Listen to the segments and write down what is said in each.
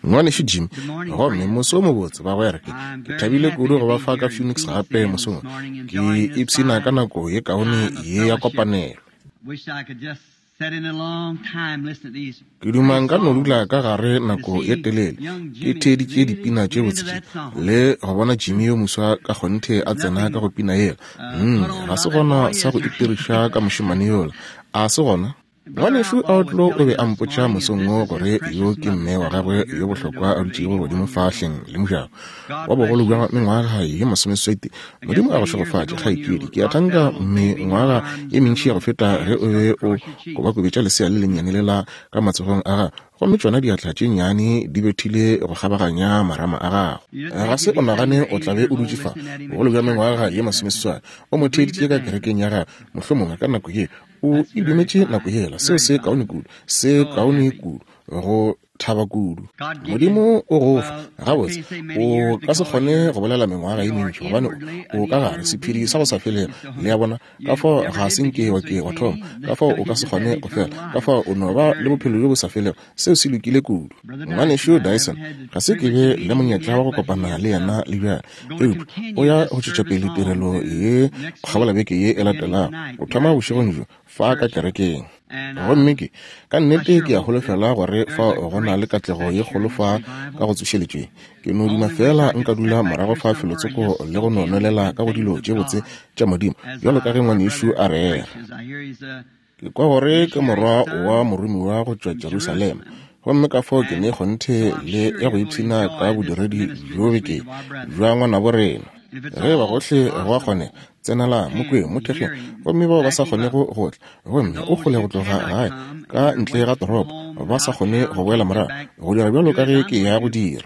Ngwanešu Jim, gomme moso o mobotse, bagwera. Ke, ke thabile kudu go ba fa ka Phoenix gape mosong. Ke ipshina ka nako ye kaone ye ya kopanelo. Ke duma nka no dula ka gare nako ye telele ke theeditše dipina tše botse tše le go bona Jimmy yo moswa ka kgonthe a tsena ka go pina yela. Mm, ga se gona sa go itiriša ka mošemane yola. A se gona? Ngwanešu Outlaw o be a mpotša mosong wo gore yo ke mme wa gagwe yo bohlokwa a dutšego godimo fa hleng le mojako wa bogolo bja mengwaga ye masomeswete. Modimo a go šegofatše, kgaetšedi. Ke a thanka mengwaga ye mentši ya go feta ge o be o kobakobetša lesea le lennyane lela ka matsogong a gago, gomme tšona diatla tše nnyane di bethile go kgabaganya marama a gago. Ga se o nagane o tla be o dutše fa bogolo bja mengwaga ye masomeseswai, o mo theeditše ka kerekeng ya gago, mohlomongwe ka nako ye O e dumetše nako yela. Seo se kaone kudu. Se kaone kudu. Go thaba kudu. Modimo o go fa. Gabotse, o ka se kgone go bolela mengwaga ye mentši, gobane o ka gare sephiri sa go sa felego. Le a bona? Ka fao ga se nke wa ke wa thoma. Ka fao o ka se kgone go fela. Ka fao o no ba le bophelo bjo bo sa felego. Seo se lokile kudu. Ngwanešu Dyson, ga se ke be le monyetla wa go kopana le yena le bjale, eupša o ya go tšwetša pele tirelo ye go kgabola beke ye e latelago, go thoma bošegong bjo fa ka kerekeng. Gomme ke, ka nnete ke a holofela gore fa go na le katlego ye kgolo fa ka go tsošeletšweng. Ke no duma feela nka dula morago fa felotsoko le go no nwelela ka go dilo tše botse tša Modimo, bjalo ka ge ngwanešu a rera. Ke kwa gore ke morwa wa moromiwa go tšwa Jerusalema, gomme ka fao ke ne kgonthe le ya go ipshina ka bodiredi bjo beke bja ngwanabo rena. Ge eba gohle go a kgonega, tsenelang, mo kweng, mo thekgeng, gomme bao ba sa kgonego go tla, gomme o kgole go tloga gae, ka ntle ga toropo, ba sa kgone go boela morago, go dira bjalo ka ge ke ya go dira.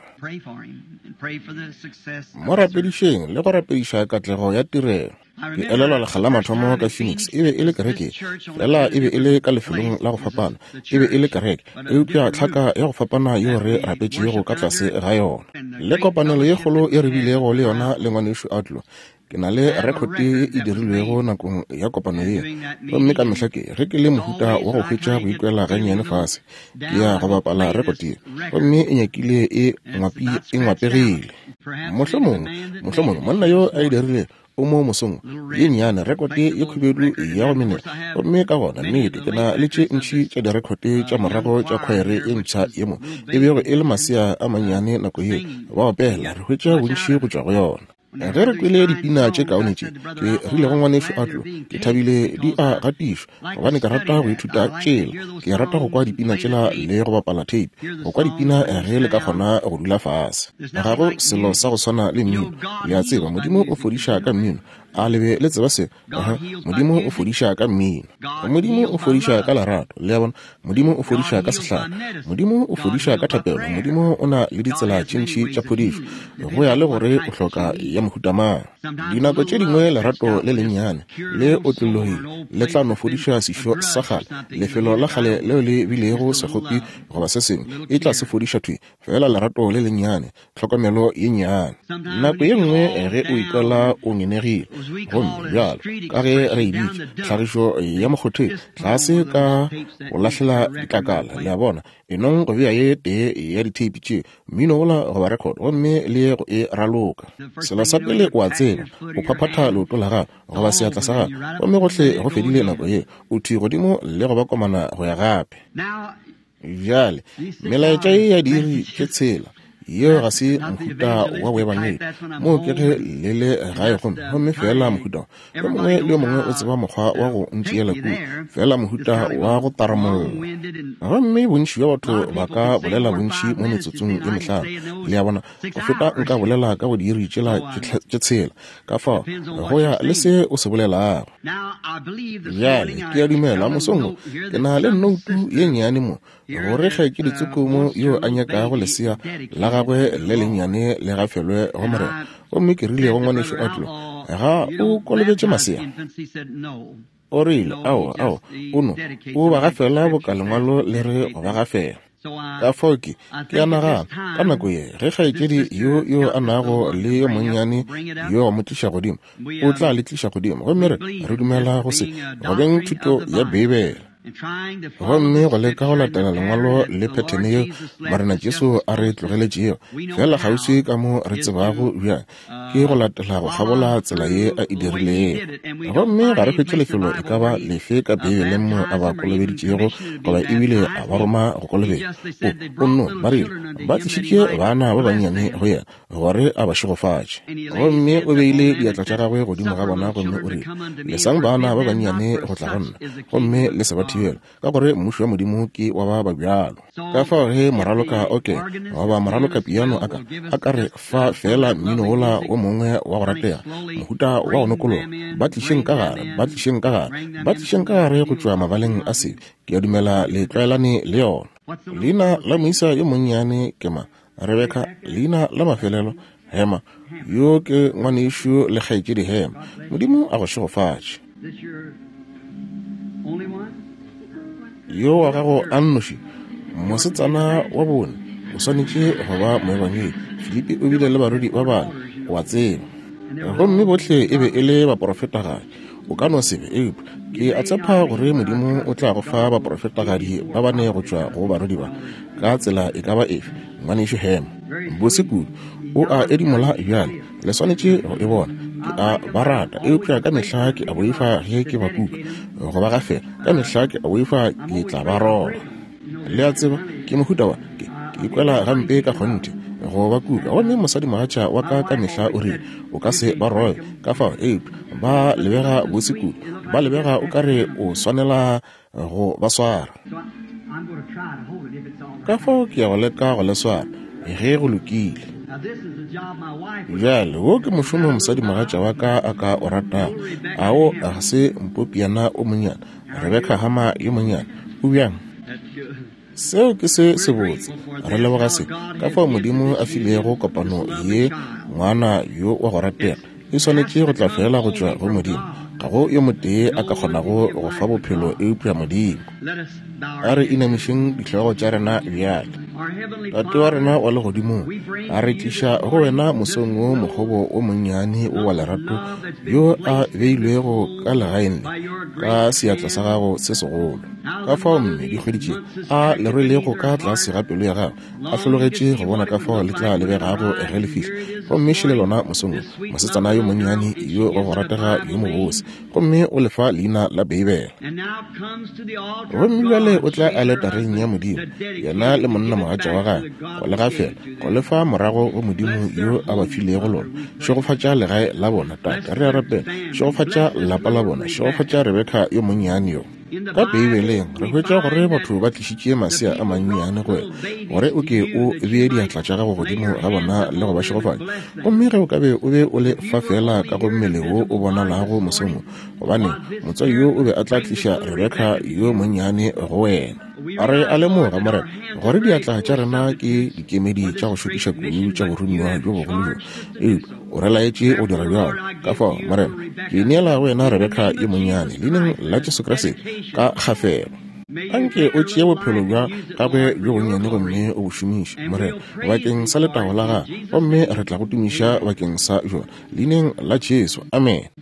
Mo rapedišeng le go rapediša katlego ya tirelo. Ke elelwa lekga la mathomo ka Phoenix, e be e le kereke, fela e be e le ka lefelong la go fapana. E be e le kereke, eupša tlhaka ya go fapana yeo re rapetšego ka tlase ga yona. Le kopanelo ye kgolo ye re bilego le yona le Ngwanešu Outlaw. Ke na le rekhote ye e dirilwego nakong ya kopano yeo. Gomme ka mehla ke, ge ke le mohuta wa go hwetša go ikwela gannyane fase, ke ya go bapala rekote ye. Gomme e nyakile e, ngwapi, e ngwapegile. Mohlomongwe, mohlomongwe monna yo a e dirilego o mo mosong ye nnyane rekote ye khubedu ya go menela. Gomme ka gona, nnete, ke na le tše ntši tša direkhote tša morago tša khwaere ye mpsha ye mo e bego e le masea a mannyane nako yeo ba opela. Re hwetša bontši go tšwa go yona. Ge re kwele dipina tše kaone tše, ke rile go ngwanešu Outlaw, ke thabile di a gatišwa, gobane ke rata go ithuta tšela. Ke rata go kwa dipina tšela le go bapala tape, go kwa dipina ge le ka kgona go dula fase. Ga go selo sa go swana le mmino. Le a tseba, Modimo o fodiša ka mmino. A le be le tseba seo? Uh-huh. Modimo o fodiša ka mmino. Modimo o fodiša ka lerato. Le a bona? Modimo o fodiša ka sehlare. Modimo o fodiša ka thapelo. Modimo o na le ditsela tše ntši tša phodišo, go ya le gore o hloka ya mohuta mang. Dinako tše dingwe lerato le lennyane le otlologile le tla no fodiša sešo sa kgale, lefelo la kgale leo le bilego sekgopi goba se sengwe, e tla se fodiša thwi, feela lerato le lennyane, tlhokomelo ye nnyane. Nako ye nngwe ge o ikwela o ngenegile, gomme bjalo ka ge re e bitša, tlhagišo ya mokgotheng, tlase ka go lahlela ditlakala, le a bona, e nong go bea ye tee ya ditheipi tše, mmino wola goba record, gomme le ye go e raloka. Selo sa pele o a tseba, o phaphatha leoto la gago goba seatla sa gago, gomme gohle go fedile nako ye, o thwi godimo le go ba komana go ya gape. Bjale, melaetša ye ya diiri tše tshela, yeo ga se mohuta wa boebangedi. Moo ke ge le le gae gomme, gomme feela mohuta wa, yo mongwe le yo mongwe o tseba mokgwa wa go ntšeela kua, feela mohuta wa go taramolla. Gomme bontši bja batho ba ka bolela bontši mo metsotsong ye mehlano, le a bona, go feta nka bolela ka go diiri tšela tše tshela. Ka fao, go ya le se o se bolelago. Bjale, ke a dumela mosong wo, ke na le nnoutu ye nnyane mo, gore kgaetšedi Tsukumo yo a nyakago lesea la gagwe le lennyane le gafelwe go Morena. Gomme ke rile go ngwanešu Otlo, Ga o kolobetše masea? O rile, Aowa, aowa, o no, o ba gafela boka Lengwalo le re go ba gafela. Ka fao ke, ke a nagana, ka nako ye, ge kgaetšedi yo yo a nago le yo monnyane yo a mo tliša godimo, o tla le tliša godimo. Gomme re, re dumela go se, go beng thuto ya Beibele. Gomme go leka go latela Lengwalo le phethene yeo Morena Jesu a re tlogeletšego, feela kgauswi ka mo re tsebago bjang, ke go latela go kgabola tsela ye a e dirilego. Gomme ga re hwetše lefelo e ka ba lefe ka Beibeleng mo a ba kolobeditšego goba ebile a ba roma go kolobetša. O, o nno, ba rile, ba tlišitše bana ba bannyane go yena gore a ba šegofatše. Gomme o beile diatla tša gagwe godimo ga bona gomme o rile, Lesang bana ba bannyane go tla go nna, gomme le se ba thibela, ka gore mmušo wa Modimo ke wa ba ba bjalo. Ka fao ge moraloka oke goba moraloka piano a ka, a ka re fa feela mmino wola wo mongwe wa go ratega, mohuta wa go nokologa, ba tlišeng ka gare, ba tlišeng ka gare, ba tlišeng ka gare go tšwa mabaleng a sebe. Ke a dumela le tlwaelane le yona. Leina la moisa yo monnyane ke mang? Rebeka, leina la mafelelo, Hema. Yo ke ngwanešu le kgaetšedi Hema. Modimo a go šegofatše. Yo wa gago a nnoši, mosetsana wa bone, o swanetše go ba moebangedi. Filipi o bile le barwedi ba bane, o a tseba. Gomme bohle e be e le baporofetagadi. O ka no se be, eupša ke a tshepa gore Modimo o tla go fa baporofetagadi ba bane go tšwa go barwedi ba, ka tsela e ka ba efe. Ngwanešu Hema, bose kudu, o a edimola bjale. Le swanetše go e bona. Ke a ba rata, eupša ka mehla ke a boifa ge ke ba kuka, go ba gafela. Ka mehla ke a boifa ke tla ba roba. Le a tseba, ke mohuta wa, ke, ke ikwela gampe ka kgonthe go ba kuka. Gomme mosadimogatša wa ka ka mehla o rile, O ka se ba robe. Ka fao, eupša ba lebega bose kudu, ba lebega o ka re o swanela go ba swara. Ka fao ke ya go leka go le swara, ge go lokile. Bjale, wo ke mošomo mosadimogatša wa ka a ka o ratago. A wo ga se mpopiana o monnyane, Rebeka Hama yo monnyane? O bjang? Seo ke se sebotse. Re leboga se, ka fao Modimo a filego kopano ye ngwana yo wa go ratega. E swanetše go tla feela go tšwa go Modimo. Ga go yo motee a ka kgonago go fa bophelo eupša Modimo. A re inamišeng dihlogo tša rena bjale. Tate wa rena wa Legodimong, a re tliša go Wena mosong wo mokgobo wo monnyane wo wa lerato yo a beilwego ka legaeng le ka seatla sa Gago se segolo. Ka fao mme dikgwedi tše a le rwelego ka tlase ga pelo ya gagwe, a hlologetše go bona ka fao le tla lebegago ge le fihla. Gomme šele lona mosong wo, mosetsana yo monnyane yo wa go ratega yo mobose, gomme o le fa leina la Beibele. Gomme bjale o tla aletareng ya Modimo, yena le monnamogatša wa gagwe, go le gafela, go le fa morago go Modimo yo a ba filego lona. Šegofatša legae la bona, Tate, re a rapela. Šegofatša lapa la bona. Šegofatša Rebeka yo monnyane yo. Ka Beibeleng re hwetša gore batho ba tlišitše masea a mannyane go wena gore o ke o bee diatla tša gago godimo ga bona le go ba šegofatša. Gomme ge o ka be o be o le fa feela ka go mmele wo o bonalago mosong wo, gobane motswadi yo o be a tla tliša Rebeka yo monnyane go wena. Re a lemoga, Morena, gore diatla tša rena ke dikemedi tša go šokiša kudu tša boromiwa bjo bogolo bjo, eupša O re laetše go dira bjalo. Ka fao, Morena, ke neela go wena Rebeka yo monnyane, Leineng la Jesu Kriste, ka kgafelo. Anke o tšee bophelo bja gagwe bjo bonnyane gomme o bo šomiše, Morena, bakeng sa letago la Gago, gomme re tla Go tumiša bakeng sa bjona. Leineng la Jesu. Amene.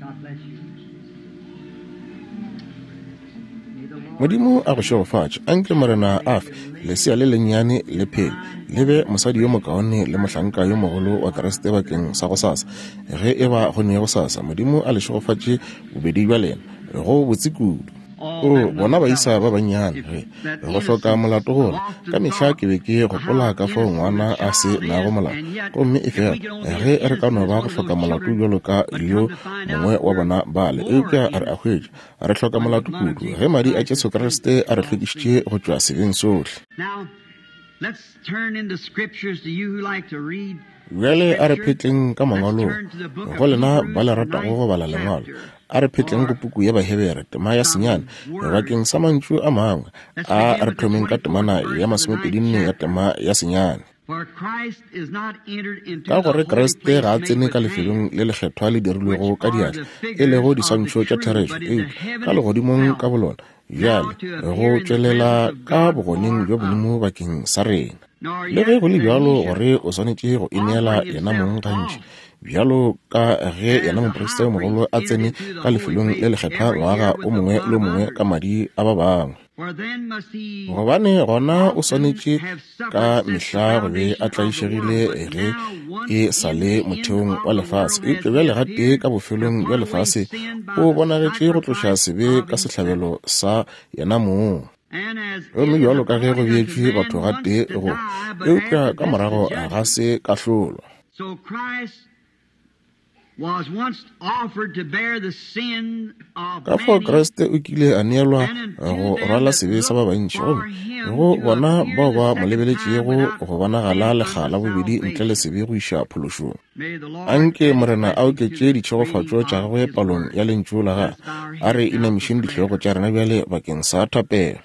Modimo a go šegofatše. Anke Morena a fe lesea le lennyane le phele, le be mosadi yo mokaone le mohlanka yo mogolo wa Kriste bakeng sa gosasa, ge e ba go ne gosasa. Modimo a le šegofatše bobedi bja lena. Go botse kudu. O, bona baisa ba bannyane, ge go hloka molato gola. Ka mehla ke be ke gopola ka fao ngwana a se nago molato. Gomme efela ge re ka no ba go hloka molato bjalo ka yo mongwe wa bona bale, eupša re a hwetša Re hloka molato kudu ge madi a Jesu Kriste a re hlwekišitše go tšwa sebeng sohle. Bjale a re phetleng ka mangwalong. Go lena ba le ratago go bala lengwalo, a re phetleng go puku ya Bahebere, tema ya senyane, bakeng sa mantšu a mangwe. A re thomeng ka temana ya masomepedinne ya tema ya senyane. Ka gore Kriste ga a tsene ka lefelong le lekgethwa le dirilwego ka diatla, e lego diswantšho tša therešo, eupša ka legodimong ka bolona, bjale go tšwelela ka bogoneng bja Modimo bakeng sa rena. Le ge go le bjalo gore o swanetše go ineela yena mong gantši. Bjalo ka ge yena moprista yo mogolo a tsene ka lefelong le lekgethwa ngwaga o mongwe le o mongwe ka madi a ba bangwe. Gobane gona o swanetše ka mehla go be a tlaišegile ge e sa le motheong wa lefase, eupša bjale gatee ka bofelong bja lefase o bonagetše go tloša sebe ka sehlabelo sa yena mong. Gomme bjalo ka ge go beetšwe batho gatee go, eupša ka morago ga se kahlolo. Ka fao Kriste o kile a neelwa go rwala sebe sa ba bantši, gomme go bona bao ba mo lebeletšego go bonagala lekga la bobedi ntle le sebe go iša phološong. Anke Morena a oketše ditšhegofatšo tša gagwe palong ya Lentšu la gagwe. A re inamišeng dihlogo tša rena bjale bakeng sa thapelo.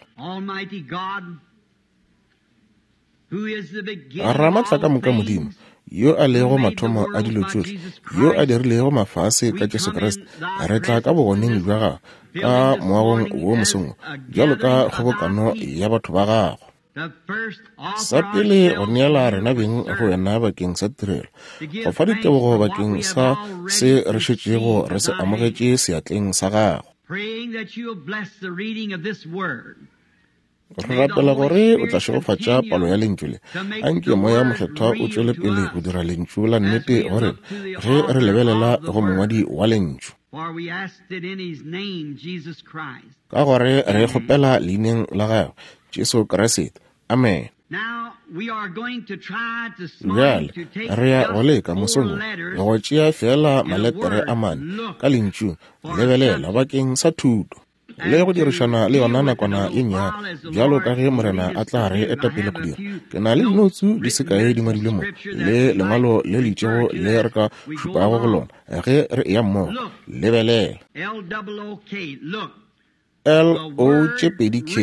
Ramatlakamoka Modimo, yo a lego mathomo a dilo tšohle, yo a dirilego mafase ka Jesu Kriste, re tla ka bogoneng bja gago ka moagong wo mosong wo, bjalo ka kgobokano ya batho ba gago. Sa pele go neela rena beng go wena bakeng sa tirelo, go fa ditebogo bakeng sa se re šetšego re se amogetše seatleng sa gago. Re rapela gore o tla šegofatša palo ya Lentšu le. Anke Moya Mokgethwa o tšwele pele go dira Lentšu la nnete go rena ge re lebelela go Mongwadi wa Lentšu. Ka gore re kgopela Leineng la Gagwe, Jesu Kriste. Amene. Bjale re ya go leka mosong wo go tšea feela maletere a mane ka Lentšung, lebelela, bakeng sa thuto. le go dirišana le yona nakwana ye nnyane, bjalo ka ge Morena a tla re eta pele go dira. Ke na le dinoutsu di se kae di ngwadilwe mo, le lengwalo le le itšego le re ka šupago go lona ge re eya mmogo. Lebelela. L-O tše 2 K,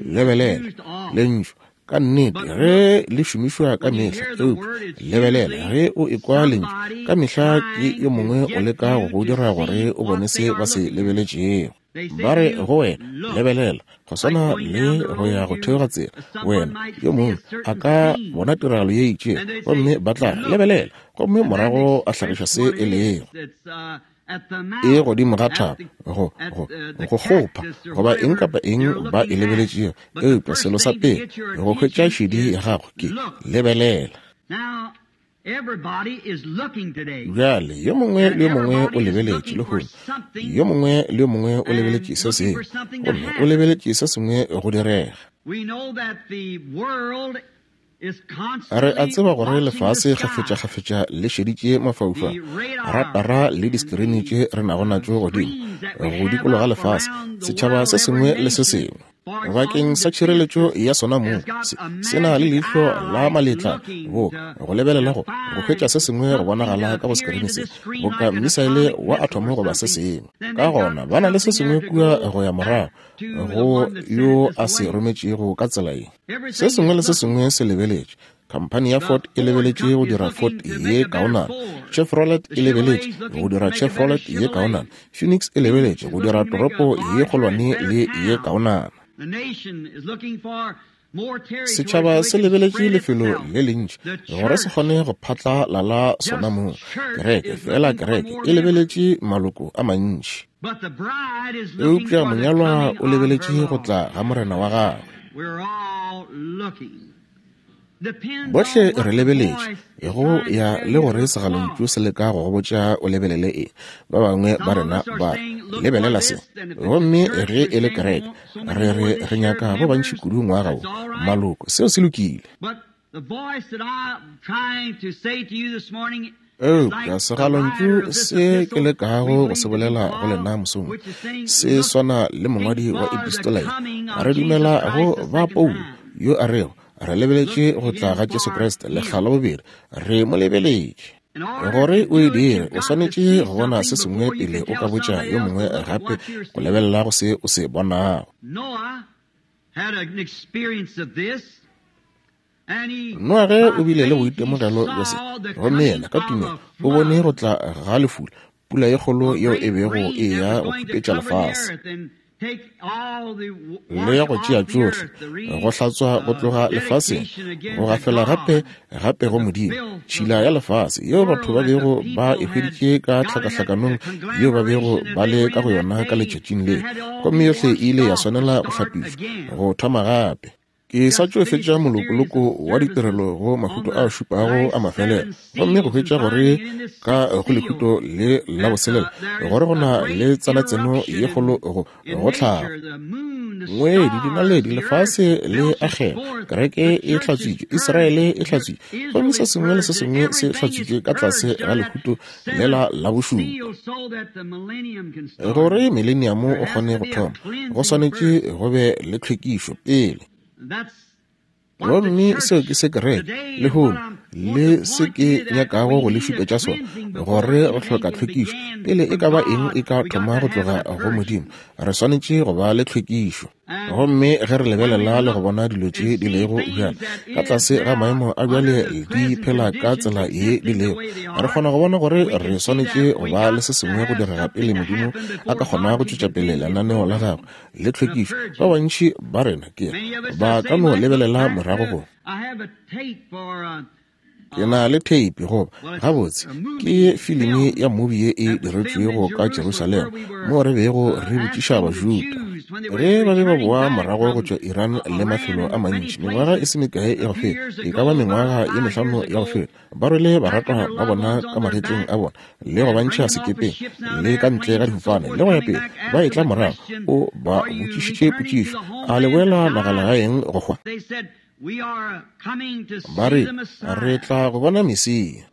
lebelela, Lentšu. Ka nnete, ge le šomišwa ka mehla, eupša lebelela, ge o ekwa lentšu, ka mehla ke yo mongwe o leka go go dira gore o bone se ba se lebeletšego. Ba re go wena, Lebelela, go swana le go ya go theoga tsela, wena, yo mongwe a ka bona tiragalo ye itšego, gomme ba tla re, Lebelela, gomme morago a hlagiša se e lego. E godimo ga thaba, go, go, go kgopha, goba eng kapa eng ba e lebeletšego. Eupša selo sa pele go hwetša šedi ya gago ke, lebelela. Bjale, yo mongwe le yo mongwe o lebeletše lehono. Yo mongwe le yo mongwe o lebeletše se sengwe, gomme o lebeletše se sengwe go direga. Re a tseba gore lefase kgafetšakgafetša le šeditše mafaufau, ratara le diskrini tše re nago natšo godimo go dikologa lefase, setšhaba se sengwe le se sengwe. Bakeng sa tšhireletšo ya sona mong, se, se na le leihlo la maletla bo go lebelela go go hwetša se sengwe go bonagala ka go skrini se, boka mmisaele wa athomo goba se sengwe. Ka gona ba na le se sengwe kua go ya morago go yo a se rometšego ka tsela ye. Se sengwe le se sengwe se lebeletše. Khamphani ya Ford e lebeletše go dira Ford ye kaonana. Chevrolet e lebeletše go dira Chevrolet ye kaonana. Phoenix e lebeletše go dira toropo ye kgolwane le ye kaonana. Setšhaba se lebeletše lefelo le lentši gore se kgone go phatlalala sona mong. Kereke, feela kereke, e lebeletše maloko a mantši. Eupša monyalwa o lebeletše go tla ga Morena wa gagwe. Bohle re lebeletše, go ya le gore segalontšu se leka go go botša o lebelele eng. Ba bangwe ba rena ba re, Lebelela se. Gomme ge e le kereke, re re re nyaka ba bantši kudu ngwaga wo, maloko. Seo se lokile. Eupša segalontšu se ke lekago go se bolela go lena mosong se swana le mongwadi wa epistola ye. Re dumela go ba Paulo yo a rego, Re lebeletše go tla ga Jesu Kriste lekga la bobedi, re mo lebeletše. Gore o e dire, o swanetše go bona se sengwe pele o ka botša yo mongwe gape go lebelela go se o se bonago. Noage o bile le boitemogelo bja se, gomme yena ka tumelo o bone go tla ga lefula, pula ye kgolo yeo e bego e eya go khupetša lefase. Le ya go tšea tšohle, go hlatswa go tloga lefaseng, go gafela gape, gape go Modimo, tšhila ya lefase yeo batho ba bego ba e hweditše ka tlhakahlakanong yeo ba bego ba le ka go yona ka letšatšing le, gomme yohle e ile ya swanela go hlapišwa, go thoma gape. Ke sa tšo fetša molokoloko wa ditirelo go mahuto a šupago a mafelelo, gomme go hwetša gore ka go lehuto le la boselela gore go na le tsanatseno ye kgolo go go tlhago. Ngwedi, dinaledi, lefase le akgela, kereke e hlatswitšwe, Israele e hlatswitšwe, gomme se sengwe le se sengwe se hlatswitšwe ka tlase ga lehuto lela la bošupa. Gore mileniamo o kgone go thoma, go swanetše go be le tlhwekišo pele. Gomme seo ke se kereke lehono le se ke nyakago go le šupetša sona, gore re hloka tlhwekišo pele e ka ba eng e ka thoma go tloga go Modimo. Re swanetše go ba le tlhwekišo. Gomme ge re lebelela le go bona dilo tše di lego bjale ka tlase ga maemo a bjale di phela ka tsela ye di lego, re kgona go bona gore re swanetše go ba le se sengwe go direga pele Modimo a ka kgona go tšwetša pele lenaneo la gagwe le tlhwekišo. Ba bantši ba rena ke ba ka no lebelela morago go Ke na le theipi, goba, gabotse, ke filimi ya movie ye e diretšwego ka Jerusalema, moo re bego re botšiša Bajuda ge ba be ba boa morago go tšwa Iran le mafelo a mantši, mengwaga e se mekae ya go feta, e ka ba mengwaga ye mehlano ya go feta, ba rwele baratwa ba bona ka magetleng a bona le go ba ntšha sekepeng le ka ntle ga difofane le go ya pele, ba etla morago. O ba botšišitše potšišo, A le boela nagalagaeng go hwa? Ba re, Re tla go bona Mesia.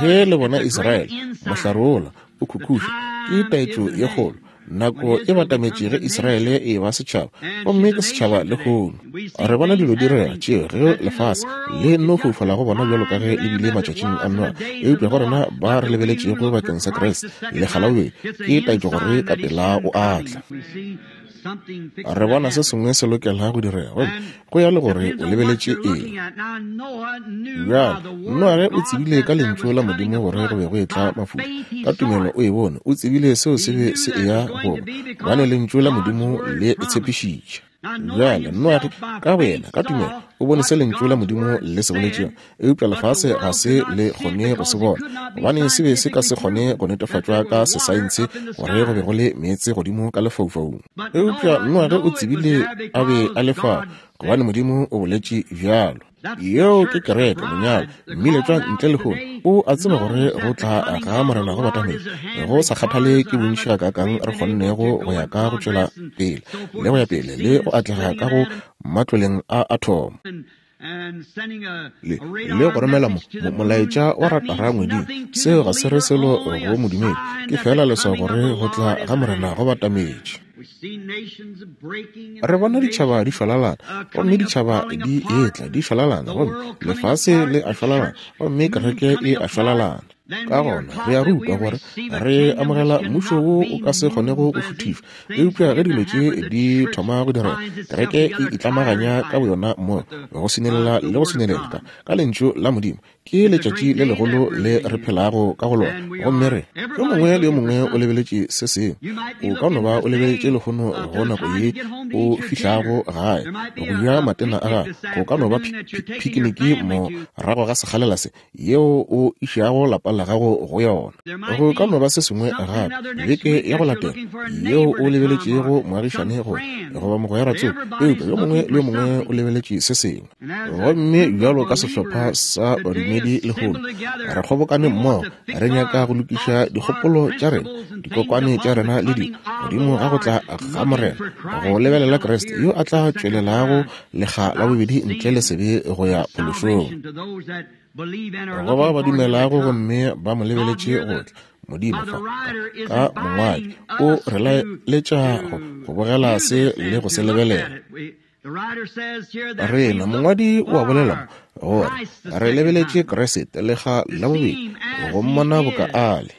Ge le bona Israele, mohlare wola o khukhuša, ke taetšo ye kgolo. Nako e batametše ge Israele e eba setšhaba, gomme ke setšhaba lehono. Re bona dilo di direga tšeo ge lefase le nno foufala go bona bjalo ka ge le bile matšatšing a Noa, eupša go rena ba re lebeletšego bakeng sa Kriste, lekga la bobedi, ke taetšo gore ka pela o a tla. Re bona se sengwe se lokela go direga, gomme go ya le gore o lebeletše eng. Bjale, Noage o tsebile ka Lentšu la Modimo gore go be go etla mafula. Ka tumelo o e bone, o tsebile seo se be se eya go ba, gobane Lentšu la Modimo le e tshepišitše. Bjale, Noage, ka boyena, ka tumelo, o bone se Lentšu la Modimo le se boletšego, eupša lefase ga se le kgone go se bona, gobane se be se ka se kgone go netefatšwa ka sesaense gore go be go le meetse godimo ka lefaufaung. Eupša Noage o tsebile a be a le fao, gobane Modimo o boletše bjalo. Yeo ke kereke, monyalo, mmiletšwa ntle lehono. O a tseba gore go tla ga Morena go batametše, go sa kgathale ke bontši gakaakang re kgonnego go ya ka go tšwela pele le go ya pele le go atlega ka go matloleng a athomo. Le, le go romela mo, mo, molaetša wa ratara ngweding, seo ga se re selo go modumedi, ke feela leswao gore go tla ga Morena go batametše. Re bona ditšhaba di šwalalana, gomme ditšhaba di etla di šwalalana, gomme lefase le a šwalalana, gomme kereke e a šwalalana. Ka gona re a rutwa gore re amogela mmušo wo o ka se kgonego go šuthišwa. Eupša ge dilo tše di thoma go direga, kereke e itlamaganya ka boyona mmogo go swinelela le go swinelela ka, ka Lentšu la Modimo. Ke letšatši le legolo le re phelago ka go lona. Gomme re, yo mongwe le yo mongwe o lebeletše se sengwe. O ka no ba o lebeletše lehono go nako ye o fihlago gae go ja matena a gago. Go ka no ba phikiniki morago ga sekgalela se yeo o išago lapa la gago go yona. Go ka no ba se sengwe gape beke ya go latela yeo o lebeletšego moagišane go goba mogwera tsoko, eupša yo mongwe le yo mongwe o lebeletše se sengwe. Gomme bjalo ka sehlopha sa badumedi lehono, re kgobokane mmogo, re nyaka go lokiša dikgopolo tša rena, dikokwane tša rena le dilo, godimo ga go tla ga Morena, go lebelela Kriste yo a tla tšwelelago lekga la bobedi ntle le sebe go ya phološong. Go ba ba dumelago gomme ba mo lebeletše go tla, Modimo fa, ka mongwadi, o re laeletša go bogela se le go se lebelela. Rena, mongwadi o a bolela mo, gore re lebeletše Kriste lekga la bobedi, go mmona boka a le.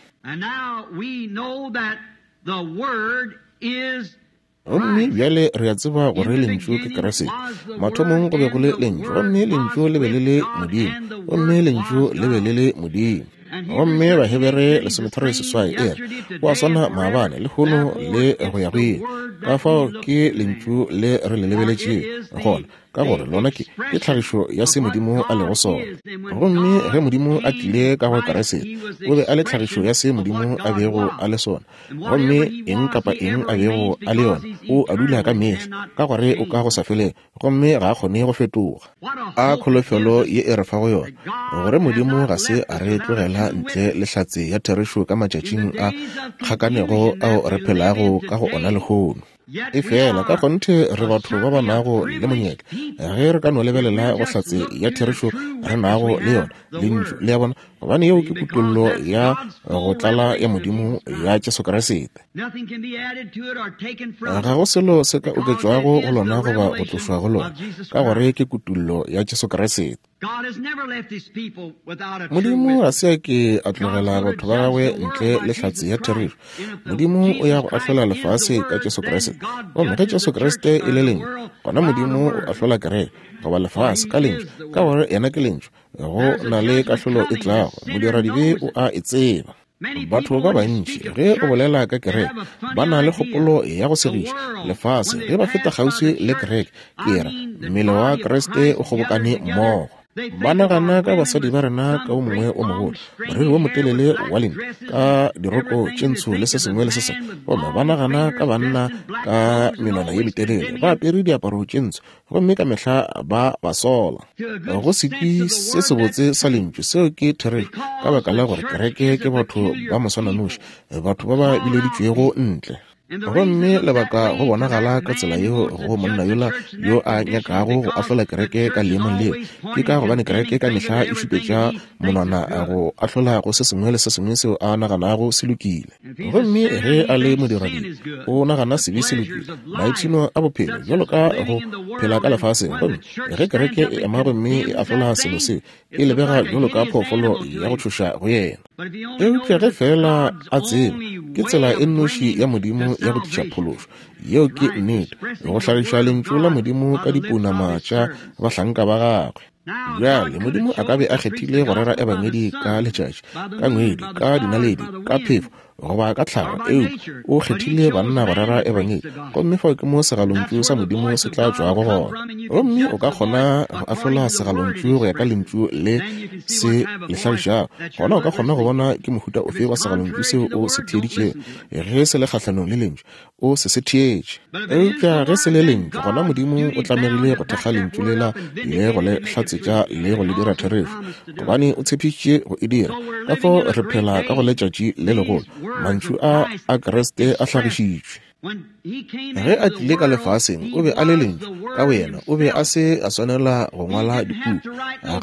Gomme bjale re a tseba gore Lentšu ke Kriste. Mathomong go be go le Lentšu, gomme Lentšu le be le le Modimo, gomme Lentšu le be le le Modimo. Gomme Bahebere 13:8 e re, O a swana maabane, lehono, le go ya go ile. Ka fao ke Lentšu le re le lebeletšego gona, ka gore lona ke, ke tlhagišo ya se Modimo a lego sona. Gomme ge Modimo a tlile ka go Kriste, O be a le tlhagišo ya se Modimo a bego a le sona. Gomme eng kapa eng a bego a le yona, O a dula ka mehla, ka gore O ka go sa felego. Gomme ga a kgone go fetoga. A kholofelo ye e re fago yona, gore Modimo ga se a re tlogela ntle le hlatse ya therešo ka matšatšing a kgakanego ao re phelago ka go ona lehono. Efela ka kgonthe re batho ba ba nago le monyetla ge re ka no lebelela go hlatse ya therešo re nago le yona, Lentšu, le a bona, gobane yeo ke kutollo ya go tlala ya Modimo ya Jesu Kriste. Ga go selo se ka oketšwago go lona goba go tlošwa go lona, ka gore ke kutollo ya Jesu Kriste. Modimo ga se a ke a tlogela batho ba gagwe ntle le hlatse ya therešo. Modimo o ya go ahlola lefase ka Jesu Kriste. Gomme ge Jesu Kriste e le Lentšu, gona Modimo o ahlola kereke goba lefase ka Lentšu, ka gore yena ke Lentšu. Go na le kahlolo e tlago, modiradibe o a e tseba. Batho ba bantši, ge o bolela ka kereke, ba na le kgopolo ya go segiša lefase ge ba feta kgauswi le kereke, ke ra mmele wa Kriste o kgobokane mmogo. Ba nagana ka basadi ba rena ka o mongwe o mogolo, moriri wo motelele wa lenti, ka diroko tše ntsho le se sengwe le se sengwe, gomme ba nagana ka banna ka menwana ye metelele, ba apere diaparo tše ntsho, gomme ka mehla ba ba sola. Go sekwi se sebotse sa Lentšu, seo ke therešo, ka baka la gore kereke ke batho ba moswananoši, batho ba ba bileditšwego ntle. Gomme lebaka go bonagala ka tsela yeo go monna yola yo a nyakago go ahlola kereke ka leemong leo, ke ka gobane kereke ka mehla e šupetša monwana go ahlola go se sengwe le se sengwe seo a naganago se lokile. Gomme ge a le modiradibe, o nagana sebe se lokile, maipshino a bophelo bjalo ka go phela ka lefaseng. Gomme ge kereke e ema gomme e ahlola selo seo, e lebega bjalo ka phoofolo ya go tšhoša go yena. Eupša ge feela a tseba, ke tsela e nnoši ya Modimo ya go tliša phološo. Yeo ke nnete, go hlagiša Lentšu la Modimo ka dipounama tša bahlanka ba Gagwe. Bjale, Modimo a ka be a kgethile go rera Ebangedi ka letšatši, ka ngwedi, ka dinaledi, ka phefo, goba ka tlhago, eupša O kgethile banna go rera Ebangedi, gomme fao ke mo segalontšu sa Modimo se tla tšwago gona. Gomme o ka kgona go ahlola segalontšu go ya ka lentšu le se le hlagišago, gona o ka kgona go bona ke mohuta ofe wa segalontšu seo o se theeditšego. Ge se le kgahlanong le lentšu, o se se theetše. Eupša ge se le Lentšu, gona Modimo o tlamegile go thekga Lentšu lela le go le hlatsetša le go le dira therešo, gobane O tshepišitše go e dira. Ka fao re phela ka go letšatši le legolo. Mantšu a a Kriste a hlagišitšwe. Ge a tlile ka lefaseng, o be a le Lentšu ka boyena. O be a se a swanela go ngwala dipuku.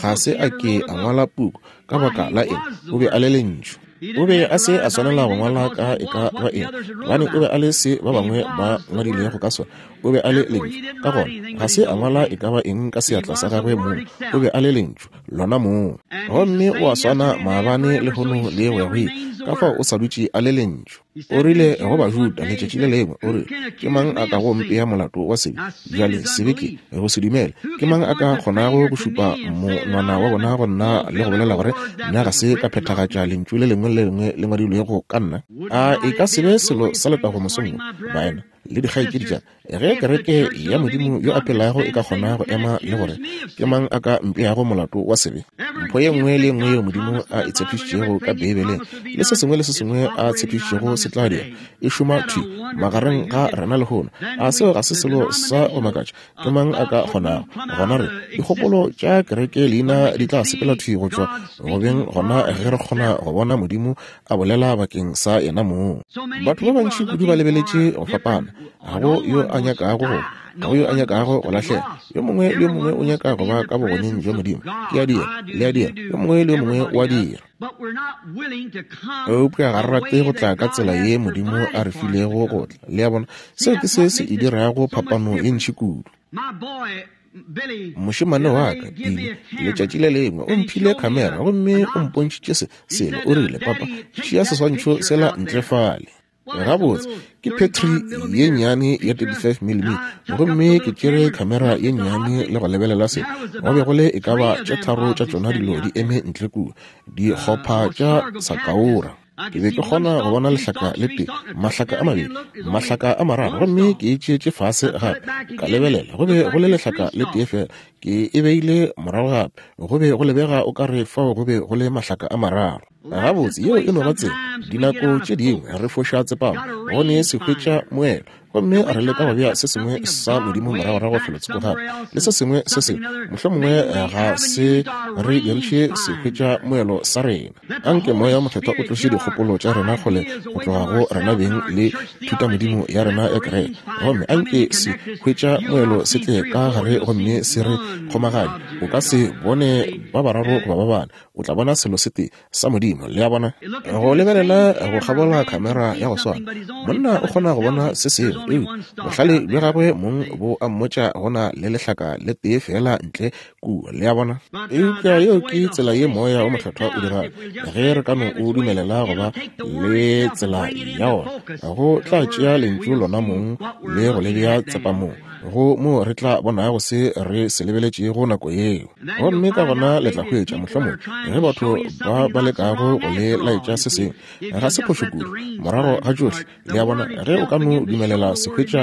Ga se a ke a ngwala puku. Ka baka la eng? O be a le Lentšu. O be a se a swanela go ngwala ka e ka ba eng, gobane o be a le se ba bangwe ba ngwadilego ka sona. O be a le Lentšu. Ka gona, ga se a ngwala e ka ba eng ka seatla sa gagwe mong. O be a le Lentšu, lona mong. Gomme o a swana maabane, lehono, le go ya go ile. Ka fao o sa dutše a le Lentšu. O rile go Bajuda letšatši le lengwe, o rile, Ke mang a kago mpea molato wa sebe? Bjale, sebe ke go se dumele. Ke mang a ka kgonago go šupa monwana wa bona go nna le go bolela gore nna ga se ka phethagatša lentšu le lengwe le le lengwe le ngwadilwego ka nna? A e ka se be selo sa letago mosong wo, baena le dikgaetšedi tša Ge kereke ya Modimo yo a phelago e ka kgona go ema le gore, Ke mang a ka mpeago molato wa sebe? Mpho ye nngwe le ye nngwe yeo Modimo a e tshepišitšego ka Beibeleng, le se sengwe le se sengwe a tshepišitšego se tla dira, e šoma thwi magareng ga rena lehono. A seo ga se selo sa go makatša? Ke mang a ka kgonago? Gona re, dikgopolo tša kereke leina di tla sepela thwi go tšwa go beng gona ge re kgona go bona Modimo a bolela bakeng sa yena mong. Batho ba bantši kudu ba lebeletše go fapana. Ga go yo a nyakago go, ga go yo a nyakago go lahlega. Yo mongwe le yo mongwe o nyaka go ba ka bogoneng bja Modimo. Ke a dira, le a dira, yo mongwe le yo mongwe o a dira. Eupša ga re rate go tla ka tsela ye Modimo a re filego go tla. Le a bona? Seo ke se se e dirago phapano ye ntši kudu. Mošemane wa ka, Billy, letšatši le lengwe o mphile khamera gomme o mpontšhitše se selo. O rile, Papa, tšea seswantšho sela ntle fale. Gabotse, ke petri ye nnyane ya 35 mm, gomme ke tšere khamera ye nnyane le go lebelela se. Go be go le e ka ba tše tharo tša tšona dilo di eme ntle kua, dikgopha tša sakaora. Ke be ke kgona go bona lehlaka le tee, mahlaka a mabedi, mahlaka a mararo, gomme ke e tšeetše fase gape, ka lebelela, go be go le lehlaka le tee fela. Ke e beile morago gape, go be go lebega o ka re fao go be go le mahlaka a mararo. Gabotse, yeo e no ba tsela. Dinako tše dingwe re foša tsepamo, go ne se hwetša moelo, gomme re leka go bea se sengwe sa Modimo moragorago felotsoko gape, le se sengwe se sengwe. Mohlomongwe ga se re diriše se hwetša moelo sa rena. Anke Moya wo Mokgethwa o tloše dikgopolo tša rena kgole go tloga go rena beng le thutamodimo ya rena ya kereke, gomme anke se hwetša moelo se tle ka gare gomme se re kgomaganye. O ka se bone ba bararo goba ba bane, o tla bona selo se tee sa Modimo. Le a bona? Go lebelela go kgabola khamera ya go swana, monna o kgona go bona se sengwe, eupša bohlale bja gagwe mong bo a mmotša go na le lehlaka le tee feela ntle kua. Le a bona? Eupša yeo ke tsela ye Moya wo Mokgethwa o dirago. Ge re ka no o dumelela go ba le tsela ya wona, go tla tšea Lentšu lona mong le go le bea tsepamong, go moo re tla bonago se re se lebeletšego nako yeo. Gomme ka gona le tla hwetša, mohlomongwe, ge batho ba ba lekago go le laetša se sengwe, ga se phošo kudu, morago ga tšohle. Le a bona? Ge o ka no dumelela sehwetša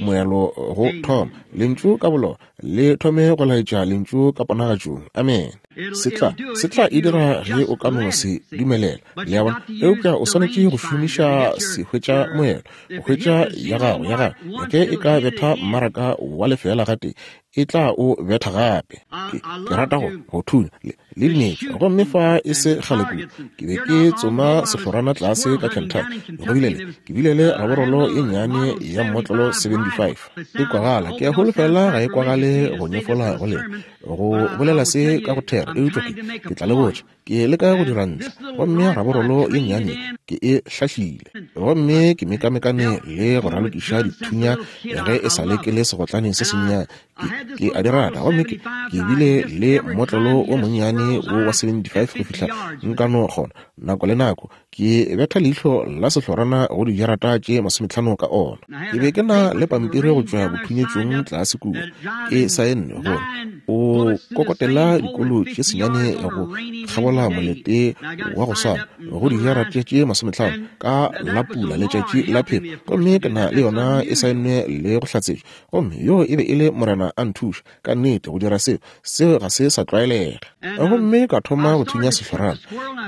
moelo go thoma, Lentšu ka bolona le thome go laetša Lentšu ka ponagatšong. Amene. Se tla, se tla e dira ge o ka no se dumelela. Le a bona? Eupša o swanetše go šomiša sehwetša moelo, go hwetša ya gago, ya gago. Ge e ka betha mmaraka wa lefeela gatee, e tla o betha gape. Ke, ke rata go, go thunya le, le dinetša. Gomme fa e se kgale kudu, ke be ke tsoma sehlorana tlase ka Kentucky. Go bile le, ke bile le raborolo ye nnyane ya mmotlolo 75. E kwagala, ke a holofela ga e kwagale go nyefola go lena, go bolela se ka go thera, eupša ke, ke tla le botša. Ke leka go dira ntle, gomme raborolo ye nnyane ke e hlahlile. Gomme ke mekamekane le go ralokiša dithunya ge e sa le ke le segotlane se sennyane. Ke, ke a di rata. Gomme ke, ke bile le mmotlolo wo monnyane wo wa 75 go fihla nka no kgona, nako le nako, ke betha leihlo la sehlorana go dijarata tše masometlhano ka ona. Ke be ke na le pampiri go tšwa bothunyetšong tlase kua, ke saenne gore o kokotela dikolo tše senyane go kgabola molete wa go swana go dijarata tše masometlhano ka la pula letšatši la phefo, gomme ke na le yona e saennwe le go hlatsetšwa. Gomme yoo e be e le Morena a nthuša ka nnete go dira seo. Seo ga se sa tlwaelega. Gomme ka thoma go thunya sehlorana.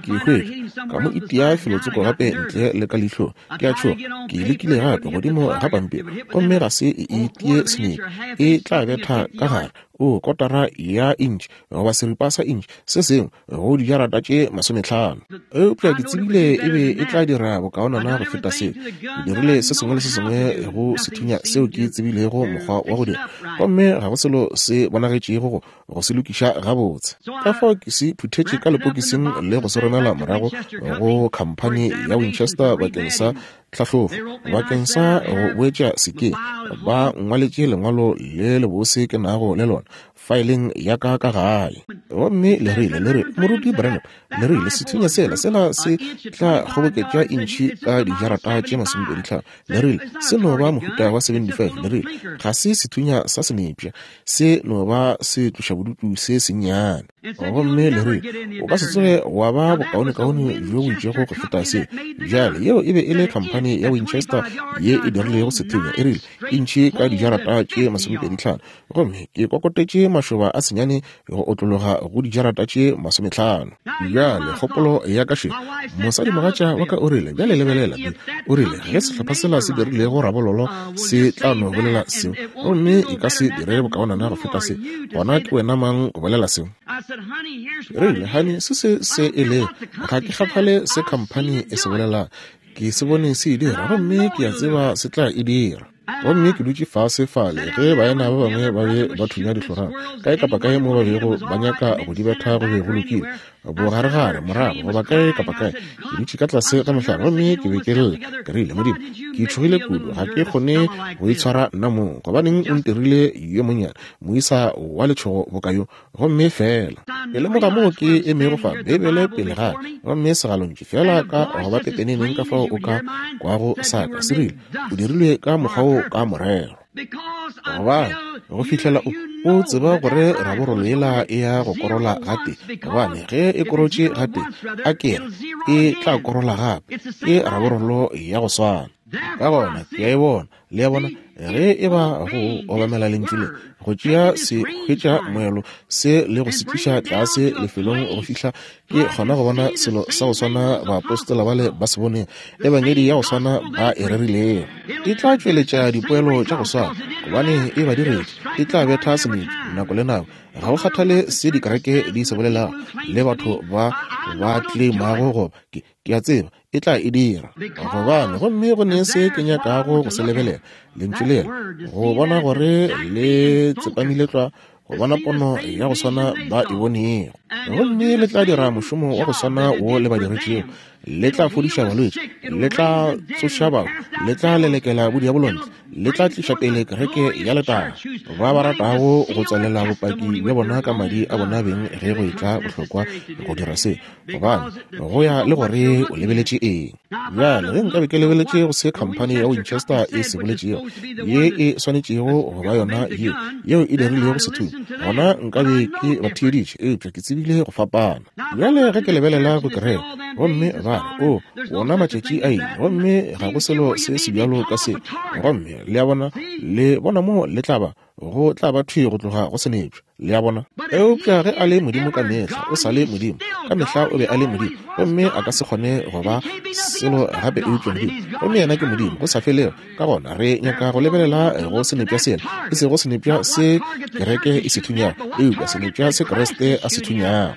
Ke hwetša, ka mo itia felotsoko gape ntle le ka leihlong. Ke a tšhoga. Ke e lekile gape godimo ga pampiri, gomme ga se e itie senepe. E tla betha ka gare, oo, kotara ya intšhi goba seripa sa intšhi, se sengwe, go dijarata tše masometlhano. Eupša ke tsebile e be e tla dira bokaonana go feta seo. Ke dirile se sengwe le se sengwe go sethunya seo ke tsebilego mokgwa wa go dira, gomme ga go selo se bonagetšego go, go se lokiša gabotse. Ka fao ke se phuthetše ka lepokising le go se romela morago go khamphani ya Winchester bakeng sa tlhahlobo, bakeng sa go boetša sekeng. Ba nngwaletše lengwalo le lebose ke nago le lona faeleng ya ka ka gae. Gomme le rile, le re, Moruti Branham, le rile, sethunya sela, sela se tla kgoboketša intšhi ka dijarata tše masomepeditlhano. Le rile, se no ba mohuta wa 75. Le rile, ga se sethunya sa senepša, se no ba se tlošabodutu se sennyane. Gomme le rile, o ka se tsoge wa ba bokaonekaone bjo bo itšego go feta se. Bjale, yeo e be e le khamphani ya Winchester ye e dirilego sethunya, e rile, intšhi ka dijarata tše masomepeditlhano. Gomme ke kokotetše mašoba a senyane go otlologa go dijarata tše masometlhano. Bjale, kgopolo ya ka še. Mosadimogatša wa ka o rile, Bjale lebelela, Bill. O rile, Ge sehlopha sela se dirilego rabololo se tla no bolela seo, gomme e ka se dire bokaonana go feta se, gona ke wena mang go bolela seo? Ke rile, Honey, se se se e lego. Ga ke kgathale se khamphani e se bolelang. Ke se bone se e dira, gomme ke a tseba se tla e dira. Gomme ke dutše fase fale ge baena ba bangwe ba be ba thunya dihlorana kae kapa kae mo ba bego ba nyaka go di betha, go be go lokile. Bogaregare, morago, goba kae kapa kae, ke dutše ka tlase ga mohlare gomme ke be ke lla. Ke rile, Modimo, ke tšhogile kudu, ga ke kgone go itshwara nna mong. Gobaneng o ntirile yo monnyane, moisa wa letšhogo boka yo? Gomme feela ke lemoga moo ke emego fa, Beibele pele ga ka, gomme segalontšu feela ka go ba pepeneneng ka fao o ka kwago sa ka, se rile, O dirilwe ka mokgwa wo ka morero. Gobane go fihlela o, o tseba gore raborolo yela e ya go korola gatee, gobane ge e korotše gatee, a ke re, e tla korola gape. Ke raborolo ya go swana. Ka gona ke a e bona. Le a bona, ge e ba go obamela lentšu le, go tšea se hwetša moelo se le go se tliša tlase lefelong go fihla ke kgona go bona selo sa go swana baapostola bale ba se boneng, ebangedi ya go swana ba e rerilego. E tla tšweletša dipoelo tša go swana, gobane e ba diretše. E tla betha semetšo nako le nako. Ga go kgathale se dikereke di se bolelago le batho ba ba tleimago goba ke, ke a tseba e tla e dira. Gobane, gomme go ne se ke nyakago go se lebelela, Lentšu lela, go bona gore le tsepamile tlwa, go bona pono ya go swana ba e bonego. Gomme le tla dira mošomo wa go swana wo le ba diretšego. Le tla fodiša balwetši, le tla tsoša bahu, le tla lelekela bodiabolo ntle, le tla tliša pele kereke ya letago. Ba ba ratago go tswalela bopaki bja bona ka madi a bona beng ge go etla bohlokwa go dira se, Gobane, go ya le gore o lebeletše eng. Bjale, ge nkabe ke lebeletše go se khamphani ya Winchester e se boletšego, ye e swanetšego go ba yona ye, yeo e dirilego sethunya, gona nkabe ke ba theeditše, eupša ke tsebile go fapana. Bjale, ge ke lebelela go kereke, gomme ba re, O, wona matšatši a ile, gomme ga go selo se sebjalo ka se. Gomme, le a bona, le bona moo le tla ba, go tla ba thwi go tloga go senepša. Le a bona? Eupša ge a le Modimo ka mehla, o sa le Modimo. Ka mehla o be a le Modimo, gomme a ka se kgone go ba selo gape eupša Modimo. Gomme yena ke Modimo go sa felego. Ka gona re nyaka go lebelela go senepša sela, e sego senepša se kereke e se thunyago, eupša senepša se Kriste a se thunyago.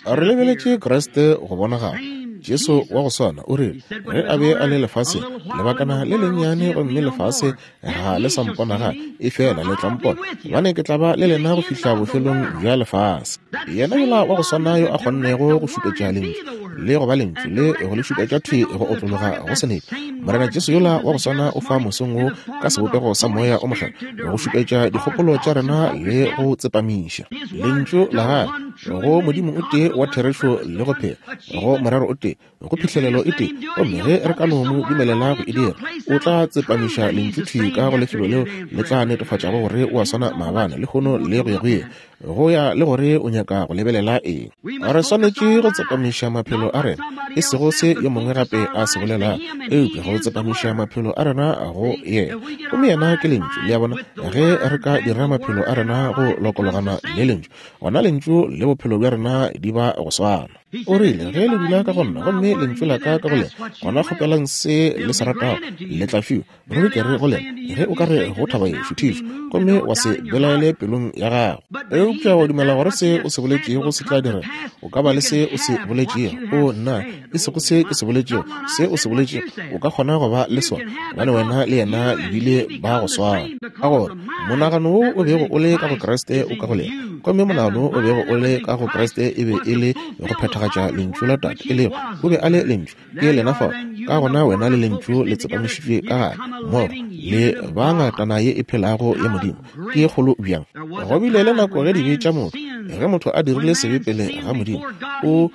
Re lebeletše Kriste go bonagala. Jesu wa go swana o rile ge a be a le lefaseng, lebakana le lennyane gomme lefase ga le sa mpona gape, efela le tla mpona, gobane ke tla ba le lena go fihla bofelong bja lefase. Yena yola wa go swana yo a kgonnego go šupetša Lentšu le go ba Lentšu le go le šupetša thwi go otlologa go senepe, Morena Jesu yola wa go swana o fa mosong wo ka sebopego sa Moya o Mokgethwa go šupetša dikgopolo tša rena le go tsepamiša Lentšu la Gagwe go Modimo o tee wa therešo le go phela, go morero o tee, go phihlelelo e tee, gomme ge re ka no mo dumelela go e dira, o tla tsepamiša Lentšu thwi ka go lefelo leo le tla netefatšago gore o a swana maabane, lehono le go ya go ile, go ya le gore o nyaka go lebelela eng. Re swanetše go tsepamiša maphelo a rena, e sego se yo mongwe gape a se bolelago, eupša go tsepamiša maphelo a rena go Yena. Gomme Yena ke Lentšu. Le a bona? Ge re ka dira maphelo a rena go lokologana le Lentšu, gona Lentšu le bophelo bja rena di ba go swana. O rile, Ge le dula ka go nna, gomme lentšu la ka ka go lena, gona kgopelang se le se ratago, le tla fiwa. Ruri ke re go lena, ge o ka re go thaba ye, šuthišwa, gomme wa se belaele pelong ya gago, eupša wa dumela gore se o se boletšego se tla direga, o ka ba le se o se boletšego. O nna, e sego se ke se boletšego, se o se boletšego, o ka kgona go ba le sona, gobane wena le yena le bile ba go swana. Ka gore monagano wo o bego o le ka go Kriste o ka go lena, gomme monagano wo o bego o le ka go Kriste e be e le go phethagatša Lentšu la Tate, e lego, o be a le Lentšu. Ke lena fao. Ka gona wena le Lentšu le tsepamišitšwe ka gare, mmogo, le ba ngatana ye e phelago ya Modimo. Ke ye kgolo bjang! Go bile le nako ge dibe tša motho, ge motho a dirile sebe pele ga Modimo, o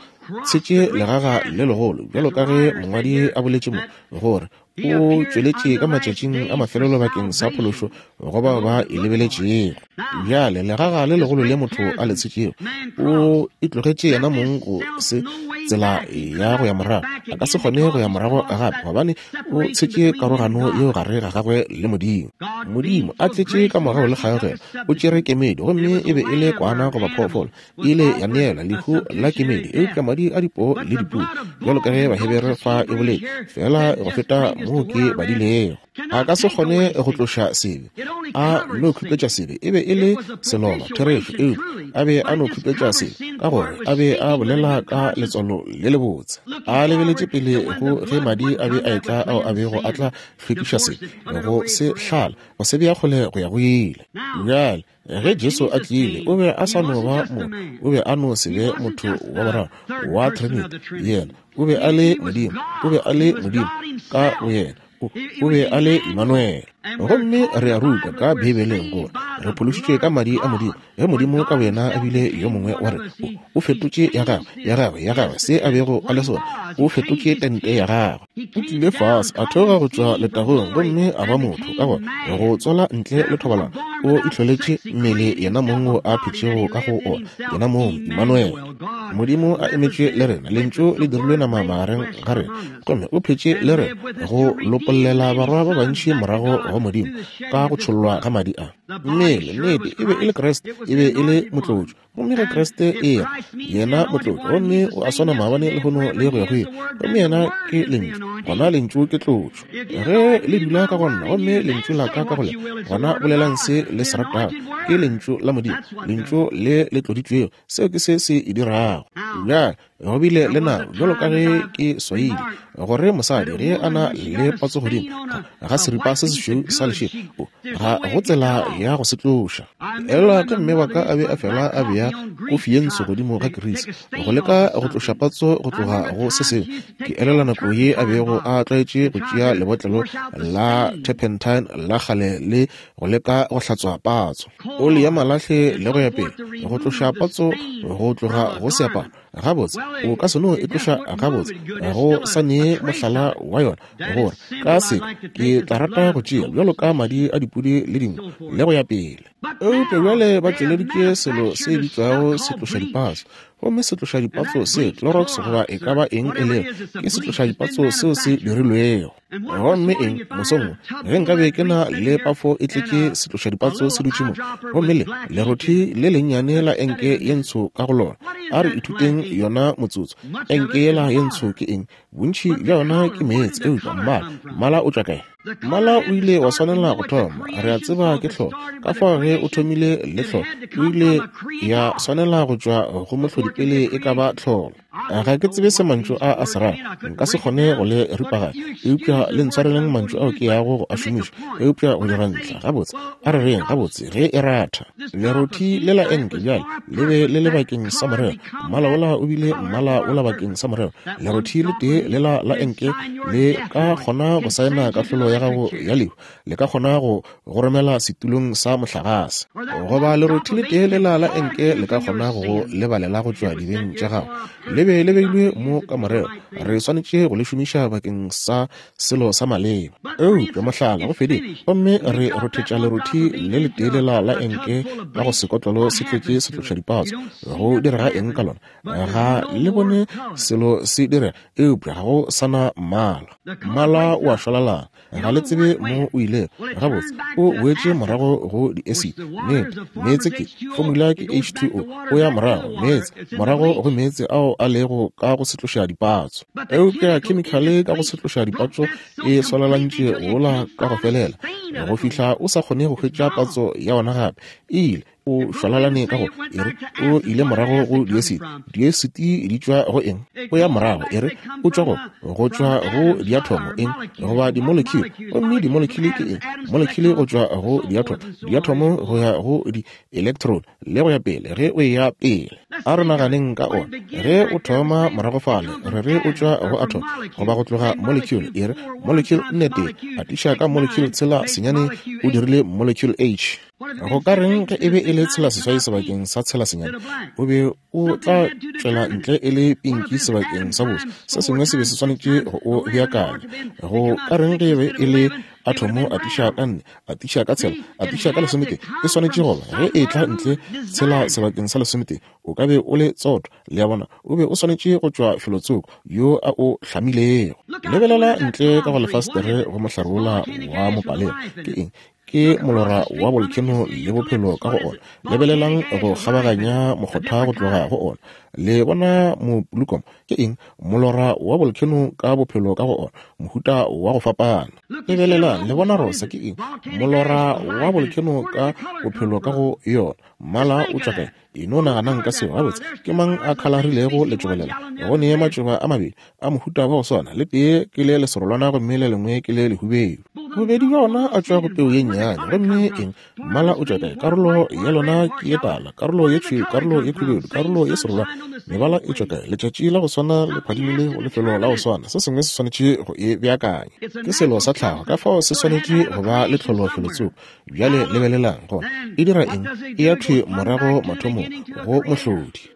tshetše legaga le legolo, bjalo ka ge mongwadi a boletše mo, gore o tšweletše ka matšatšing a mafelelo bakeng sa phološo go bao ba e lebeletšego. Bjale legaga le legolo le motho a le tshetšego, o itlogetše yena mong go se tsela ya go ya morago. A ka se kgone go ya morago gape, gobane o tshetše karogano yeo gare ga gagwe le Modimo. Modimo a tletše ka mogau le kgaogelo, o tšere kemedi, gomme e be e le kwana goba phoofolo, e ile ya neela lehu la kemedi, eupša madi a dipoo le dipudi, bjalo ka ge Bahebere fa e boletše, feela go feta moo ke badilego. A ka se kgone go tloša sebe, a no khupetša sebe. E be e le seloba, therešo, eupša a be a no khupetša sebe, ka gore a be a bolela ka letswalo letswalo le lebotse. A lebeletše pele go ge madi a be a etla ao a bego a tla hlwekiša se, go se hlala, go se bea kgole go ya go ile. Bjale, ge Jesu a tlile, o be a sa no ba motho, o be a no se be motho wa boraro wa Trinity. Yena o be a le Modimo, o be a le Modimo ka boyena. O be a le Emmanuel. Gomme re a rutwa ka Beibeleng gore re phološitšwe ka madi a Modimo, ge Modimo ka boyena a bile yo mongwe wa rena. O, o fetotše ya gagwe, ya gagwe, ya gagwe, se a bego a le sona. O fetotše tente ya gagwe. O tlile fase, a theoga go tšwa letagong, gomme a ba motho, ka gore go tswala ntle le thobalano, o itlholetše mmele yena mong wo a phetšego ka go ona, yena mong, Emmanuel. Modimo a emetše le rena, Lentšu le dirilwe nama magareng ga rena. Gomme o phetše le re go lopollela barwa ba bantši morago go Modimo ka go tšhollwa ga madi a. Mmele, nnete, e be e le Kriste, e be e le motlotšo. Gomme ge Kriste e ya, yena motlotšo, gomme o a swana maabane, lehono, le go ya go ile, gomme yena ke Lentšu, gona Lentšu ke tlotšo. Ge le dula ka go nna, gomme Lentšu la ka ka go lena, gona bolelang se le se ratago. Ke Lentšu la Modimo, Lentšu le le tloditšwego. Seo ke se se e dirago. Bjale, Go bile le nako, bjalo ka ge ke swaile, gore mosadi ge a na le patso godimo ga seripa se sešweu sa lešela, ga go tsela ya go se tloša. Elwa ke mme wa ka a be a fela a bea kofi ye ntsho godimo ga kerisi go leka go tloša patso go tloga go se sengwe. Ke elelwa nako ye a bego a tlwaetše go tšea lebotlelo la turpentine la kgale le go leka go hlatswa patso, oli ya malahle le go ya pele, go tloša patso go tloga go seaparo. Gabotse, o ka se no e tloša gabotse, go sa nee mohlala wa yona, gore ka se ke tla rata go tšea bjalo ka madi a dipudi le dinku le go ya pele. Eupša bjale ba tšweleditše selo se bitšwago setlošadipatso, gomme setlošadipatso se, Clorox goba e ka ba eng e lego, ke setlošadipatso seo se dirilwego. Gomme eng, mosong wo, ge nkabe ke na le pafo e tletše setlošadipatso se dutše mo, gomme le lerothi le lennyane la enke ye ntsho ka go lona. A re ithuteng yona motsotso. Enke yela ye ntsho ke eng? Bontši bja yona ke meetse, eupša mmala, mmala o tšwa kae? Mmala o ile wa swanela go thoma, re a tseba ke tlholo. Ka fao ge o thomile le tlholo, o ile ya swanela go tšwa go mohlodi pele e ka ba tlholo. Ga ke tsebe se mantšu a a se rago, nka se kgone go le ripaganya, eupša le ntshwareleng mantšu ao ke yago go a šomiša, eupša go dira ntlha. Gabotse, a re reng, gabotse, ge e ratha lerothi le la enke bjale le be le le bakeng sa morero, mmala wola o bile mmala wola bakeng sa morero. Lerothi le tee lela la enke le ka kgona go saena kahlolo ya gago ya lehu, le ka kgona go go romela setulong sa mohlagase. Goba lerothi le tee lela la enke le ka kgona go go lebalela go tšwa dibeng tša gago. Le be le beilwe mo ka morero, re swanetše go le šomiša bakeng sa selo sa maleba. Eupša mohlala go fedile, gomme re rothetša lerothi le letee lela la enke ka go sekotlolo se tletše setlošadipatso. Go direga eng ka lona? Ga le bone selo se direga, eupša ga go sa na mmala. Mmala o a šwalalana. Ga le tsebe mo o ilego. Gabotse, o boetše morago go di-acid. Nnete, meetse ke, formula ke H2O, o ya morago, meetse, morago go meetse ao a lego ka go setloša dipatso. Eupša khemikhale ka go setloša dipatso e swalalantše wola ka go felela, go fihla o sa kgone go hwetša patso ya ona gape. E ile, o šwalalane ka go e re o ile morago go diesiti diesiti di tšwa go eng o ya morago e re o tšwa go go tšwa go diathomo eng goba dimolekhile gomme dimolekhile ke eng molekhile go tšwa go diathomo diathomo go ya go di-electron le go ya pele ge o ya pele a re naganeng ka ona ge o thoma morago fale re re o tšwa go atom goba go tloga molecule e re molecule nnete atiša ka molecule tshela senyane o dirile molecule h Go ka reng ge e be e le tshelaseswai sebakeng sa tshelasenyane? O be o tla tšwela ntle e le pinki sebakeng sa boso. Se sengwe se be se swanetše go o beakanya. Go ka reng ge e be e le athomo atiša ka nne, atiša ka tshela, atiša ka lesometee? E swanetše go ba, ge e etla ntle tshela sebakeng sa lesometee, o ka be o le tsoto. Le a bona, o be o swanetše go tšwa felotsoko yo a o hlamilego. Lebelela ntle ka go lefastere go mohlare wola wa mopalema. Ke eng? Ke molora wa bolkheno le bophelo ka go ona. Lebelelang go kgabaganya mokgotha go tloga go ona. Le bona mopulukomo ke eng? Molora wa bolkheno ka bophelo ka go ona, mohuta wa go fapana. Lebelelang, le bona rosa ke eng? Molora wa bolkheno ka bophelo ka go yona. Mmala o tšwa kae? E no naganang ka seo. Gabotse, ke mang a khalarilego letšoba lela? Go ne matšoba a mabedi a mohuta wa go swana, le tee ke le leserolwana gomme le lengwe ke le lehubedu. Bobedi bja ona a tšwa go peu ye nnyane. Gomme eng? Mmala o tšwa kae? Karolo ya lona ke ye tala, karolo ye tšhweu, karolo ye khubedu, karolo ye serolwana. Mebala e tšwa kae? Letšatši la go swana le phadimile go lefelo la go swana. Se sengwe se swanetše go e beakanya. Ke selo sa tlhago, ka fao se swanetše go ba le tlholo felotsoko. Bjale lebelelang gona e dira eng, e ya thwi morago mathomong go mohlodi.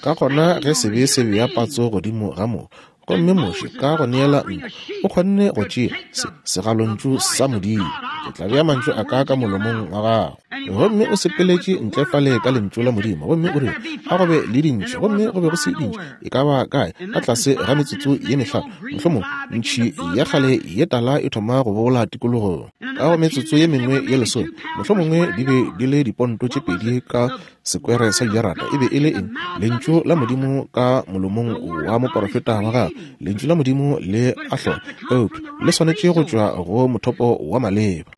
Ka gona ge sebe se bea patso godimo ga mo, gomme Moshe ka go neela nku o kgonne go tšea se segalontšu sa Modimo, ke tla bea mantšu a ka ka molomong wa gago. Gomme o sepeletše ntle fale ka lentšu la Modimo, gomme o rile a go be le dintši, gomme go be go se dintši e ka ba kae ka tlase ga metsotso ye mehlano, mohlomong ntšhi ya kgale ye tala e thoma go bola tikologong. Ka go metsotso ye mengwe ye lesome, mohlomongwe di be di le diponto tše pedi ka sekwere sa dijarata. E be e le eng? Lentšu la Modimo ka molomong wa moporofeta wa gagwe. Lentšu la Modimo le a hlola, eupša le swanetše go tšwa go mothopo wa maleba.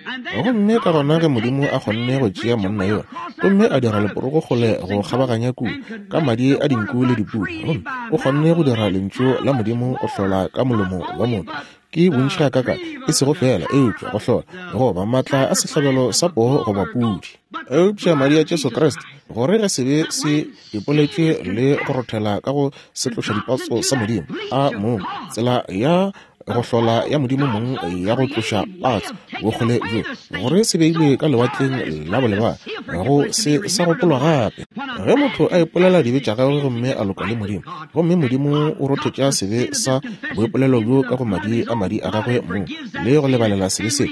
Gomme ka gona ge Modimo a kgonne go tšea monna yola gomme a dira leporogo kgole go kgabaganya kua ka madi a dinku le dipudi, gomme o kgonne go dira lentšu la Modimo go hlola ka molomo wa motho, ke bontši gakakang, e sego feela eupša go hlola goba maatla a sehlabelo sa poo goba pudi, eupša madi a Jesu Kriste, gore ge sebe se ipoletšwe le go rothela ka go setlošadipatso sa Modimo a mong, tsela ya go hlola ya Modimo mong ya go tloša patso bokgole bjo, gore se beilwe ka lewatleng la bolebana, go se sa gopolwa gape. Ge motho a ipolela dibe tša gagwe gomme a loka le Modimo, gomme Modimo o rothetša sebe sa boipolelo bjo ka go madi a madi a gagwe mong, le go lebalela sebe se,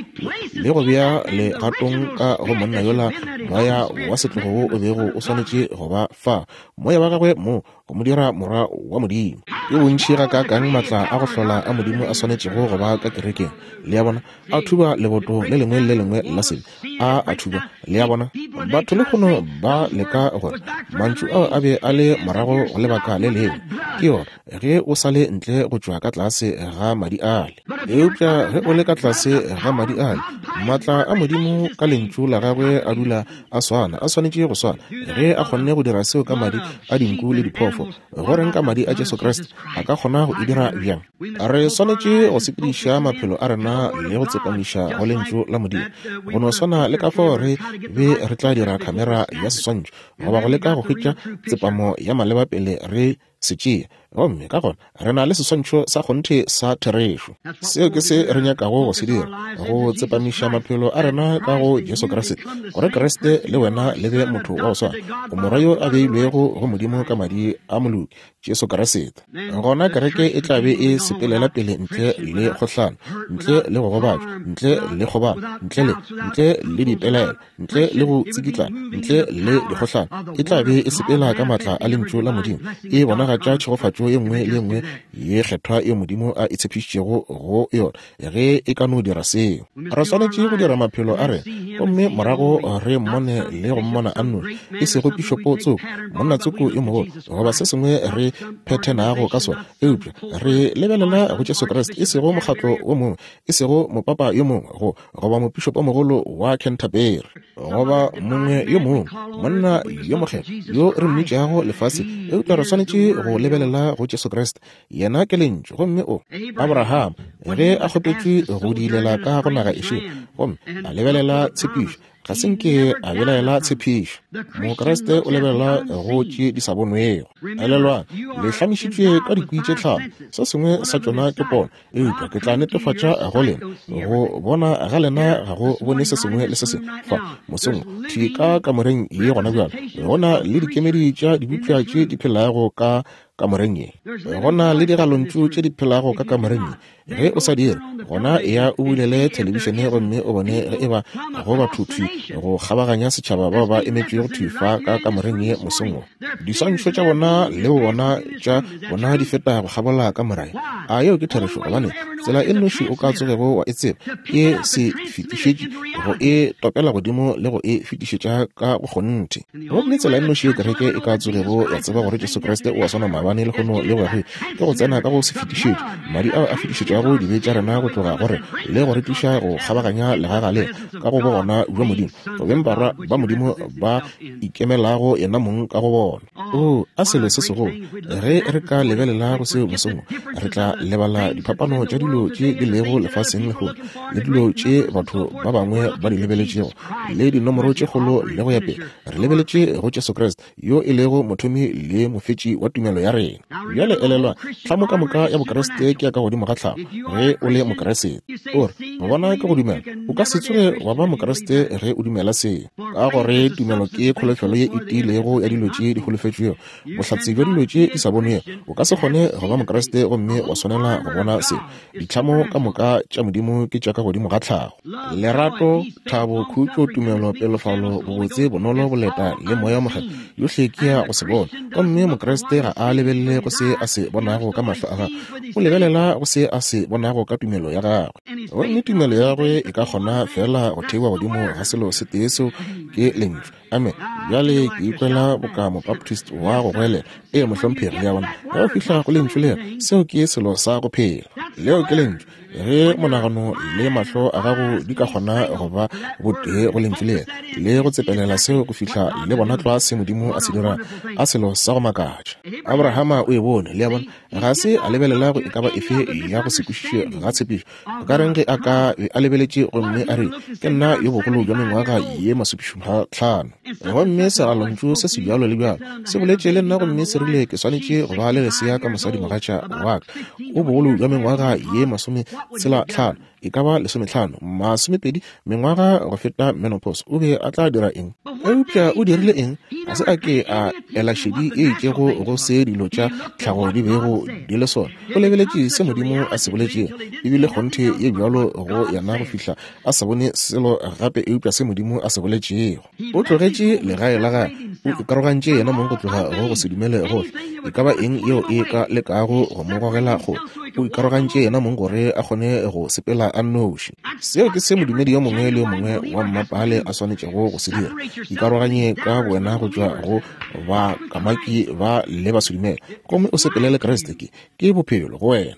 le go bea legatong ka go monna yola moya wa setlogo wo o bego o swanetše go ba fa, moya wa gagwe mong, go mo dira morwa wa Modimo. Ke bontši gakaakang maatla a go hlola a Modimo a swanetšego go ba ka kerekeng, le a bona, a thuba leboto le lengwe le le lengwe la sebe, a a thuba, le a bona. Batho lehono ba leka gore mantšu ao a be a le morago go lebaka le lengwe. Ke yona, ge o sa le ntle go tšwa ka tlase ga madi ale. Eupša ge o le ka tlase ga madi ale, maatla a Modimo ka lentšu la gagwe a dula a swana, a swanetše go swana. Ge a kgonne go dira seo ka madi a dinku le diphoofo, go reng ka madi a Jesu Kriste? A ka kgona go e dira bjang? Re swanetše go sepediša maphelo a rena le go tsepamiša go lentšu la Modimo, go no swana le ka fao re be re tla dira khamera ya seswantšho goba go leka go hwetša tsepamo ya maleba pele re se tšea. Gomme ka gona re na le seswantšho sa kgonthe sa therešo. Seo ke se re nyakago go se dira, go tsepamiša maphelo a rena ka go Jesu Kriste, gore Kriste le wena le be motho wa go swana, o morwa yo a beilwego go Modimo ka madi a moloki, Jesu Kriste. Gona kereke e tla be e sepelela pele ntle le kgohlano, ntle le go gobatšwa, ntle le kgobalo, ntle le, ntle le dipelaelo, ntle le go tsikitla, ntle le dikgohlano, e tla be e sepela ka maatla a Lentšu la Modimo, e bonagatša tšhegofatšo ye nngwe le ye nngwe ye kgethwa yeo Modimo a e tshepišitšego go yona, ge e ka no dira seo. Re swanetše go dira maphelo a rena, gomme morago re mmone le go mmona a nnoši, e sego pišopo tsoko, monna tsoko yo mogolo, goba se sengwe re phethenago ka sona, eupša re lebelela go Jesu Kriste, e sego mokgatlo wo mongwe, e sego mopapa yo mongwe, go goba mopišopomogolo wa Canterbury, goba mongwe yo mongwe, monna yo mokgethwa yo re mmitšago lefase, eupša re swanetše go lebelela go Jesu Kriste. Yena ke Lentšu, gomme o Abraham ge a kgopetšwe go diilela ka go naga e šele, gomme a lebelela tshepišo, ga se nke a belaela tshepišo. Mokriste o lebelela go tše di sa bonwego. Elelwang, le hlamišitšwe ka dikwi tše tlhano, se sengwe sa tšona ke pono, Eupša ke tla netefatša go lena, go bona ga lena ga go bone se sengwe le se sengwe. Fa, mosong wo, thwi ka kamoreng ye gona bjale, go na le dikemedi tša dibopša tše di phelago ka. kamoreng ye. Go na le digalontšu tše di phelago ka kamoreng ye. Ge o sa dire, gona eya o bulele thelebišene gomme o bone ge eba go batho thwi go kgabaganya setšhaba bao ba emetšego thwi fa ka kamoreng ye mosong wo. Diswantšho tša bona le bona tša bona di feta go kgabola kamora ye. A yeo ke therešo? Gobane tsela e nnoši o ka tsogego wa e tseba ke se fetišetši go e topela godimo le go e fetišetša ka go kgonthe. Gomme tsela e nnoši ye kereke e ka tsogego ya tseba gore Jesu Kriste o a swana maabane, lehono le go ya go ile ke go tsena ka go se fetišetše, madi ao a fetišetšago dibe tša rena go tloga go re le go re tliša go kgabaganya legaga le ka go bogona bja Modimo, go beng barwa ba Modimo ba ikemelago yena mong ka go bona. Oo, a selo se segolo! Ge re ka lebelela go seo mosong wo, re tla lebala diphapano tša dilo tše di lego lefaseng lehono, le dilo tše batho ba bangwe ba di lebeletšego, le dinomoro tše kgolo le go ya pele. Re lebeletše go Jesu Kriste, yo e lego mothomi le mofetši wa tumelo ya rena. Bjale elelwa, tlhamo ka moka ya Bokriste ke ya ka godimo ga tlhago. Ge o le Mokriste, o re, Go bona ke go dumela. O ka se tsoge wa ba Mokriste ge o dumela se, ka gore tumelo ke kholofelo ye e tiilego ya dilo tše di holofetšwego, bohlatse bja dilo tše di sa bonwego. O ka se kgone go ba Mokriste gomme wa swanela go bona se. Ditlhamo ka moka tša Modimo ke tša ka godimo ga tlhago. Lerato, thabo, khutšo, tumelo, pelofalo, bobotse, bonolo, boleta le Moya wo Mokgethwa, yohle ke ya go se bona. Gomme Mokriste ga a lebelele go se a se bonago ka mahlo a gagwe, o lebelela go se a se bonago ka tumelo ya gagwe. Gomme tumelo ya gagwe e ka kgona feela go theiwa godimo ga selo se tee, seo ke Lentšu. Amen. Bjale ke ikwela boka Mobaptist wa go goelela. Ee, mohlomphegi, le a bona. Ge o fihla go Lentšu lela, seo ke selo sa go phela. Leo ke Lentšu. Ge monagano le mahlo a gago di ka kgona go ba botee go Lentšu lela, le go tsepelela seo go fihla le bona tlwa se Modimo a se dirago, a selo sa go makatša. Abrahama o e bone, le a bona. Ga se a lebelela go e ka ba efe ya go se kwešiše ga tshepišo. O ka reng ge a ka be a lebeletše gomme a re, Ke nna yo bogolo bja mengwaga ye masomešupa-hlano, gomme segalontšu se se bjalo le bjalo se boletše le nna gomme se rile ke swanetše go ba le lesea ka mosadimogatša wa ka o bogolo bja mengwaga ye masometshela-hlano, e ka ba lesometlhano, masomepedi mengwaga go feta menopause, o be a tla dira eng? Eupša o dirile eng? Ga se a ke a ela šedi e itšego go se dilo tša tlhago di bego di le sona. O lebeletše se Modimo a se boletšego, e bile kgonthe ye bjalo go yena go fihla a sa bone selo gape eupša se Modimo a se boletšego. O tlogetše legae la gagwe, o ikarogantše yena mong go tloga go go se dumele gohle, e ka ba eng yeo e ka lekago go mo gogela kgole. O ikarogantše yena mong gore a kgone go sepela a nnoši. Seo ke se modumedi yo mongwe le yo mongwe wa mmapale a swanetšego go se dira. Ikaroganye ka bowena go tšwa go bakamaki ba le basedumele, gomme o sepele le Kriste. Ke, ke bophelo go wena.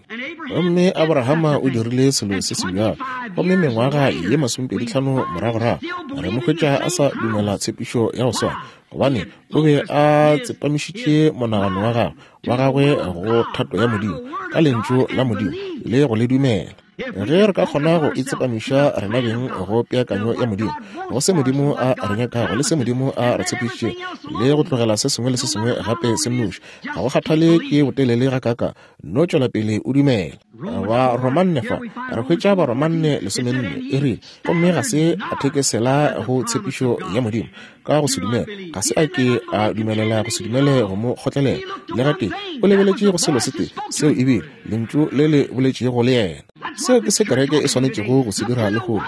Gomme Abrahama o dirile selo se se bjalo. Gomme mengwaga ye masomepeditlhano moragorago, re mo hwetša a sa dumela tshepišo ya go swana, gobane o be a tsepamišitše monagano wa gagwe, wa gagwe go thato ya Modimo, ka Lentšu la Modimo, le go le dumela. Ge re ka kgona go itsepamiša rena beng go peakanyo ya Modimo, go se Modimo a re nyakago le se Modimo a re tshepišitšego, le go tlogela se sengwe le se sengwe gape se nnoši, ga go kgathale ke botelele gakaaka, no tšwela pele o dumela. Baromanne fa, re hwetša Baromanne lesomenne, e rile, gomme ga se a thekesela go tshepišo ya Modimo ka go se dumele, ga se a ke a dumelela go se dumele go mo kgotlelela le gatee. O lebeletše go selo se tee, seo e bile Lentšu le le boletšego le yena. Seo ke se kereke e swanetšego go se dira lehono,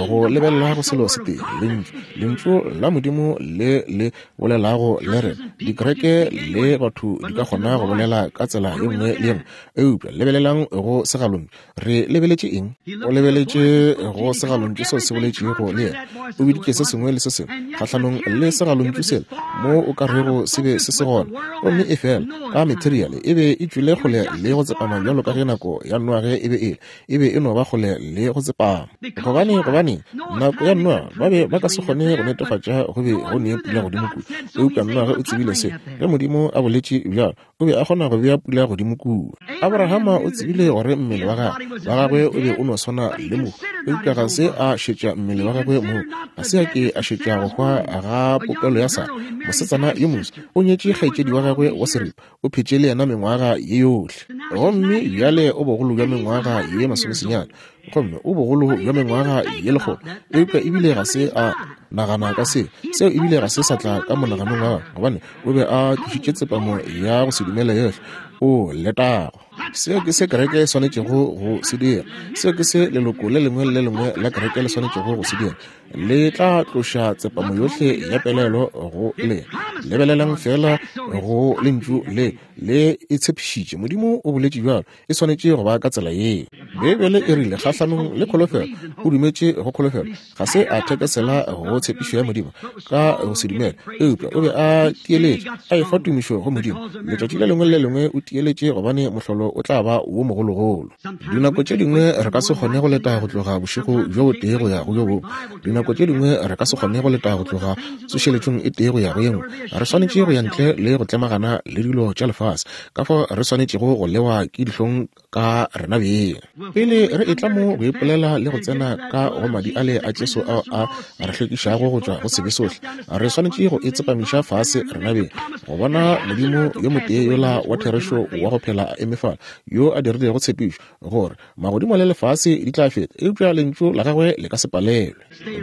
go lebelela go selo se tee, Lentšu, Lentšu la Modimo le le bolelago le rena. Dikereke le batho di ka kgona go bolela ka tsela ye nngwe le ye nngwe, eupša lebelelang go segalontšu. Re lebeletše eng? O lebeletše go segalontšu seo se boletšego le yena. O biditše se sengwe le se sengwe kgahlanong le segalontšu sela mo o ka rego se be se se gona, gomme efela ka materiale e be e tšwile kgole le go tsepama bjalo ka ge nako ya Noage e be e le. E be e no ba kgole le go tsepama. Gobane, gobane nako ya Noage ba be ba ka se kgone go netefatša go be go ne pula godimo kua, eupša Noage o tsebile se ge Modimo a boletše bjalo. O be a kgona go bea pula godimo kua. Abrahama o tsebile gore mmele wa gagwe, wa gagwe o be o no swana le mohu, eupša ga se a šetša mmele wa gagwe moo. Ga se a ke a šetša go hwa ga popelo ya Sara, mosetsana yo moswa. O nyetše kgaetšedi wa gagwe wa seripa, o phetše le yena mengwaga ye yohle. Gomme bjale o bogolo bja mengwaga ye masomesenyane, gomme o bogolo bja mengwaga ye lekgolo, eupša ebile ga se a. Nagana ka seo. Seo ebile ga se sa tla ka monaganong wa gagwe, gobane o be a tlošitše tsepamo ya go se dumele yohle. O letago. Seo ke se kereke e swanetšego go se dira. Seo ke se leloko le lengwe le le lengwe la kereke le swanetšego go se dira. Le tla tloša tsepamo yohle ya pelaelo go lena. Lebelelang feela go Lentšu le, le e tshepišitše. Modimo o boletše bjalo. E swanetše go ba ka tsela yeo. Beibele e rile, kgahlanong le kholofelo, o dumetše go kholofelo. Ga se a thekesela go tshepišo ya Modimo ka go se dumele, eupša o be a tieletše, a efa tumišo go Modimo. Letšatši le lengwe le le lengwe o tieletše, gobane mohlolo o tla ba wo mogologolo. Dinako tše dingwe re ka se kgone go leta go tloga bošego bjo botee go ya go bjo bongwe. Dinako tše dingwe re ka se kgone go leta go tloga tsošeletšong e tee go ya go ye nngwe. Re swanetše go ya ntle le go tlemagana le dilo tša lefase. Ka fao re swanetšego go lewa ke dihlong ka rena beng. Pele re etla mo go ipolela le go tsena ka go madi ale a Jesu ao a re hlwekišago go tšwa go sebe sohle, re swanetše go itsepamiša fase rena beng go bona Modimo yo motee yola wa therešo wa go phela a eme fale, yo a dirilego tshepišo gore magodimo le lefase di tla feta, eupša lentšu la gagwe le ka se palelwe.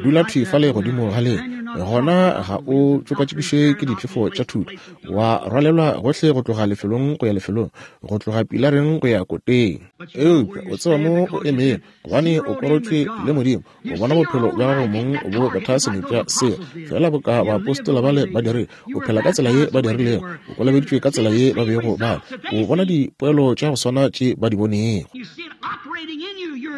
Dula thwi fale godimo ga le, gona ga o tšokatšokišwe ke diphefo tša thuto, wa rwalelwa gohle go tloga lefelong go ya lefelong, go tloga pilareng go ya koteng. Eupša o tseba mo o emego, gobane o korotšwe le Modimo. O bona bophelo bja gago mong bo betha senepša seo, feela boka baapostola bale ba dirile. O phela ka tsela ye ba dirilego, o kolobeditšwe ka tsela ye ba bego ba le. O bona dipoelo tša go swana tše ba di bonego.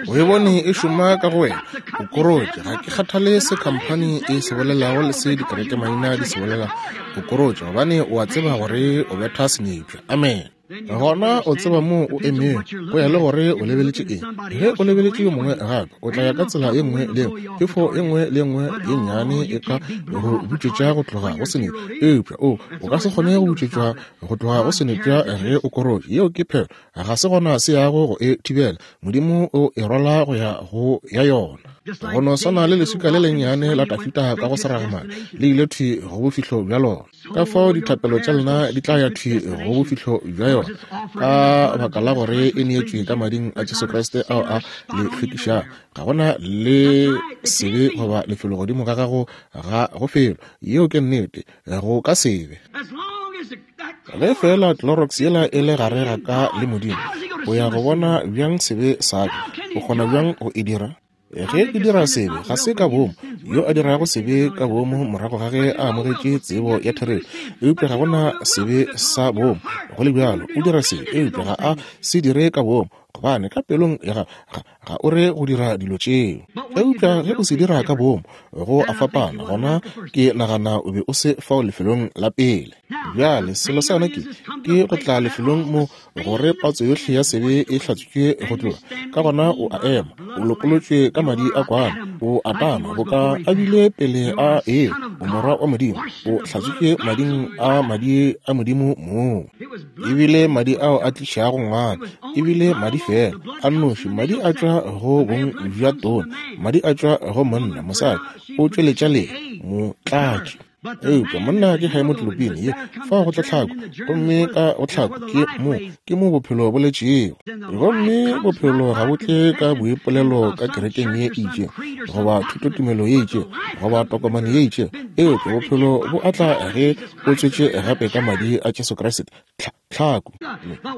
O e bone e šoma ka go wena. O korotše. Ga ke kgathale se khamphani e se bolelago le se dikerekemaina di se bolelago. O korotše gobane o a tseba gore o betha senepša. Amen. Gona o tseba moo o emego, go ya le gore o lebeletše eng. Ge o lebeletše yo mongwe gape, o tla ya ka tsela ye nngwe le ye phefo ye nngwe le ye nngwe ye nnyane e ka go butšwetša go tloga go senepša. Eupša o, o ka se kgone go butšwetšwa go tloga go senepša ge o korotše. Yeo ke phelo. Ga se gona se yago go e thibela. Modimo o e rwala go ya go ya yona. Go no swana le leswika le lennyane la Dafida ka go seragamane, le ile thwi go bofihlo bja lona. Ka fao dithapelo tša lena di tla ya thwi go bofihlo bja yona, ka baka la gore e neetšwe ka mading a Jesu Kriste ao a le hlwekišago. Ga gona le sebe goba lefelo godimo ga gago ga go felo. Yeo ke nnete. Go ka sebe. Ge feela Clorox yela e le gare ga ka le Modimo, o ya go bona bjang sebe sa ka? O kgona bjang go e dira? Ge ke dira sebe, ga se ka boomo. Yo a dirago sebe ka boomo morago ga ge a amogetše tsebo ya therešo, eupša ga go na sebe sa boomo, go le bjalo o dira sebe, eupša ga a se dire ka boomo, gobane ka pelong ya gagwe ga, ga o re go dira dilo tšeo. Eupša ge o se dira ka boomo, go a fapana, gona ke nagana o be o se fao lefelong la pele. Bjale, selo sa yona ke, ke go tla lefelong mo gore patso yohle ya sebe e hlatswitšwe go tloga. Ka gona o a ema, o lopolotšwe ka madi a kwana, o a tama boka a bile pele a ewa, o morwa wa Modimo, o hlatswitšwe mading a madi a Modimo mong. Ebile madi ao a tlišago ngwana, ebile madi feela a nnoši, madi a tšwa go bong bja tona, madi a tšwa go monna, mosadi o tšweletša lee, motlatši. Eupša monna ke haemoglobin ye, fao go tla tlhako, gomme ka go tlhako ke mo, ke mo bophelo bo letšego. Gomme bophelo ga bo tle ka boipolelo ka kerekeng ye e itšego, goba thutotumelo ye itšego, goba tokomane ye itšego, eupša bophelo bo atla ge o tswetše gape ka madi a Jesu Kriste, tlha, tlhako.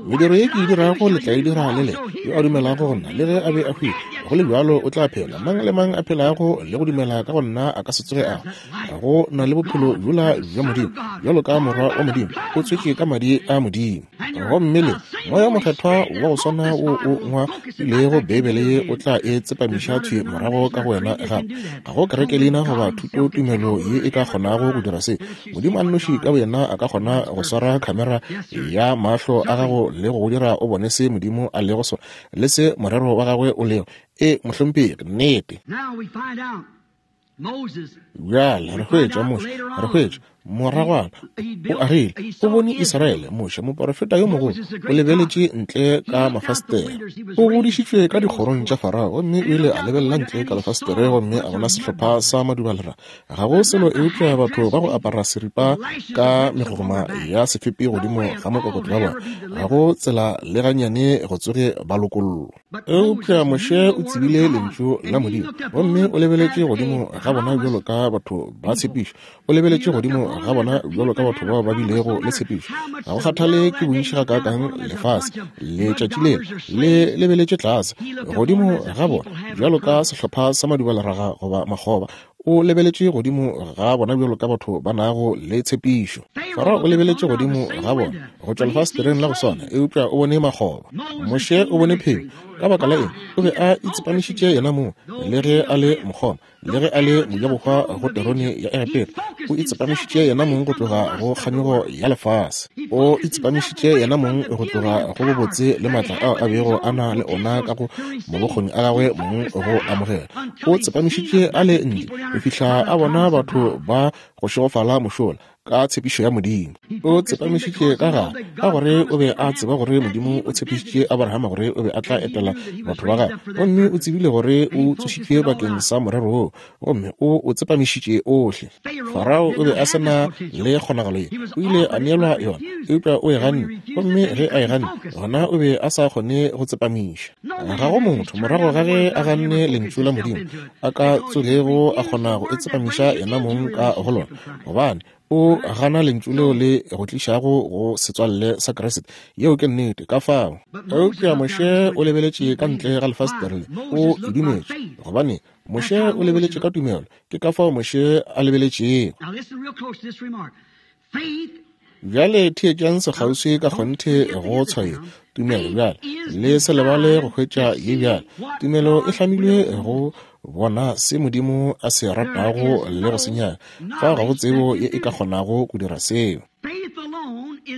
Mediro ye ke e dirago le tla e dira le lena. Yo a dumelago go nna, le ge a be a hwile, go le bjalo o tla phela. Mang le mang a phelago le go dumela ka go nna a ka se tsoge a hwa. Go na le bophelo bjola bja Modimo, bjalo ka morwa wa Modimo, o tswetšwe ka madi a Modimo. Gomme le Moya Mokgethwa wa go swana wo o ngwadilego Beibele ye o tla e tsepamiša thwi morago ka go wena gape. Ga go kerekelina goba thutotumelo ye e ka kgonago go dira se. Modimo a nnoši ka boyena a ka kgona go swara khamera ya mahlo a gago le go go dira o bone se Modimo a lego sona le se morero wa gagwe o lego. E, mohlomphegi, nnete. Bjale re hwetša Moshe, re hwetša moragwana o agile, o bone Israele. Moshe, moporofeta yo mogolo, o lebeletše ntle ka mafastere. O godišitšwe ka dikgorong tša Farao, gomme o ile a lebelela ntle ka lefastere gomme a bona sehlopha sa madubalera. Ga go selo eupša batho ba go apara seripa ka megogoma ya sefepi godimo ga mokokotlo wa bona. Ga go tsela le gannyane go tsoge ba lokollwa. Eupša Moshe o tsebile Lentšu la Modimo, gomme o lebeletše godimo ga bona bjalo ka batho ba tshepišo. O lebeletše godimo ga bona bjalo ka batho bao ba bilego le tshepišo. Ga go kgathale ke bontši gakaakang lefase letšatši le le lebeletše tlase godimo ga bona bjalo ka sehlopha sa madubaleraga goba makgoba. O lebeletše godimo ga bona bjalo ka batho ba nago le tshepišo. Farao o lebeletše godimo ga bona go tšwa lefasetereng la go swana, eupša o bone makgoba. Moshe o bone phenyo. Ka baka la eng? O be a itsepamišitše yena mong, le ge a le mokgoma, le ge a le mojabohwa go terone ya Egepeta. O itsepamišitše yena mong go tloga go kganyogo ya lefase. O itsepamišitše yena mong go tloga go bobotse le maatla ao a bego a na le ona ka go mabokgoni a gagwe mong go amogela. O tsepamišitše a le ntle go fihla a bona batho ba go šegofala mošola ka tshepišo ya Modimo. O tsepamišitše ka gare ka gore o be a tseba gore Modimo o tshepišitše Abrahama gore o be a tla etela batho ba gagwe, gomme o tsebile gore o tsošitšwe bakeng sa morero woo, gomme o o tsepamišitše ohle. Farao o be a se na le kgonagalo ye, o ile a neelwa yona, eupša o e ganne, gomme ge a e ganne, gona o be a sa kgone go tsepamiša. Ga go motho, morago ga ge a ganne Lentšu la Modimo, a ka tsogego a kgona go itsepamiša yena mong ka go lona, gobane o gana Lentšu leo le go tlišago go setswalle sa Kriste. Yeo ke nnete. Ka fao, eupša Moshe o lebeletše ka ntle ga lefastere le, o e dumetše, gobane Moshe o lebeletše ka tumelo. Ke ka fao Moshe a lebeletšego. Bjale theetšang sekgauswi ka kgonthe go tshwayo tumelo bjale. Le se lebale go hwetša ye bjale. Tumelo e hlamilwe go bona se Modimo a se ratago le go se nyaka. Fao ga go tsebo ye e ka kgonago go dira seo.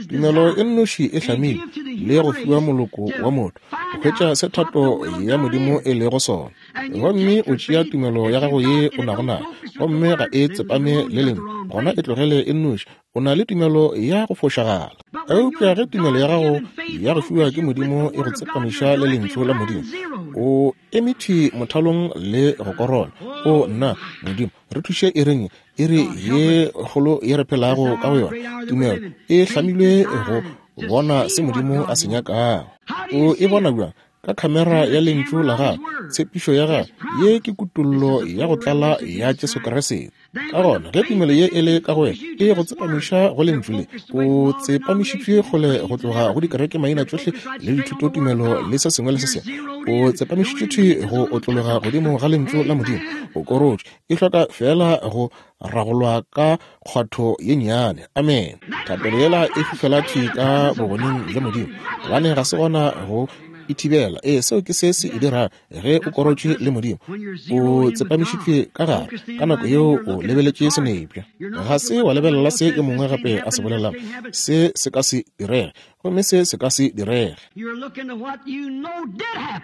Tumelo e nnoši e hlamilwe le go fiwa moloko wa motho go hwetša se thato ya Modimo e lego sona. Gomme o tšea tumelo ya gago ye o nago nayo, gomme ga e tsepame le lengwe, gona e tlogele e nnoši. O na le tumelo ya go fošagala. Eupša ge tumelo ya gago ya go fiwa ke Modimo e go tsepamiša le Lentšu la Modimo, o eme thwi mothalong le go korola. O nna, Modimo, re thuše iring iri ye kgolo ye re phelago ka go yona. Tumelo e hlamilwe go bona se Modimo a se nyakago. O e bona bjang? Ka khamera ya Lentšu la Gagwe, tshepišo ya Gagwe. Ye ke kutollo ya go tlala ya Jesu Kriste. Ka gona, ge tumelo ye e le ka go wena, e go tsepamiša go Lentšu le. O tsepamišitšwe kgole go tloga go dikereke maina tšohle le dithutotumelo le se sengwe le se sengwe. O tsepamišitšwe thwi go otlologa godimo ga Lentšu la Modimo. O korotšwe. E hloka feela go ragolwa ka kgwatho ye nnyane. Amene. Thapelo yela e fihlela thwi ka bogoneng bja Modimo, gobane ga se gona go e thibela. Ee, seo ke se se e dirago ge o korotšwe le Modimo, o tsepamišitšwe ka gare. Ka nako yeo o lebeletše senepša, ga se wa lebelela se yo mongwe gape a se bolelago. Se se ka se direge, gomme se se ka se direge.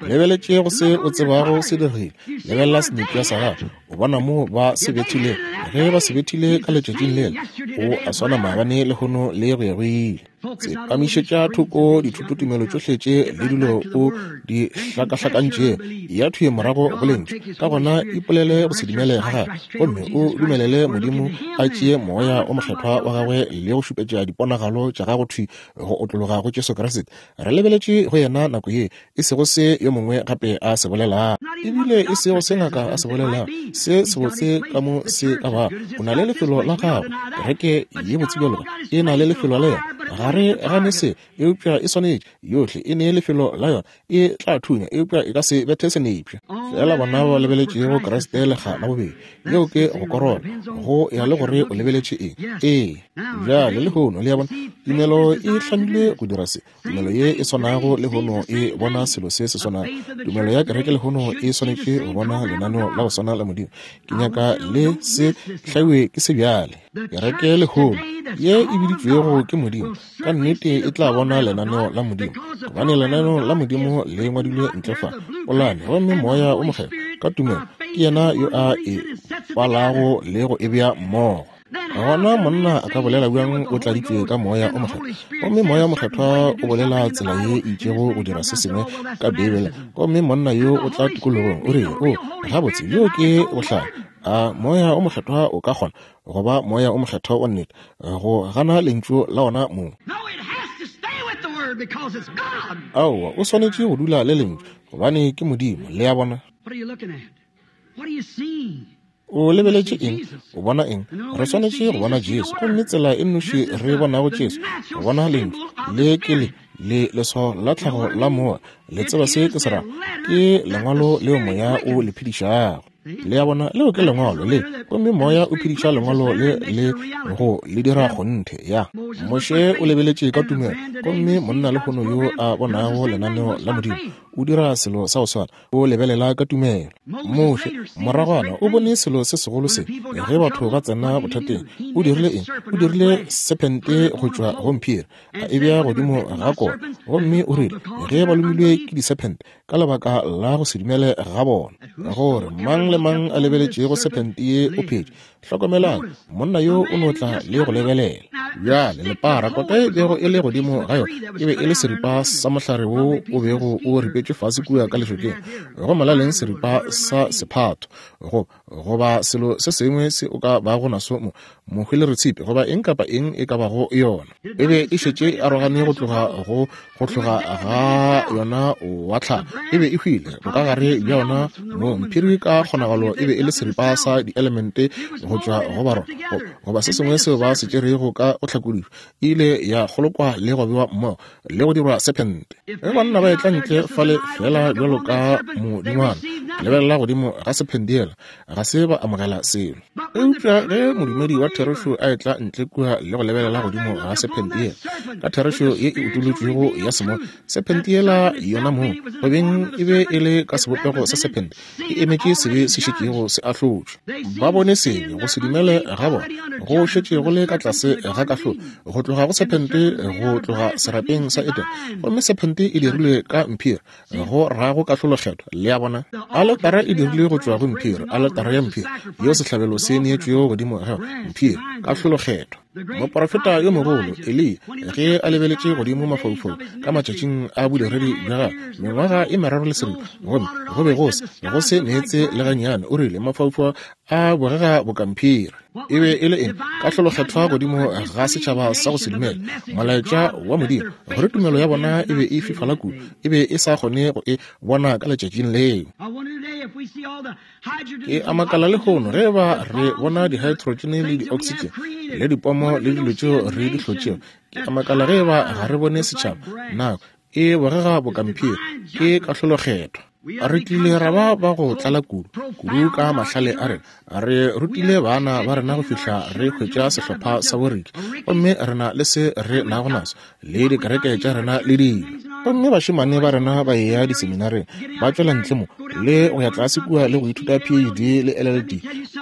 Lebeletše go se o tsebago se diregile. Lebelela senepša sa gago, o bona moo ba se bethilego. Ge ba se bethile ka letšatšing lela, o a swana maabane, lehono le go ya go ile. Tsepamišetša thoko dithutotumelo tšohle tše le dilo o di hlakahlakantšego, ya thwi morago go Lentšu. Ka gona ipolele go se dumele ga gago, gomme o dumelele Modimo a tšee Moya wo Mokgethwa wa Gagwe le go šupetša diponagalo tša gago thwi go otlologa go Jesu Kriste. Re lebeletše go Yena nako ye, e sego se yo mongwe gape a se bolelago, ebile e sego se ngaka a se bolelago, se sebotse ka mo se ka bago. O na le lefelo la gago. Kereke ye botse bjalo ka e na le lefelo la yona. Ga re gane se, eupša e swanetše yohle e ne lefelo la yona. E tla thunya, eupša e ka se bethe senepša. Fela bona ba lebeletšego Kriste lekga la bobedi, yeo ke go korola, go ya le gore o lebeletše eng. Ee, bjale lehono, le a bona, tumelo e hlamilwe go dira se. Tumelo ye e swanago lehono e bona selo se se swanago. Tumelo ya kereke lehono e swanetše go bona lenaneo la go swana la Modimo. Ke nyaka le se hlaiwe ke se bjale. Kereke lehono ye e biditšwego ke Modimo ka nnete e tla bona lenaneo la Modimo, gobane lenaneo la Modimo le ngwadilwe ntle fa polane, gomme Moya wo Mokgethwa ka tumelo ke yena yo a e palago le go e bea mmogo. Gona monna a ka bolela bjang o tladitšwe ka Moya o Mokgethwa, gomme Moya o Mokgethwa o bolela tsela ye e itšego go dira se sengwe ka Beibele, gomme monna yo o tla tikologong o re, O, gabotse, bjo ke bohlale. A Moya o Mokgethwa o ka kgona go ba Moya o Mokgethwa wa nnete go gana Lentšu la ona mong? Aowa, o swanetše go dula le Lentšu, gobane ke Modimo. Le a bona? O lebeletše eng? O bona eng? Re swanetše go bona Jesu. Gomme tsela e nnoši re bonago Jesu, go bona Lentšu. Le ke le, le leswao la tlhago la Moya. Le tseba se ke se rago? Ke Lengwalo leo Moya o le phedišago. Le a bona, leo ke Lengwalo le, gomme Moya o phediša Lengwalo le le go le dira kgonthe. Ya. Moshe o lebeletše ka tumelo, gomme monna lehono yo a bonago lenaneo la Modimo, o dira selo sa go swana, o lebelela ka tumelo. Moshe, moragwana, o bone selo se segolo se, ge batho ba tsena bothateng. O dirile eng? O dirile sephente go tšwa go mphiri, a e bea godimo ga kota, gomme o rile, ge ba lomilwe ke disephente, ka lebaka la go se dumele ga bona, gore mang le mang a lebeletšego sephente ye o phetše. Hlokomelang, monna yo o no tla le go lebelela. Bjale, lepara, kota e bego e le godimo ga yona, e be e le seripa sa mohlare wo o bego o ripetšwe fase kua ka lešokeng, go molaleng seripa sa sephatho, go, goba selo se sengwe se o ka bago naso mo, mohwelere-tshipi, goba eng kapa eng e ka bago yona. E be e šetše e arogane go tloga go go tloga ga yona wa tlhago. E be e hwile bokagare bja yona mo mphiri ka kgonagalo e be e le seripa sa dielemente go tšwa go barona, goba se sengwe seo ba se tšerego ka go hlakodišwa. E ile ya kgolokwa le go bewa mmogo le go dirwa sephente. Ge banna ba etla ntle fale feela bjalo ka modingwana, lebelela godimo ga sephente yela, ga se ba amogela selo. Eupša ge modumedi wa therešo a etla ntle kua le go lebelela godimo ga sephente yela, ka therešo ye e utolotšwego ya semoya, sephente yela yona mong, go beng e be e le ka sebopego sa sephente, e emetše sebe se šetšego se ahlotšwe. Ba bone sebe, go se dumele ga bona go šetše go le ka tlase ga kahlolo, go tloga go sephente, go tloga serapeng sa Edene. Gomme sephente e dirilwe ka mphiri, go rago kahlolokgethwa. Le a bona? Aletara e dirilwe go tšwa go mphiri, aletara ya mphiri, yeo sehlabelo se neetšwego godimo ga yona, mphiri, kahlolokgethwa. Moprofeta yo mogolo, Eliya, ge a lebeletše godimo mafaufaung ka matšatšing a bodiredi bja gagwe, mengwaga e meraro le seripa, gomme go be go se, go se meetse le gannyane, o rile, Mafaufau a bogega boka mphiri. E be e le eng? Kahlolokgethwa godimo ga setšhaba sa go se dumele molaetša wa Modimo, gore tumelo ya bona e be e fifala kudu, e be e sa kgone go e bona ka letšatšing leo. Ke a makala lehono ge eba re bona dihaetrotšene le dioksitšene le dipomo le dilo tšeo re di hlotšego. Ke a makala ge eba ga re bone setšhaba nako e bogega bokamphiri. Ke kahlolokgethwa. Re tlile ra ba ba go tlala kudu, kudu ka mahlale a rena. Re rutile bana ba rena go fihla re hwetša sehlopha sa boriki, gomme re na le se re nago naso, le dikereke tša rena le dilo. Gomme bašemane ba rena ba eya diseminareng, ba tšwela ntle mo, le go ya tlase kua le go ithuta PhD le LLD.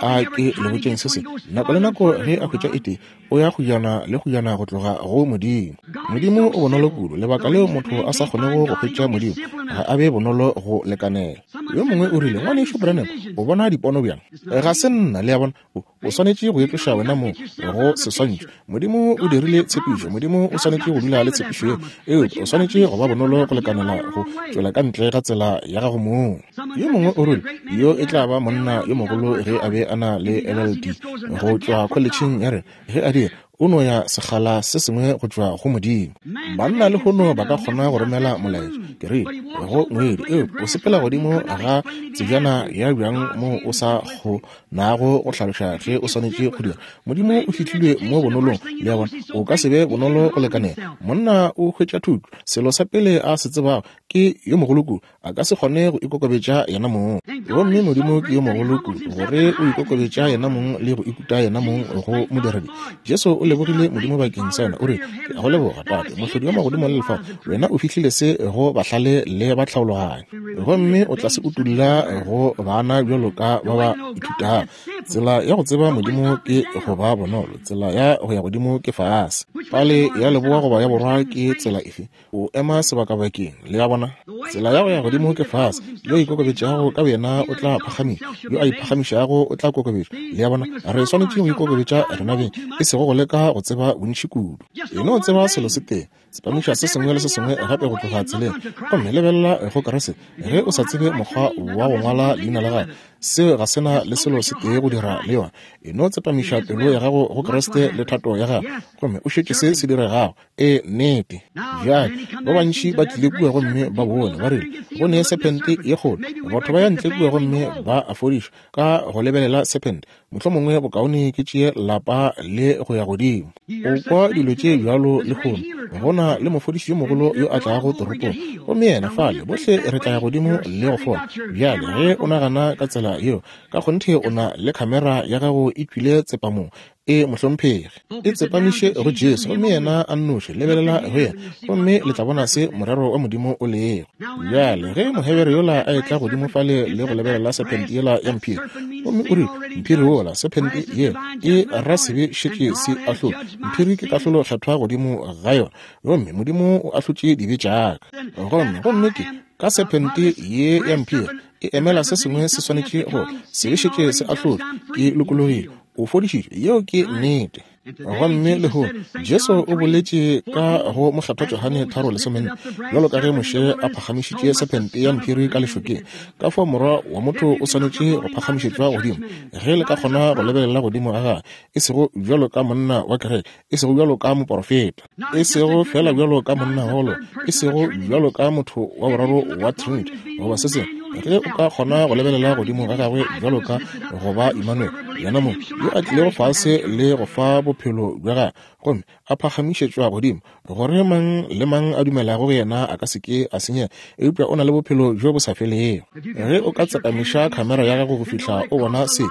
A ke le botšeng se sengwe, nako le nako ge a hwetša e tee, o ya kgojana le kgojana go tloga go Modimo. Modimo o bonolo kudu, lebaka leo motho a sa kgonego go hwetša Modimo, ga a be bonolo go lekanela. Yo mongwe o rile, Ngwanešu Branham, o bona dipono bjang? Ga se nna, le a bona. O, o swanetše go itloša wena mong go seswantšho. Modimo o dirile tshepišo, Modimo o swanetše go dula le tshepišo yeo, eupša o swanetše go ba bonolo go lekanela go tšwela ka ntle ga tsela ya gago mong. Yo mongwe o rile, Yo e tla ba monna yo mogolo ge a be a na le LLD go tšwa kholetšheng ya rena. Ge a dira, o no ya sekgala se sengwe go tšwa go Modimo. Banna lehono ba ka kgona go romela molaetša, ke rile, go ngwedi, eupša o sepela godimo ga tsejana ya bjang moo o sa kgonago go hlaloša ge o swanetše go dira. Modimo o fihlilwe mo bonolong, le a bona, o ka se be bonolo go lekanela. Monna o hwetša thuto, selo sa pele a se tsebago ke yo mogolo kudu, a ka se kgone go ikokobetša yena mong. Gomme Modimo ke yo mogolo kudu gore o ikokobetša yena mong le go ikuta yena mong go modiredi. Jesu o lebogile Modimo bakeng sa yona, o rile, Ke a go leboga, Tate, Mohlodi wa magodimo le lefase, wena o fihlile se go bahlale le batlhaologanyi, gomme o tla se utolla go bana bjalo ka ba ba ithutago. Tsela ya go tseba Modimo ke go ba bonolo, tsela ya go ya godimo ke fase. Pale ya leboa goba ya borwa ke tsela efe? O ema sebakabakeng, le a bona. Tsela ya go ya godimo ke fase. Yo a ikokobetšago ka boyena o tla phagamišwa, yo a iphagamišago o tla kokobetšwa. Le a bona? Re swanetše go ikokobetša rena beng, e sego go leka go tseba bontši kudu. E no tseba selo se tee, tsepamiša se sengwe le se sengwe gape go tloga tseleng, gomme lebelela go Kriste. Ge o sa tsebe mokgwa wa go ngwala leina la gagwe, seo ga se na le selo se tee go dira. dira le yona. E no tsepamiša pelo ya gago go Kriste le thato ya Gagwe, gomme o šetše se se diregago. E, nnete. Bjale, ba bantši ba tlile kua gomme ba bone, ba rile, Go ne sephente ye kgolo. Batho ba ya ntle kua gomme ba a fodišwa ka go lebelela sephente. Mohlomongwe bokaone ke tšee lapa le go ya godimo. O kwa dilo tše bjalo lehono. Go na le mofodiši yo mogolo yo a tlago toropong, gomme yena fale, bohle re tla ya godimo le go fola. Bjale, ge o nagana ka tsela yeo, ka kgonthe o na le khamera ya gago e tšwile tsepamong. E, mohlomphegi. E tsepamiše go Jesu, gomme yena a nnoši. Lebelela go yena, gomme le tla bona se morero wa Modimo o lego. Bjale, ge Mohebere yola a etla godimo fale le go lebelela sephente yela ya mphiri, gomme o rile, Mphiri wola, sephente yela, e ra sebe šetše se ahlotšwe. Mphiri ke kahlolo kgethwa godimo ga yona, gomme Modimo o ahlotše dibe tša ka. Gomme, gomme ke, ka sephente ye ya mphiri, e emela se sengwe se swanetše go, sebe šetše se ahlotšwe, ke lokologile. O fodišitšwe, yeo ke nnete. Gomme lehono, Jesu o boletše ka go Mokgethwa Johane 3:14, Bjalo ka ge Moshe a phagamišitše sephente ya mphiri ka lešokeng, ka fao Morwa wa motho o swanetše go phagamišetšwa godimo, ge le ka kgona go lebelela godimo ga gagwe, e sego bjalo ka monna wa kereke, e sego bjalo ka moporofeta, e sego feela bjalo ka monna wa go loka, e sego bjalo ka motho wa boraro wa Trinity, goba se sengwe. Ge o ka kgona go lebelela godimo ga gagwe bjalo ka go ba Emmanuel, yena mong yo a tlilego fase le go fa bophelo bja gagwe, gomme a phagamišetšwa godimo, gore mang le mang a dumelago go yena a ka se ke a senyega, eupša o na le bophelo bjo bo sa felego. Ge o ka tsepamiša khamera ya gago go fihla o bona se,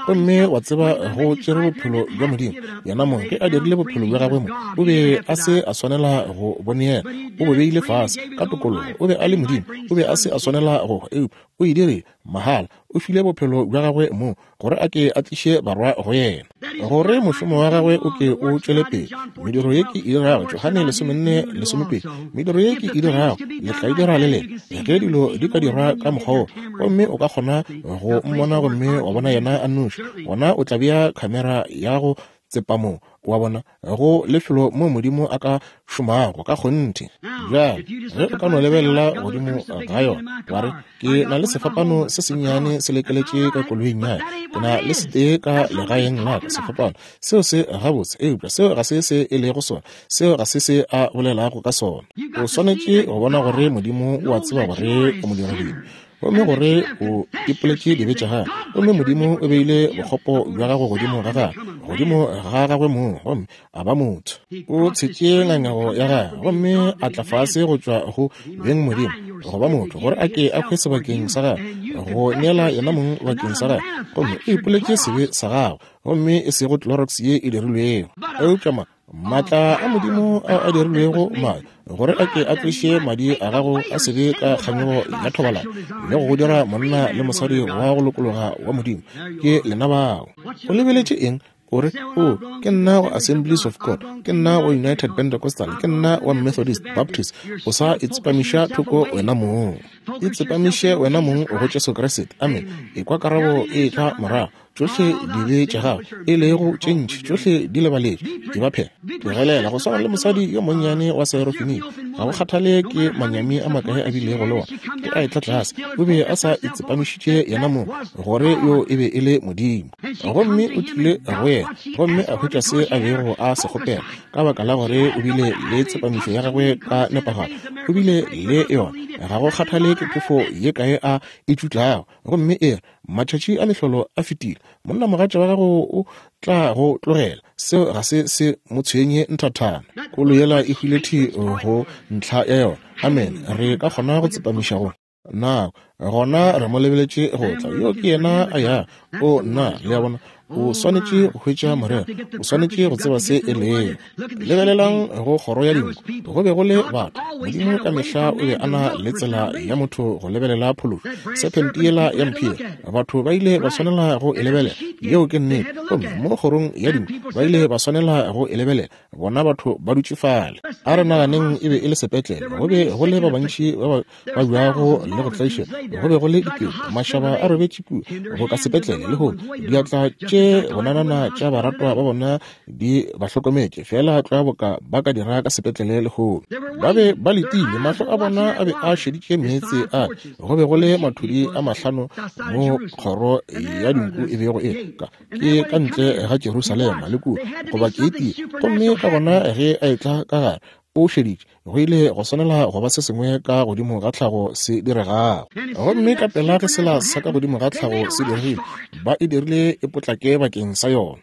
gomme wa tseba go tšere bophelo bja Modimo, yena mong ge a dirile bophelo bja gagwe mo, o be a se a swanela go bo neela, o bo beile fase ka tokologo. O be a le Modimo, o be a se a swanela go hwa, eupša o e dirile mahala. O file bophelo bja gagwe mo gore a ke a tliše barwa go yena, gore mošomo wa gagwe o ke o tšwele pele. Mediro ye ke e dirago, Johane 14:12, mediro ye ke e dirago le tla e dira le lena, ge dilo di ka dirwa ka mokgwa wo, gomme o ka kgona go mmona gomme wa bona yena a nnoši, gona o tla bea khamera ya go tsepamong, wa bona, go lefelo moo Modimo a ka šomago ka kgonthe. Bjale, ge o ka no lebelela godimo ga yona, wa re, Ke na le sefapano se sennyane se lekeletše ka koloing ya ka. Ke na le setee ka legaeng la ka, sefapano. Seo se gabotse, eupša seo ga se se e lego sona. Seo ga se se a bolelago ka sona. O swanetše go bona gore Modimo o a tseba gore o modiradibe, gomme gore o ipoletše dibe tša gago, gomme Modimo o beile bokgopo bja gago godimo ga gagwe, godimo ga gagwe mong, gomme a ba motho. O tshetše ngangego ya gagwe gomme a tla fase go tšwa go beng Modimo, go ba motho, gore a ke a hwe sebakeng sa gagwe, go neela yena mong bakeng sa gagwe, gomme o ipoletše sebe sa gagwe, gomme e sego Clorox ye e dirilwego, eupša ma Maatla a Modimo ao a dirilwego madi, gore a ke a tloše madi a gago a sebe ka kganyogo ya thobalano le go go dira monna le mosadi wa go lokologa wa Modimo. Ke lena bao. O lebeletše eng? O re, O, ke nna wa Assemblies of God, ke nna wa United Pentecostal, ke nna wa Methodist, Baptist. O sa itsepamiša thoko wena mong. Itsepamiše wena mong go Jesu Kriste. Amen. Ekwa karabo e etla morago. Tšohle dibe tša gago, e lego tše ntši, tšohle di lebaletšwe. Ke ba phela. Tlogelela go swana le mosadi yo monnyane wa Seerofenike. Ga go kgathale ke manyami a makae a bilego le ona, ge a etla tlase, o be a sa itsepamišitše yena mong gore yo e be e le Modimo. Gomme o tlile go yena gomme a hwetša se a bego a se kgopela, ka baka la gore o bile le tsepamišo ya gagwe ka nepagalo. O bile le yona. Ga go kgathale ke phefo ye kae a e tšutlago, gomme e re, Matšatši a mehlolo a fetile. Monnamogatša wa gago o tla go tlogela. Seo ga se se mo tshwenye nthathana. Kolo yela e hwile thi go ntlha ya yona. Amen. Re ka kgona go tsepamiša go nako. Gona re mo lebeletše go tla. Yo ke yena a ya. O nna, le a bona. O swanetše go hwetša morero. O swanetše go tseba se e lego. Lebelelang go kgoro ya dinku. Go be go le batho. Modimo ka mehla o be a na le tsela ya motho go lebelela phološo. Sephente yela ya mphiri, batho ba ile ba swanela go e lebelela. Yeo ke nnete. Gomme mo kgorong ya dinku, ba ile ba swanela go e lebelela, bona batho ba dutše fale. A re naganeng e be e le sepetlele, go be go le ba bantši ba ba babjago le go tlaišega, go be go le dikete, mašaba a robetše kua go ka sepetlele lehono, diatla tše bonanana tša baratwa ba bona di ba hlokometše, feela tlwa boka ba ka dira ka sepetlele lehono. Ba be ba letile, mahlo a bona a be a šeditše meetse a. Go be go le mathudi a mahlano mo kgoro ya dinku e bego e ka ke ka ntle ga Jerusalema le kua, goba keiti. Gomme ka gona ge a etla ka gare, o šeditše, go ile go swanela go ba se sengwe ka godimo ga tlhago se diregago. Gomme ka pela ge sela sa ka godimo ga tlhago se diregile, ba e dirile e potlake bakeng sa yona.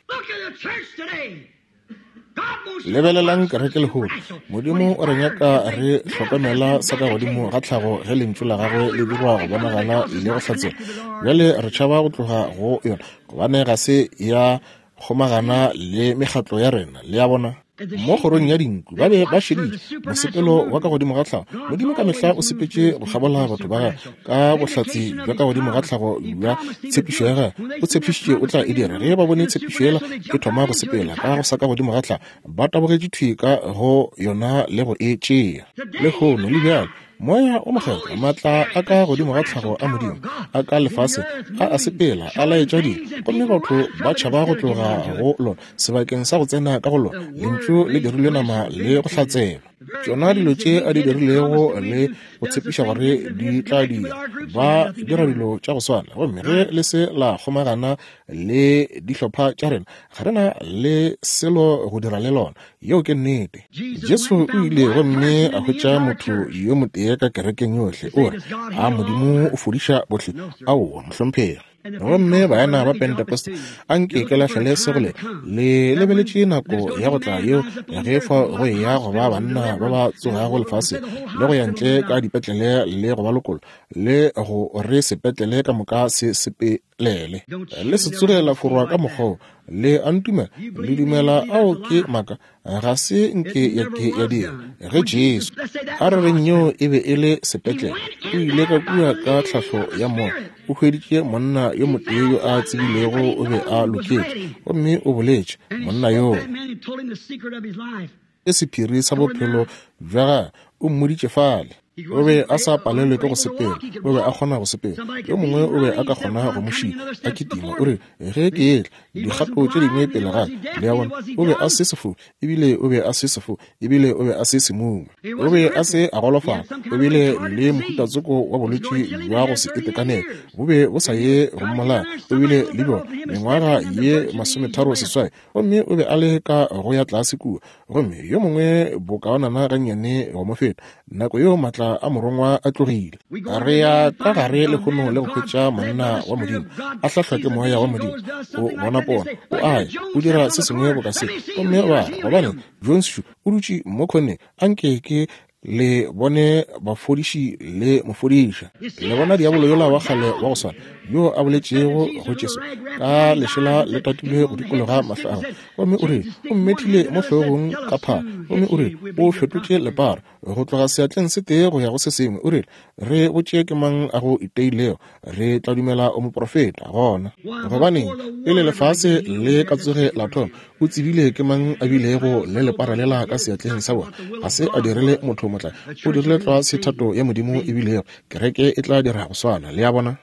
Lebelelang kereke lehono. Modimo o re nyaka re hlokomela sa ka godimo ga tlhago ge lentšu la gagwe le dirwa go bonagala le go hlatsela. Bjale re tšhaba go tloga go yona gobane ga se ya kgomagana le mekgatlo ya rena. Le a bona? Mo kgorong ya dinku ba be ba šeditše mosepelo wa ka godimo ga tlhago. Modimo ka mehla o sepetše go kgabola batho ba gagwe ka bohlatse bja ka godimo ga tlhago bja tshepišo ya gagwe. O tshepišitše o tla e dira. Ge ba bone tshepišo yela e thoma go sepela ka go sa ka godimo ga tlhago, ba tabogetše thwi ka go yona le go e tšea. Lehono le bjalo, Moya o Mokgethwa, maatla a ka godimo ga tlhago a Modimo, a ka lefase, a a sepela, a laetša dilo, gomme batho ba tšhaba go tloga go lona, sebakeng sa go tsena ka go lona. Lentšu le dirilwe nama le go hlatselwa. Tšona dilo tše a di dirilego le go tshepiša gore di tla dira, ba dira dilo tša go swana. Gomme ge le se la kgomagana le dihlopha tša rena, ga re na le selo go dira le lona. Yeo ke nnete. Jesu o ile gomme a hwetša motho yo motee ka kerekeng yohle, o re, A Modimo o fodiša bohle? Aowa, mohlomphegi. Gomme baena ba Pentecost, a nke ke lahlele se go le, le lebeletše nako ya go tla yeo ge fa go eya go ba banna ba ba tsogago lefase le go ya ntle ka dipetlele le go ba lokolla le go re sepetlele ka moka se sepe lele le se tsoge la forwa ka mokgwa le a ntumela le dumela ao ke maaka ga se nke ya ke ya dira ge Jesu a re reng yeo e be e le sepetlele o ile ka kua ka tlhahlo ya moya o hweditše monna yo motee yo a tsebilego o be a loketše gomme o boletše monna yoo ke sephiri sa bophelo bja gagwe o mmoditše fale o be a sa palelwe ke go sepela o be a kgona go sepela yo mongwe o be a ka kgona go mo šia a kitima o re ge ke etla dikgato tše dingwe pele ga le a bona o be a se sefofu ebile o be a se sefofu ebile o be a se semumu o be a se a golofala o bile le mohutatsoko wa bolwetši bja go se itekanele bo be bo sa ye go mmolaya o bile le bjona mengwaga ye 38 Gomme o be a le ka go ya tlase kua, gomme yo mongwe bokaonana gannyane go mo feta. Nako yeo maatla a morongwa a tlogile. Re ya ka gare lehono le go hwetša monna wa Modimo, a hlahlwa ke Moya wa Modimo. O bona pono, o a ya, o dira se sengwe boka se. Gomme ba re, Gobane, Jones šo o dutše mo khoneng, a nke ke le bone bafodiši le mofodiša. Le bona diabolo yola wa kgale wa go swana yo a boletšego go Jesu ka lešela le tatilwe go dikologa mahlo a gagwe, gomme o rile o mmethile mo hlogong ka phaa, gomme o rile o fetotše lepara go tloga seatleng se tee go ya go se sengwe, o rile re botše ke mang a go iteilego, re tla dumela o moprofeta. Gona gobaneng pele lefase le ka tsoge la thoma o tsebile ke mang a bilego le lepara lela ka seatleng sa bona? Ga se a dirile motho motlae, o dirile tlwa se thato ya Modimo e bilego. Kereke e tla dira go swana, le a bona,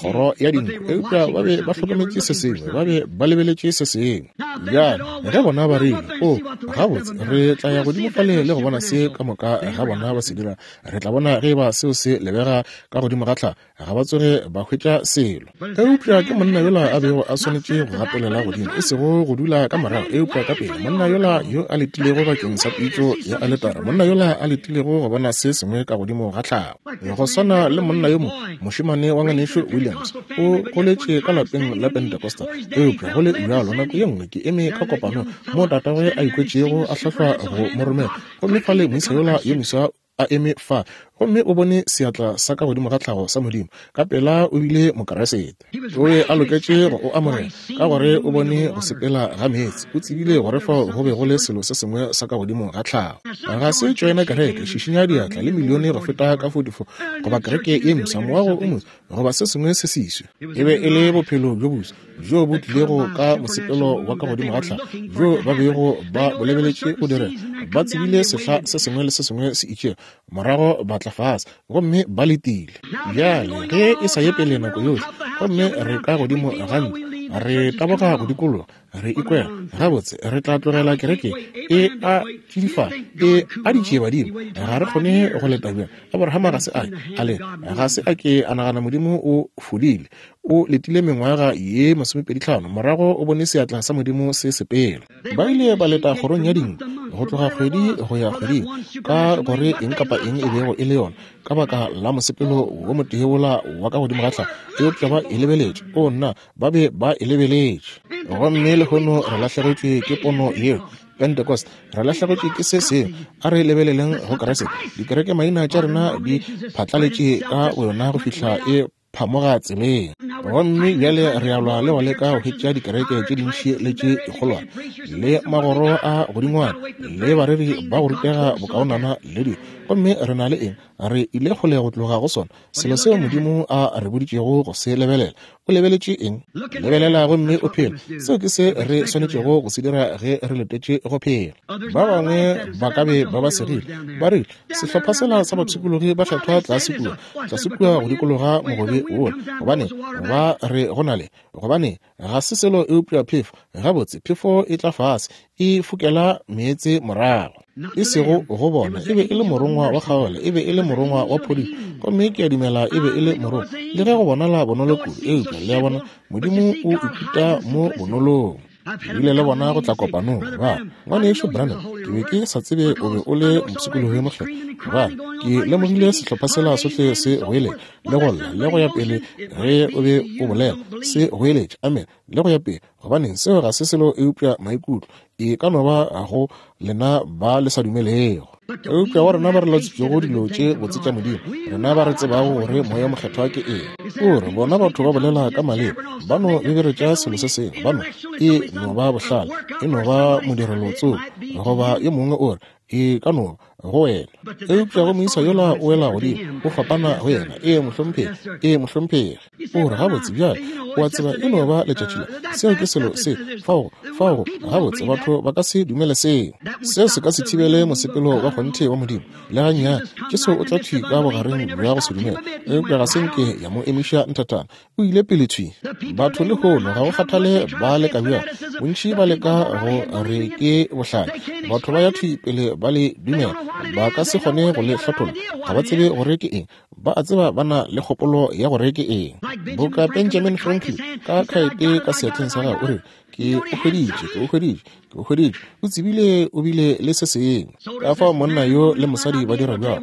kgoro ya dinku. Eupša ba be ba hlokometše se sengwe, ba be ba lebeletše se sengwe. Bjale ge bona ba rile, O, gabotse, re tla ya godimo fale le go bona se ka moka ga bona ba se dira, re tla bona ge eba seo se lebega ka godimo ga tlhago. Ga ba tsoge ba hwetša selo. Eupša ke monna yola a bego a swanetše go gatelela godimo, e sego go dula ka morago, eupša ka pele. Monna yola yo a letilego bakeng sa pitšo ya aletara, monna yola a letilego go bona se sengwe ka godimo ga tlhago. Go swana le monna yo mongwe, mošemane wa ngwanešu Williams, o goletše ka lapeng la Pentecostal. Eupša go le bjalo, nako ye nngwe ke eme ka kopanong moo tatagwe a ikwetšego a hlahlwa go mo romela, gomme fale moisa yola yo moswa a eme fa. Gomme o bone seatla sa ka godimo ga tlhago sa Modimo. Ka pela o bile Mokriste. O be a loketše go o amogela, ka gore o bone go sepela ga meetse. O tsebile gore fao go be go le selo se sengwe sa ka godimo ga tlhago. Ga se tšoena kereke, šišinya diatla, le milione go feta ka 44, goba kereke ye mpsha, moago o moswa, goba se sengwe se seswa. E be e le bophelo bjo boswa bjo bo tlilego ka mosepelo wa ka godimo ga tlhago bjo ba bego ba bo lebeletše go direga. Ba tsebile sehla se sengwe le se sengwe se itšego, morago ba tla fase gomme ba letile. Bjale ge e sa ye pele nako yohle, gomme re ka godimo ga ntlo, re taboga go dikologa, re ikwela gabotse, re tla tlogela kereke e a tšidifala, e a ditšiebadimo, ga re kgone go leta bjang. Abrahama ga se a a le ga se a ke a nagana Modimo o fodile. O letile mengwaga ye 25, morago o bone seatla sa Modimo se sepela. Ba ile ba leta kgorong ya dinku go tloga kgwedi go ya kgweding, ka gore eng kapa eng e bego e le yona, ka baka la mosepelo wo motee wola wa ka godimo ga tlhago. Eupša ba e lebeletše. O nna, ba be ba e lebeletše. Gomme lehono re lahlegetšwe ke pono yeo. Pentecost, re lahlegetšwe ke se sengwe. A re lebeleleng go Kriste. Dikereke maina tša rena di phatlaletše ka boyona go fihla e phamoga tseleng. Gomme bjale re a lwa le go leka go hwetša dikereke tše dintši le tše dikgolwane, le magoro a godingwana, le bareri ba go rutega bokaonana le dilo. Gomme re na le eng? Re ile kgole go tloga go sona, selo seo Modimo a re boditšego go se lebelela. O lebeletše eng? Lebelela gomme o phele. Seo ke se re swanetšego go se dira ge re letetše go phela. Ba bangwe ba ka be ba ba segile, ba rile, Sehlopha sela sa bapshikologi ba kgethwa tlase kua, tlase kua go dikologa mogobe wola, gobane ba re go na le, gobane ga se selo eupša phefo. Gabotse, phefo e tla fase, e fokela meetse morago. E sego go bona, e be e le morongwa wa kgaogelo, e be e le morongwa wa phodišo, gomme ke a dumela e be e le morongwa, le ge go bonala bonolo kudu, eupša le a bona, Modimo o ikuta mo bonolong. Ke bile le bona go tla kopanong, ba re, Ngwanešu Branham, ke be ke sa tsebe o be o le mopshikologi yo mokgethwa. Ba re, Ke lemogile sehlopha sela sohle se goeletša le go lla le go ya pele ge o be o bolela, se goeletša, amen, le go ya pele. Gobaneng, seo ga se selo eupša maikutlo. E ka no ba go lena ba le sa dumelego. Eupša go rena ba re latswitšego dilo tše botse tša Modimo, rena ba re tsebago gore Moya Mokgethwa ke eng. O re, bona batho ba bolela ka maleme, ba no beberetša selo se sengwe, ba no, e no ba bohlale, e no ba modirelo tsoko, goba yo mongwe o re, e ka no ba go wena. Eupša go moisa yola o wela godimo, o fapana go yena. Ee, mohlomphegi. Ee, mohlomphegi. O re, Gabotse, bjale, o a tseba, e no ba letšatši la. Seo ke selo se, fao, fao, gabotse, batho ba ka se dumele seo. Seo se ka se thibele mosepelo wa kgonthe wa Modimo, le gannyane. Jesu o tla thwi ka bogareng bja go se dumele, eupša ga se nke ya mo emiša nthatana. O ile pele thwi. Batho lehono, ga go kgathale ba leka bjang, bontši ba leka go re ke bohlale. Batho ba ya thwi pele ba le dumela. Ba ka se kgone go le hlatholla. Ga ba tsebe gore ke eng. Ba a tseba ba na le kgopolo ya gore ke eng. Boka Benjamin Franklin ka khaete ka seatleng sa gagwe, o rile, Ke o hweditše, ke o hweditše, ke o hweditše. O tsebile o bile le se sengwe. Ka fao monna yo le mosadi ba dira bjalo,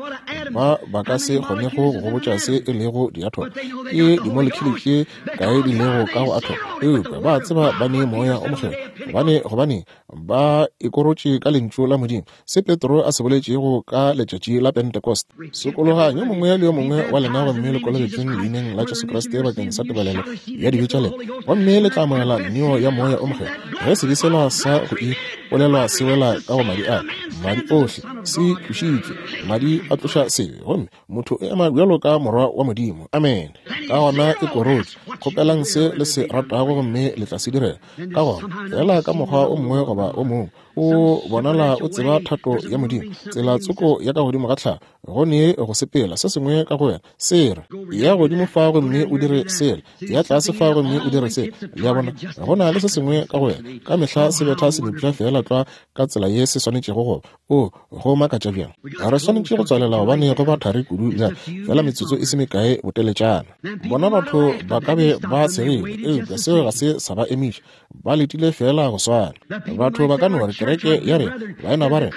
ba ba ka se kgonego go go botša se e lego diathomo, ke dimolekhule tše kae di lego ka go athomo, eupša ba a tseba ba ne Moya o Mokgethwa. Gobane, gobaneng? Ba ikorotše ka Lentšu la Modimo, se Petro a se boletšego ka letšatši la Pentecost. Sokologang yo mongwe le yo mongwe wa lena gomme le kolobetšweng leineng la Jesu Kriste bakeng sa tebalelo ya dibe tša lena, gomme le tla amogela neo ya Moya o Mokgethwa. Ge sebe sela sa go ipolelwa se wela ka go madi a, madi ohle se tlošitšwe, madi a tloša sebe, gomme motho o ema bjalo ka morwa wa Modimo. Amene. Ka gona e korotše, kgopelang se le se ratago gomme le tla se direla. Ka gona, feela ka mokgwa o mongwe goba o mongwe, o bonala o tseba thato ya Modimo, tsela tsoko ya ka godimo ga tlhago, go ne go sepela, se sengwe ka go wena se re, Ya godimo fa gomme o dire sela, ya tlase fa gomme o dire sela. Le a bona, go na le se sengwe ka go wena, ka mehla se betha senepša feela tlwa ka tsela ye se swanetšego go ba. O, go makatša bjang! Re swanetše go tswalela gobane go ba thari kudu bjale, feela metsotso e se mekae boteletšana. Bona batho ba ka be be ba tshegile, eupša seo ga se sa ba emiša. Ba letile feela go swana. Batho ba ka no re kereke ya rena, baena ba rena,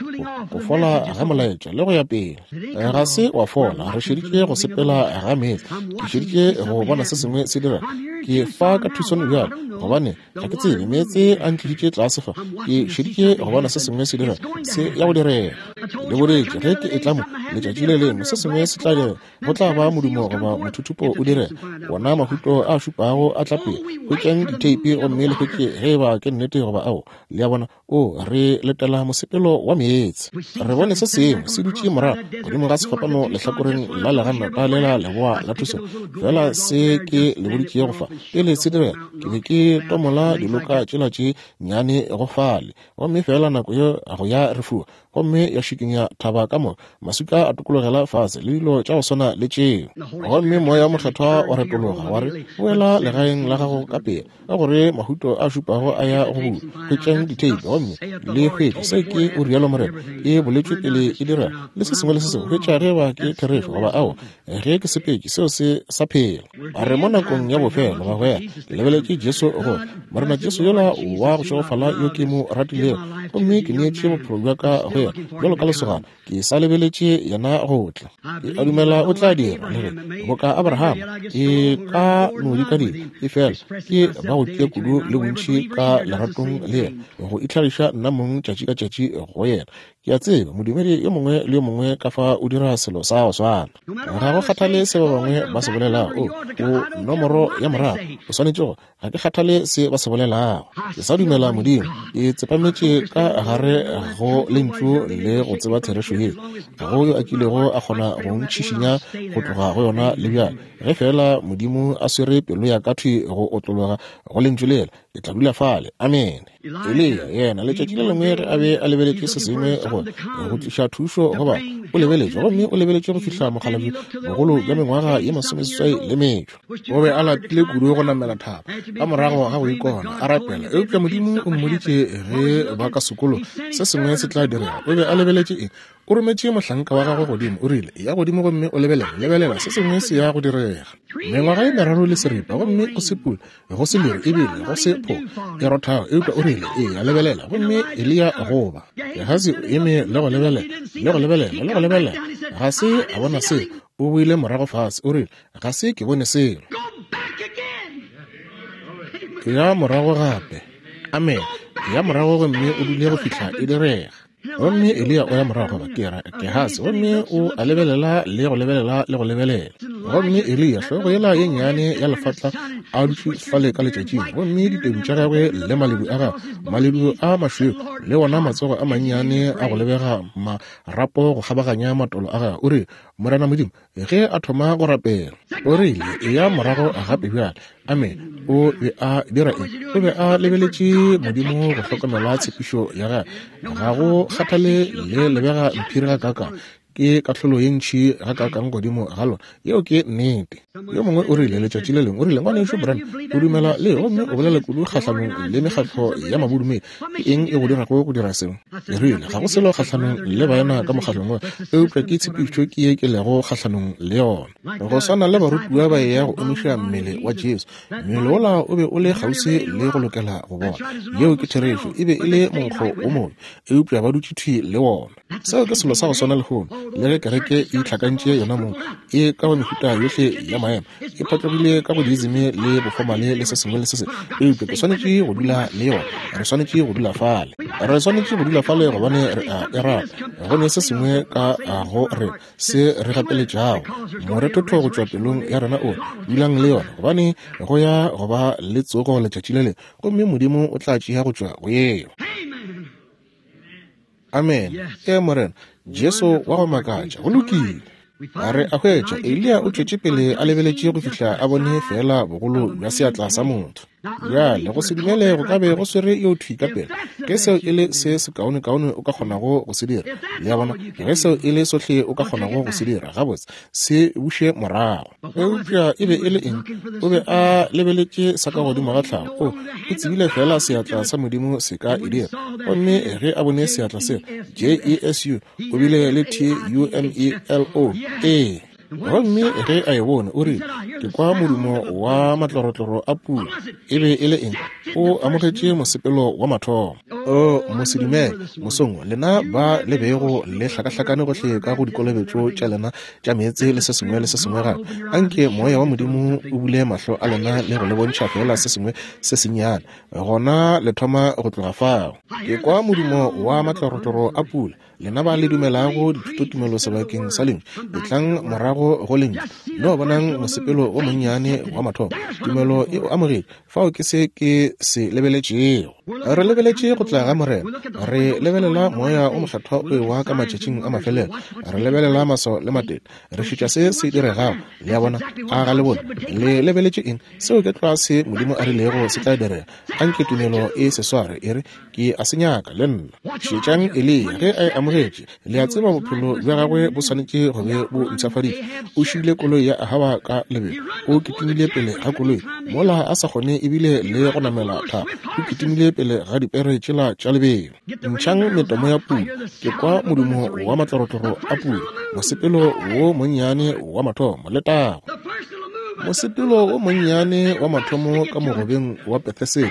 go fola ga molaetša le go ya pele. Ga se wa fola, re šeditše go sepela ga meetse. Ke šeditše go bona se sengwe se dira. Ke fa ka Tucson bjale, gobane ga ke tsebe meetse a ntlišitše tlase fa. Ke šeditše go bona se sengwe se dira, se ya go direga. Le boletše ge ke etla mo letšatši le lengwe, se sengwe se tla direga. Go tla ba modumo goba mothuthupo o direga. Wona mahuto a šupago a tla pele. Hwetšang ditheipi gomme le hwetše ge e ba ke nnete goba ao. Le a bona? O, re letela mosepelo wa meetse. Re bone se sengwe se dutše morago godimo ga sefapano lehlakoreng la leganata lela leboa la Tucson. Fela se ke le boditšego fa pele se direga, ke be ke tomola diloka tšela tše nnyane go fale. Gomme fela nako ye go ya re fuwa, gomme ya šikinya thaba ka moka, maswika a tokologela fase le dilo tša go swana le tšeo. Gomme Moya wo Mokgethwa wa retologa, wa re, Boela legaeng la gago ka pela, ka gore mahuto a šupago a ya go bulwa. Hwetšang ditheipi gomme le hwetše se ke o rialo Morena, e boletšwe pele e direga, le se sengwe le se sengwe. Hwetša ge ba ke therešo goba aowa. Ge ke sepetše, seo se sa phela. A re mo nakong ya bofelo, bagwera, ke lebeletše Jesu gore Morena Jesu yola wa go šegofala yo ke mo ratilego, gomme ke neetše bophelo bja ka go yena bjalo ka lesogana, ke sa lebeletše yena go tla. Ke a dumela o tla dira, le ge boka Abraham ke ka no di ka dira, efela ke ba go tia kudu le bontši ka leratong le yena, go itlhagiša nna mong tšatši ka tšatši go yena. Ke a tseba modumedi yo mongwe le yo mongwe ka fa o dira selo sa go swana. Ga go kgathale se ba bangwe ba se bolelago, o, o nomoro ya morago, o swanetše go. Ga ke kgathale se ba se bolelago. Ke sa dumela Modimo. Ke tsepametše ka gare go Lentšu le go tseba therešo ye. Ga go yo a kilego a kgona go ntšhišinya go tloga go yona le bjale. Ge feela Modimo a swere pelo ya ka thwi go otlologa go Lentšu lela, ke tla dula fale. Amene. Eliya, yena, letšatši le lengwe ge a be a lebeletše se sengwe go, go tliša thušo go batho, o lebeletše, gomme o lebeletše go fihla mokgalabje bogolo bja mengwaga ye masomeseswai le metšo. O be a lapile kudu go namela thaba, ka morago ga go ikona, a rapela. Eupša Modimo o mmoditše ge ba ka sekolo, se sengwe se tla direga. O be a lebeletše eng? O rometše mohlanka wa gagwe godimo, o rile, Eya godimo gomme o lebelele, lebelela, se sengwe se ya go direga. Mengwaga ye meraro le seripa, gomme go se pula, go se leru, ebile go se pho e rothago. Eupša o rile, Eya, lebelela. Gomme Eliya goba Gehasi o eme le go lebelela, le go lebelela, le go lebelela. Ga se a bona selo. O boile morago fase, o rile, Ga se ke bone selo. Eya morago gape. Amene. Eya morago gomme o dule go fihla e direga. Gomme Eliya o ya morago goba ke ra Gehasi, gomme o a lebelela le go lebelela le go lebelela. Gomme Eliya, hlogo yela ye nnyane ya lefatla, a dutše fale ka letšatšing, gomme ditedu tša gagwe le maledu a gagwe, maledu a mašweu, le wona matsogo a mannyane a go lebega marapo go kgabaganya matolo a gagwe, o rile, Morena Modimo, Ge a thoma go rapela, o rile, Eya morago gape bjale. Amene. O be a dira eng? O be a lebeletše Modimo go hlokomela tshepišo ya gagwe. Ga go kgathale le lebega mphiri gakaakang, ke kahlolo ye ntši gakaakang godimo ga lona. Yeo ke nnete. Yo mongwe o rile letšatši le lengwe, o rile, Ngwanešu Branham, o dumela le gomme o bolela kudu kgahlanong le mekgatlo ya mabodumedi. Ke eng e go dirago go dira seo? Ke rile, Ga go selo kgahlanong le baena ka mokgatlong wo, eupša ke tshepišo ke ye ke lego kgahlanong le yona. Go swana le barutiwa ba eya go omiša mmele wa Jesu, mmele wola o be o le kgauswi le go lokela go bola. Yeo ke therešo, e be e le monkgo wo mobe, eupša ba dutše thwi le wona. Seo ke selo sa go swana lehono, le ge kereke e itlhakantše yonamong, e ka go mehuta yohle ya maemo, e phatlogile ka go diizime le bofomale le se sengwe le se sengwe, eupša ke swanetše go dula le yona. Re swanetše go dula fale. Re swanetše go dula fale gobane re a e rata. Go ne se sengwe ka go rena se re gapeletšago morethotho go tšwa pelong ya rena o dulang le yona, gobane go ya go ba le tsogo letšatši le lengwe, gomme Modimo o tla tšea go tšwa go yeo. Amene. Ee, Morena Jesu wa go makatša. Go lokile. A re a hwetša, Eliya o tšwetše pele a lebeletše go fihla a bone feela bogolo bja seatla sa motho. Bjale, go se dumele go ka be go swere yo thwi ka pela. Ge seo e le se sekaonekaone o ka kgonago go se dira, le a bona, ge seo e le sohle o ka kgonago go se dira, gabotse, se buše morago. Eupša e be e le eng? O be a lebeletše sa ka godimo ga tlhago. O, o tsebile feela seatla sa Modimo se ka e dira. Gomme ge a bone seatla seo, J-E-S-U, o bile le T-U-M-E-L-O. Ee. Gomme ge a e bone, o rile, Ke kwa modumo wa matlorotloro a pula. E be e le eng? O amogetše mosepelo wa mathomo. O mosedumele, mosong, lena ba le bego le hlakahlakane gohle ka go dikolobetšo tša lena tša meetse le se sengwe le se sengwe gape, anke Moya wa Modimo o bule mahlo a lena le go le bontšha feela se sengwe se sennyane, gona le thoma go tloga fao. Ke kwa modumo wa matlorotloro a pula. Lena ba le dumelago dithutotumelo sebakeng sa Lentšu, etlang morago go Lentšu. No bonang mosepelo o monnyane wa mathomo. Tumelo e o amogetše. Fao ke se ke se lebeletšego. Re lebeletše go tla ga Morena. Re lebelela Moya o Mokgethwa o ewa ka matšatšing a mafelelo. Re lebelela maswao le matete. Re šetša se se diregago. Le a bona? A ga le bone? Le lebeletše eng? Seo ke tlwa se Modimo a rilego se tla direga. Anke tumelo e se sware, e re, Ke a se nyaka, le nna. Šetšang Eliya ge a e amogetše. Le a tseba bophelo bja gagwe bo swanetše go be bo mpshafaditšwe. O šile koloi ya Ahaba ka lebelo. O kitimile pele ga koloi, mola a sa kgone ebile le go namela thaba. O kitimile pele ga dipere tšela tša lebelo. Ntšhang metomo ya pula. Ke kwa modumo wa matlorotloro a pula. Mosepelo wo monnyane wa mathomo. Letago! Mosepelo wo monnyane wa mathomo ka mogobeng wa Betheseda.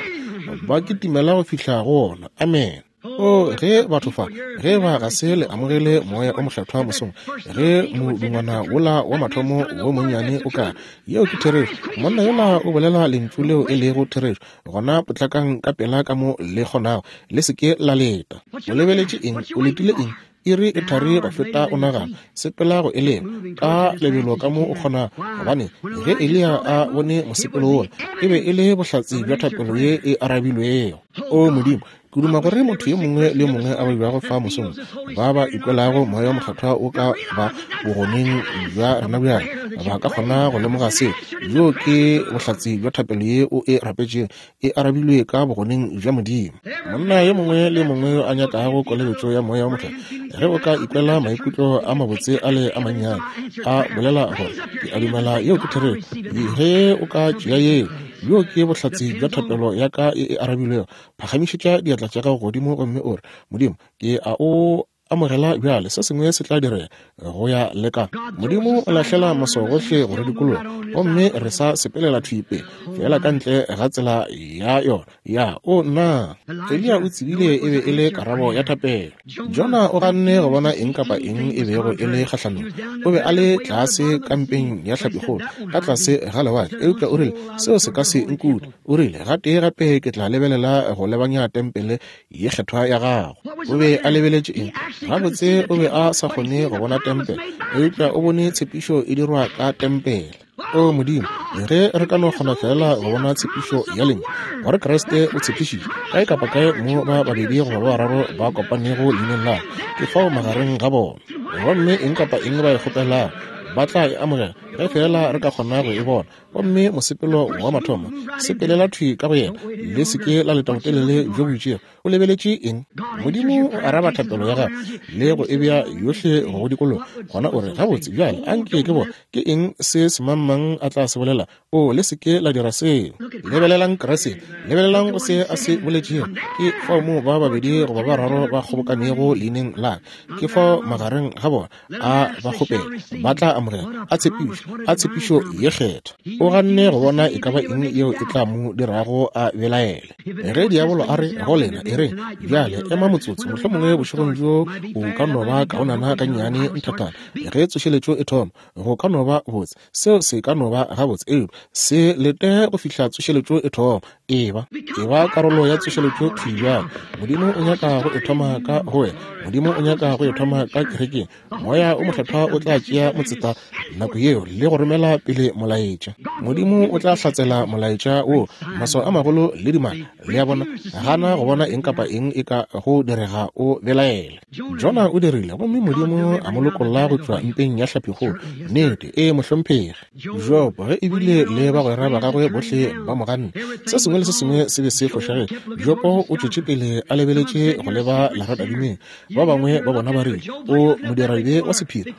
Ba kitimela go fihla go wona. Amene. O, ge batho fa, ge ba ga se le amogele Moya o Mokgethwa mosong, ge modungwana wola wa mathomo wo monnyane o ka, yeo ke therešo, monna yola o bolela lentšu leo e lego therešo, gona potlakang ka pela ka mo le kgonago, le se ke la leta. O lebeletše eng? O letile eng? Iri e thari go feta o nagana. Sepela go e leba ka lebelo ka mo o kgonago, gobane ge Eliya a bone mosepelo wola, e be e le bohlatse bja thapelo ye e arabilwego. O Modimo, ke duma gore motho yo mongwe le yo mongwe a babjago fa mosong, ba ba ikwelago Moya wo Mokgethwa o ka ba bogoneng bja rena bjale, ba ka kgona go lemoga seo. Bjoo ke bohlatse bja thapelo ye o e rapetšego, e arabilwe ka bogoneng bja Modimo. Monna yo mongwe le yo mongwe yo a nyakago kolobetšo ya Moya wo Mokgethwa, ge o ka ikwela maikutlo a mabotse a le a mannyane, a bolela gore, Ke a dumela yeo ke therešo. Ge o ka tšea yeo, bjoo ke bohlatse bja thapelo ya ka e e arabilwego. Phagamišetša diatla tša gago godimo gomme o re, Modimo, ke a O amogela bjale. Se sengwe se tla direga go ya le ka. Modimo o lahlela maswao gohle go re dikologa, gomme re sa sepelela thwi pele, feela ka ntle ga tsela ya yona. Ya, o nna. Eliya o tsebile e be e le karabo ya thapelo. Jona o ganne go bona eng kapa eng e bego e le kgahlanong. O be a le tlase kampeng ya hlapikgolo, ka tlase ga lewatle, eupša o rile, Seo se ka se nkute. O rile, Gatee gape ke tla lebelela go lebanya tempele ye kgethwa ya gago. O be a lebeletše eng? Gabotse, o be a sa kgone go bona tempele, eupša o bone tshepišo e dirwa ka tempele. O Modimo, ge re ka no kgona feela go bona tshepišo ya Lentšu, gore Kriste o tshepišitše, kae kapa kae mo ba babedi goba ba bararo ba kopanego leineng la ka, ke fao magareng ga bona. Gomme eng kapa eng ba e kgopelago, ba tla e amogela, ge feela re ka kgona go e bona. Gomme mosepelo wa mathomo, sepelela thwi ka go yena, le se ke la leta botelele bjo bo itšego. O lebeletše eng? Modimo o araba thapelo ya gago le go e bea yohle go go dikologa. Gona o re, Gabotse, bjale, a nke ke bone ke eng se semangmang a tla se bolela. O, le se ke la dira seo. Lebelelang Kriste. Lebelelang go se a se boletšego. Ke fao moo ba babedi goba ba bararo ba kgobokanego leineng la ka, ke fao magareng ga bona. A ba kgopela, ba tla amogela. A tshepišo, a tshepišo ye kgethwa. O ganne go bona e ka ba eng yeo e tla mo dirago a belaele. Ge diabolo a re go lena, e re, Bjale, ema motsotso, mohlomongwe bošegong bjo o ka no ba kaonana gannyane nthathana. Ge tsošeletšo e thoma, go ka no ba botse. Seo se ka no ba gabotse, eupša se lete go fihla tsošeletšo e thoma. Eba, eba karolo ya tsošeletšo thwi bjale. Modimo o nyaka go e thoma ka go wena. Modimo o nyaka go e thoma ka kerekeng. Moya o Mokgethwa o tla tšea motseta nako yeo le go romela pele molaetša. Modimo o tla hlatsela molaetša wo, maswao a magolo le dimaka. Le a bona? Gana go bona eng kapa eng e ka go direga o belaele. Jona o dirile, gomme Modimo a mo lokolla go tšwa mpeng ya hlapikgolo. Nnete, ee, mohlomphegi. Jobo, ge ebile le bagwera ba gagwe bohle ba mo ganne, se sengwe le se sengwe se be se fošagetše, Jobo o tšwetše pele a lebeletše go leba leratadimeng. Ba bangwe ba bona ba rile, O modiradibe wa sephiri.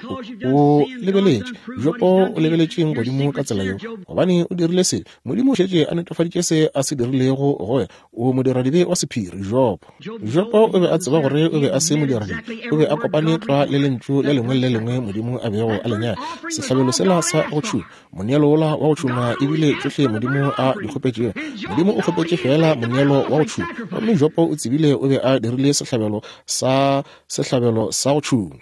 O, o lebeletše. Jobo o lebeletšeng godimo ka tsela yeo? Gobane o dirile sebe. Modimo o šetše a netefaditše se a se dirilego go wena. O modiradibe wa sephiri, Jobo. Jobo. Jobo o be a tseba gore o be a se modiradibe. O be a kopane tlwa le Lentšu le lengwe le le lengwe Modimo a bego a le nyaka. Sehlabelo sela sa go tšhuma, moneelo wola wa go tšhuma, e bile tšohle Modimo a di kgopetšego. Modimo o kgopetše feela moneelo wa go tšhuma. Gomme Jobo o tsebile o be a dirile sehlabelo sa sehlabelo sa go tšhuma.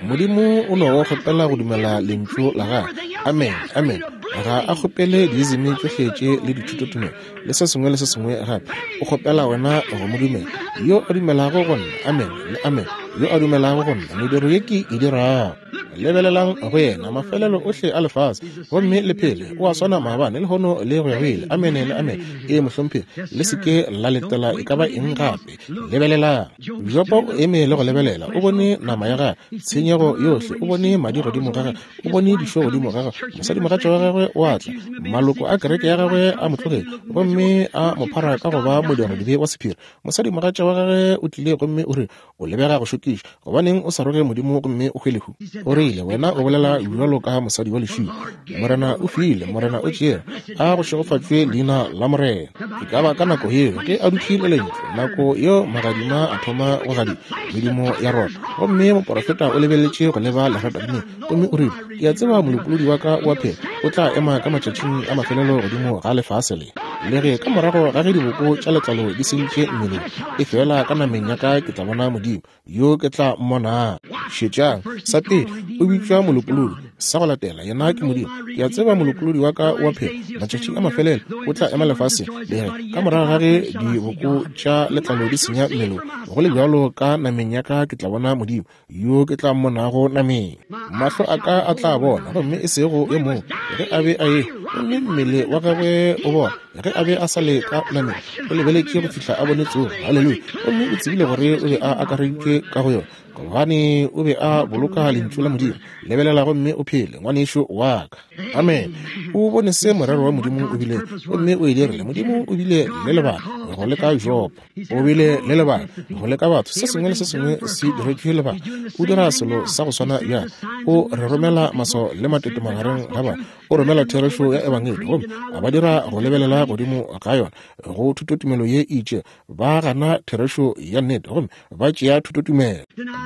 Modimo o no go kgopela go dumela Lentšu la Gagwe. Amen. Amen. Ga a kgopele diizimi tšohle tše le dithutotumelo le se sengwe le se sengwe gape. O kgopela wena go mo dumela. Yo a dumelago go nna, amen le amen, yo a dumelago go nna, mediro ye ke e dirago. Lebelelang go yena, mafelelo ohle a lefase, gomme le phele. O a swana maabane, lehono le go ya go ile. Amene le amene. Ee, mohlomphegi. Le se ke la letela e ka ba eng gape. Lebelelang. Jopo o eme le go lebelela. O bone nama ya gagwe, tshenyego yohle. O bone madi godimo ga gagwe. O bone dišo godimo ga gagwe. Mosadimogatša wa gagwe o a tla. Maloko a kereke ya gagwe a mo tlogele, gomme a mo phara ka go ba modiradibe wa sephiri. Mosadimogatša wa gagwe o tlile gomme o rile, O lebega go šokiša. Gobaneng o sa roge Modimo gomme o hwe lehu? O rile, Wena o bolela bjalo ka mosadi wa lešilo. Morena o file, Morena o tšere. A go šegofatšwe leina la Morena. E ka ba ka nako yeo ge a dutše le Lentšu, nako yeo magadima a thoma go gadima, medumo ya rota. Gomme moporofeta o lebeletše go leba leratadimeng, gomme o rile, Ke a tseba Molopolodi wa ka o a phela, o tla ema ka matšatšing a mafelelo godimo ga lefase le. Le ge ka morago ga ge diboko tša letlalo di sentše mmeleng, efela ka nameng ya ka ke tla bona Modimo, yo ke tla mmonang. Šetšang, sa pele, o bitšwa Molopolodi, sa go latela, yena ke Modimo. Ke a tseba Molopolodi wa ka o a phela, matšatšing a mafelelo o tla ema lefaseng. Le ge ka morago ga ge diboko tša letlalo di senya mmeleng, go le bjalo ka nameng ya ka ke tla bona Modimo, yo ke tla mmonago nameng. Mahlo a ka a tla bona, gomme e sego yo mongwe, ge a be a e, gomme mmele wa gagwe o bona, ge a be a sa le ka nameng, o lebeletše go fihla a bone tsogo. Haleluya! Gomme o tsebile gore o be a akareditšwe ka go yona, gobane o be a boloka Lentšu la Modimo. Lebelela gomme o phele, ngwanešu wa ka. Amen. O bone se morero wa Modimo o bilego, gomme o e dirile. Modimo o bile le lebaka go leka Jobo. O bile le lebaka go leka batho. Se sengwe le se sengwe se diretšwe lebaka. O dira selo sa go swana bjale. O re romela maswao le matete magareng ga batho. O romela therešo ya Ebangedi, gomme a ba dira go lebelela godimo ga yona, go thutotumelo ye e itšego. Ba gana therešo ya nnete, gomme ba tšea thutotumelo.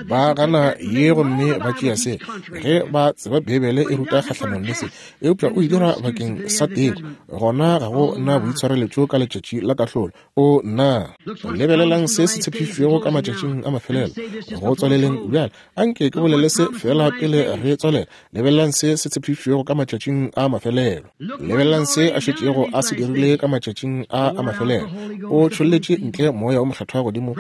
Ba gana ye, gomme ba tšea se, ge ba tseba Beibele e ruta kgahlanong le se. Eupša o e dira bakeng sa teko. Gona ga go na boitshwareletšo ka letšatši la kahlolo. O nna, lebelelang se se tshepišitšwego ka matšatšing a mafelelo. Go tswaleleng bjale, anke ke bolele se feela pele re tswalela. Lebelelang se se tshepišitšwego ka matšatšing a mafelelo. Lebelelang se a šetšego a se dirile ka matšatšing a a mafelelo. O tšholletše ntle Moya wo Mokgethwa godimo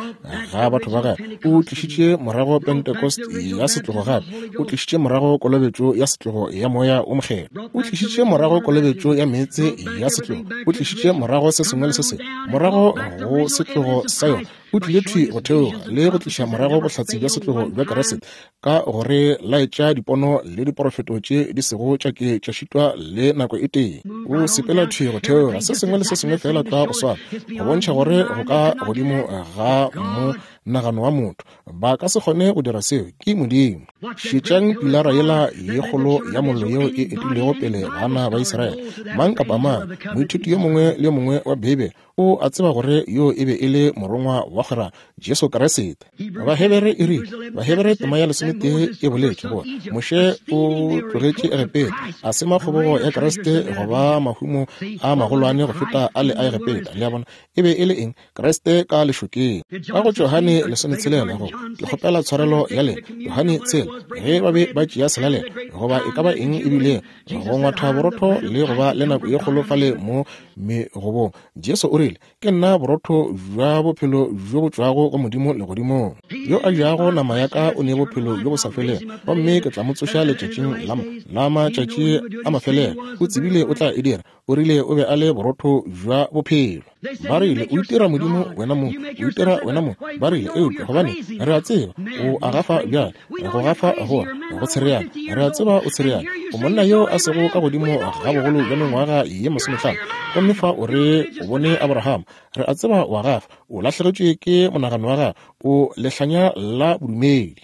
ga batho ba gagwe. O tlišitše morago Pentecost ya setlogo gape. O tlišitše morago kolobetšo ya setlogo ya Moya wo Mokgethwa. O tlišitše morago kolobetšo ya meetse ya setlogo. O tlišitše morago se sengwe le se sengwe morago go setlogo sa yona. O tlile thwi go theoga le go tliša morago bohlatse bja setlogo bja Kriste ka go re laetša dipono le diporofeto tše di sego tša ke tša šitwa le nako e tee. O sepela thwi go theoga se sengwe le se sengwe feela tlwa go swana, go bontšha gore go ka godimo ga monagano wa motho. Ba ka se kgone go dira seo. Ke Modimo. Šetšang pilara yela ye kgolo ya mollo yeo e etilego pele bana ba Israele. Mang kapa mang, moithuti yo mongwe le yo mongwe wa Beibele o a tseba gore yo e be e le morongwa wa kgwerano, Jesu Kriste. Bahebere e rile, Bahebere tema ya lesometee e boletše gore Moshe o tlogetše Egepeta, a sema kgobogo ya Kriste go ba mahumo a magolwane go feta a le a Egepeta. Le a bona? E be e le eng? Kriste ka lešokeng. Ka go Johane lesometshelela, go ke kgopela tshwarelo ya lena, Johane tshela, ge ba be ba tšea selalelo, goba e ka ba eng e bile, go ngwatha borotho le go ba le nako ye kgolo fale mo megobong, Jesu o rile, Ke nna borotho bja bophelo bjo bo tšwago go Modimo legodimong. Yo a jago nama ya ka o ne bophelo bjo bo sa felego, gomme ke tla mo tsoša letšatšing la, la matšatši a mafelelo. O tsebile o tla e dira. O rile o be a le borotho bja bophelo. Ba rile, O itira Modimo wena mong. O itira wena mong. Ba rile, Eupša, gobane, re a tseba o a gafa bjale. Go gafa go, go tshereana. Re a tseba o tshereana. O monna yo a sego ka godimo ga bogolo bja mengwaga ye masomehlano. Gomme fa o re o bone Abraham. Re a tseba o a gafa. O lahlegetšwe ke monagano wa gago. O lehlanya la bodumedi.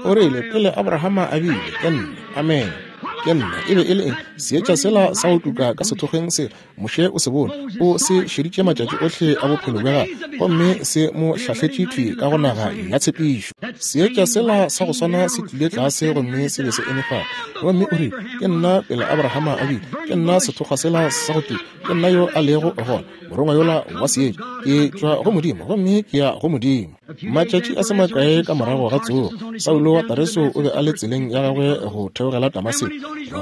O rile, Pele Abrahama a bile, ke nna. Amene. Ke nna. E be e le eng? Seetša sela sa go tuka ka sethokgweng sela. Moshe o se bone. O se šeditše matšatši ohle a bophelo bja gagwe, gomme se mo hlahletše thwi ka go naga ya tshepišo. Seetša sela sa go swana se tlile tlase gomme se be se eme fale. Gomme o rile, Ke nna pele Abrahama a bile. Ke nna sethokgwa sela sa go tuka. Ke nna yo a lego gona, morongwa yola wa seetša. Ke tšwa go Modimo, gomme ke ya go Modimo. Matšatši a se makae ka morago ga tsogo, Saulo wa Tareso o be a le tseleng ya gagwe go theogela Damaseko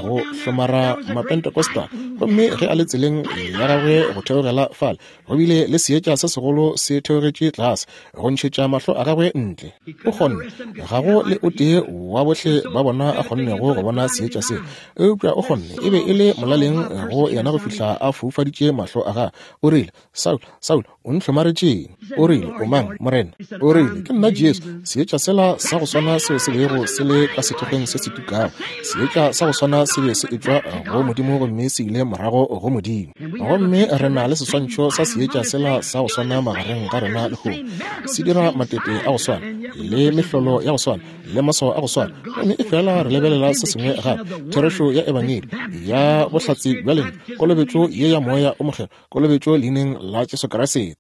go hlomara Mapentecostal. Gomme ge a le tseleng ya gagwe go theogela fale, go bile le seetša se segolo se theogetše tlase go ntšhetša mahlo a gagwe ntle. O kgonne, ga go le o tee wa bohle ba bona a kgonnego go bona seetša seo, eupša o kgonne. E be e le molaleng go yena go fihla a foufaditše mahlo a gagwe. O rile, Saul, Saul, o ntlhomaretšeng? O rile, O mang, Morena? O rile, Ke nna Jesu, seetša sela sa go swana seo se bego se le ka sethokgweng se se tukago. Seetša sa go swana se be se etšwa go Modimo gomme se ile morago go Modimo. Gomme re na le seswantšho sa seetša sela sa go swana magareng ga rena lehono. Se dira matete a go swana, le mehlolo ya go swana, le maswao a go swana, gomme efela re lebelela se sengwe gape, therešo ya Ebangedi ya bohlatse bja lentšu, kolobetšo ye ya Moya o Mokgethwa, kolobetšo leineng la Jesu Kriste.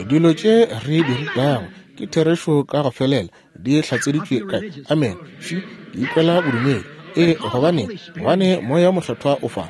Dilo tše re di rutago ke therešo ka go felela, di hlatseditšwe kae? Amen. Fi, ke ikwela bodumedi. Ee, gobane, gobane Moya wo Mokgethwa o fa.